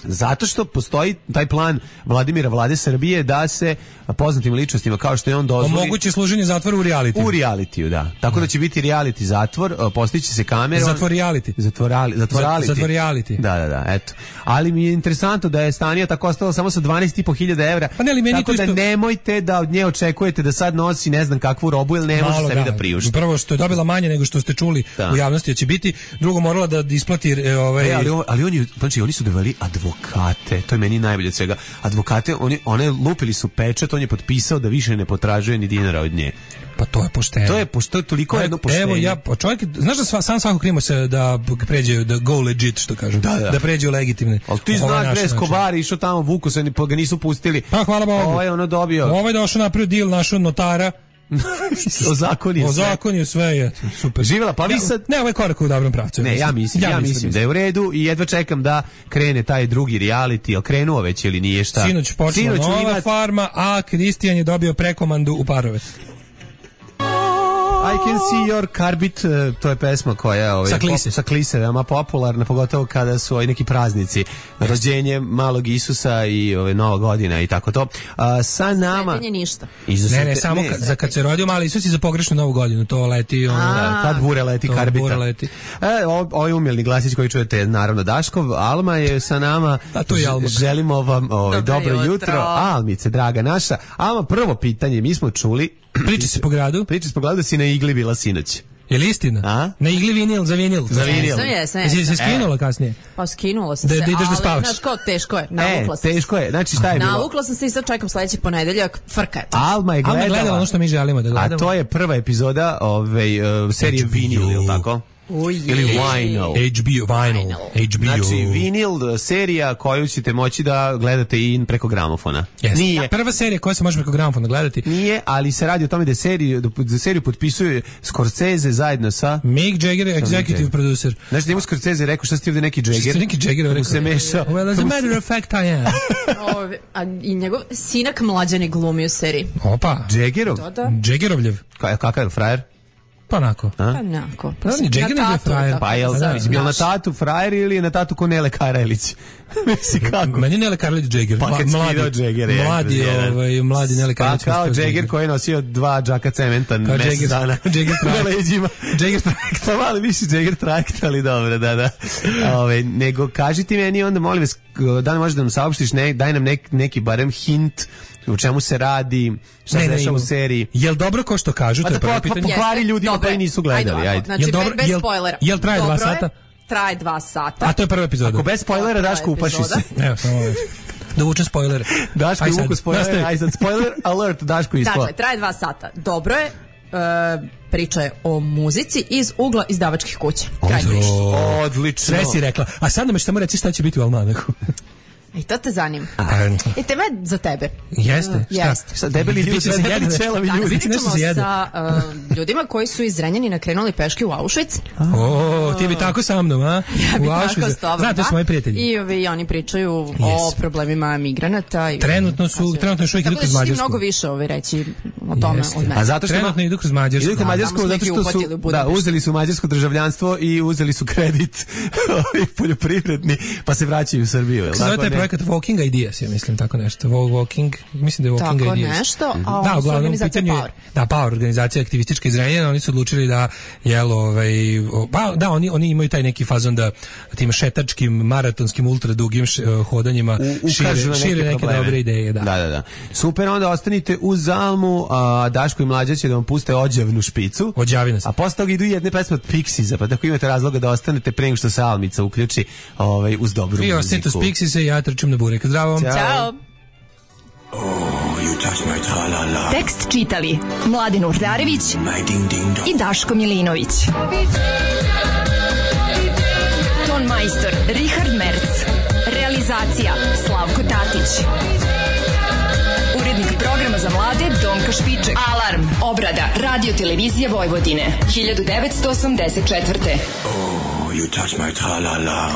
Zato što postoji taj plan Vladimira Vlade Srbije da se poznatim ličnostima kao što je on dozvoli omogući služenje zatvora u realitiju. U realitiju, da. Tako da, da će biti reality zatvor, postići se kamera. Zatvor reality. Zatvorali, zatvorali. Zatvor reality. Da, da, da, eto. Ali mi je interesantno da je Stanija tako ostala samo sa dvanaest i po hiljada evra. Pa ne, ali meni tako da isto... nemojte da od nje očekujete da sad nosi ne znam kakvu robu ili ne može sebi da, da priušti. Prvo što je dobila manje nego što ste čuli da. U javnosti da će biti, drugo morala da isplati ovaj e, ali, on, ali oni znači oni su doveli advokate. To je meni najbolje od svega. Advokate, oni, one lupili su pečat, on je potpisao da više ne potražuje ni dinara od nje. Pa to je pošteno. To je pošto toliko jedno poštenje. Evo ja, čovjek, znaš da sva, sam svako krimo se da pređe, da go legit, što kažem. Da, da. Da pređe u legitimne. Ali ti znaš gde Escobar išao tamo, vuku se, pa ga nisu pustili. Pa hvala Bogu. Ovo je ono dobio. Ovo je došao napravio deal našo notara. o zakonju sve. O zakonju sve je super. Živela, pa vi sad... Ne, ovo je korak u dobrom pravcu. Ne, ja mislim, ja, ja mislim, mislim da je u redu i jedva čekam da krene taj drugi reality, jel krenuo već ili nije šta. Sinoć počela nova imat... farma, a Kristijan je dobio prekomandu u parove. Aj I Can See Your Carbit, to je pesma koja ovaj, sa klise. Pop, sa klise, veoma popularna, pogotovo kada su ovaj, neki praznici, rođenje malog Isusa i ove, Nova godina i tako to. A, sa nama... Sretenje ništa. Ne, ne, samo ne, kad, za kad se rodio mali Isus i za pogrešnu Novu godinu, to leti ono... Da, kad bure leti Karbita. Bure leti. E, ovaj umilni glasić koji čujete, naravno Daškov, Alma je sa nama. A to je Alma. Želimo vam ovaj, dobro, dobro jutro. jutro. Almice, draga naša. Alma, prvo pitanje, mi smo čuli... Priča se po gradu? Priča se po gradu da si na igli bila sinoć. Je li istina? A? Na igli vinil, za vinil. Za vinil. Jesam, jesam, Jesi jesam. se skinula kasnije? Pa skinula sam Da- se, da ideš da ali, spavaš. znaš kao, teško je. E, Navukla sam teško je. Znači, šta je se. bilo? Navukla sam se i sad čekam sledeći ponedeljak. Frka je. Alma je Alma gledala, je gledala ono što mi želimo da gledamo. a to je prva epizoda ove, uh, serije H B O. Vinil, je li tako? Uje. Ili Vinyl. H B O, Vinyl. H B O. Znači, Vinil, serija koju ćete moći da gledate i preko gramofona. Jeste. Nije. Prva serija koja se može preko gramofona gledati. Nije, ali se radi o tome da seriju, da seriju potpisuje Scorsese zajedno sa... Mick Jagger, executive Jagger. producer. Znači, njemu Scorsese rekao, šta si ti ovde neki Što Jagger? ste neki Jagger Kako rekao? se meša. Well, as a matter of fact, I am. Ove, a i njegov sinak mlađan je glumi u seriji. Opa. Jaggerov? Da, da. Jaggerovljev. Ka- Kakav je frajer? Pa onako. Pa nako. Pa ni Jagger nego je frajer. Pa jel, Da, mislim, jel na znaš. tatu frajer ili je na tatu ko Nele Karajlić? Mislim, kako? Meni Nele Karlić Jagger. Pa Mla- kad mladi, skidao Jagger, je, mladi, jedan. ovaj, mladi Nele Pa Karlić. kao Jagger koji je nosio dva džaka cementa Kao mesec Jagger- dana. Jagger na trajekt. leđima. Jagger trajekt. Pa malo više Jagger trajekt, ali dobro, da, da. Ove, nego kaži ti meni onda, molim vas, da li možeš da nam saopštiš, ne, daj nam nek, neki barem hint u čemu se radi, šta se dešava u seriji. Jel dobro ko što kažu, Pa to je da prvo po- po- pitanje. pokvari ljudima Dobro je. koji nisu gledali, ovako, ajde. Znači, Jel dobro- bez jel- spoilera. jel traje dva Dobro je, sata? Traje dva sata. A to je prva epizoda. Ako bez spoilera, Prva Daško, upaši se. epizoda. Evo, samo ovo. Da uvučem spoilere. Daško Aj je sad, uvuku spoiler, nastavi. aj sad spoiler alert, Daško ispao. Dakle, traje dva sata. Dobro je. E, priča je o muzici iz ugla izdavačkih kuća. Kraj priče. Odlično. Sve si rekla. A sad nam još samo reći šta će biti u Almanahu. I to te zanima. A, I teme za tebe. Jeste, šta? Jeste. Sad debeli ljudi, Biće se debeli jede nešto. ćelavi Danas ljudi. Biće nešto pričamo se jede. sa uh, ljudima koji su iz Zrenjanina krenuli peške u Auschwitz. O, ti bi tako sa mnom, a? Ja bih U tako Auschwitzu. s tobom, Znate, da. su moji prijatelji. I ovi, oni pričaju o Yes. problemima migranata. I, Trenutno su- trenutno još uvijek idu Tako kroz da ćeš ti Mađarsku. mnogo više ovi reći o tome Jeste. od mene. A zato što Trenutno idu kroz Mađarsku. Idu kroz Da, Mađarsku tamo smo zato ih i što su uhvatili u da, Budimpešti. uzeli su mađarsko državljanstvo i uzeli su kredit ovaj, poljoprivredni, pa se vraćaju u Srbiju. je li Zove tako, taj ne? projekat Walking Ideas, ja mislim, tako nešto. Walk- Walking, mislim da je Walking Tako Ideas. nešto, a Da, oni su uglavnom, u organizacija pitanju je- Power. Da, Power, organizacija aktivistička iz Renjanina, oni su odlučili da, jel, ovaj, o, pa, da, oni, oni imaju taj neki fazon da tim šetačkim, maratonskim, ultradugim š, eh, hodanjima U- šire, ukažu na neke šire neke probleme. dobre ideje, da. Da, da, da. Super, onda ostanite uz Zalmu, a Daško i Mlađa će da vam puste ođevnu špicu. Ođavi nas. A posle toga idu jedne pesme od Pixiesa, pa tako imate razloga da ostanete pre nego što se Almica uključi ovaj, uz dobru Vi muziku. ostanite s Pixise, ja trčim na burek. Zdravo vam. Ćao. Ćao. Tekst čitali Mladin Urdarević i Daško Milinović. Ton majstor Richard Merc. Realizacija Slavko Tatić. Urednik programa za mlade Donka Špiček. Alarm. Obrada Radio Televizije Vojvodine. hiljadu devetsto osamdeset četvrte. Oh, you touch my tra-la-la.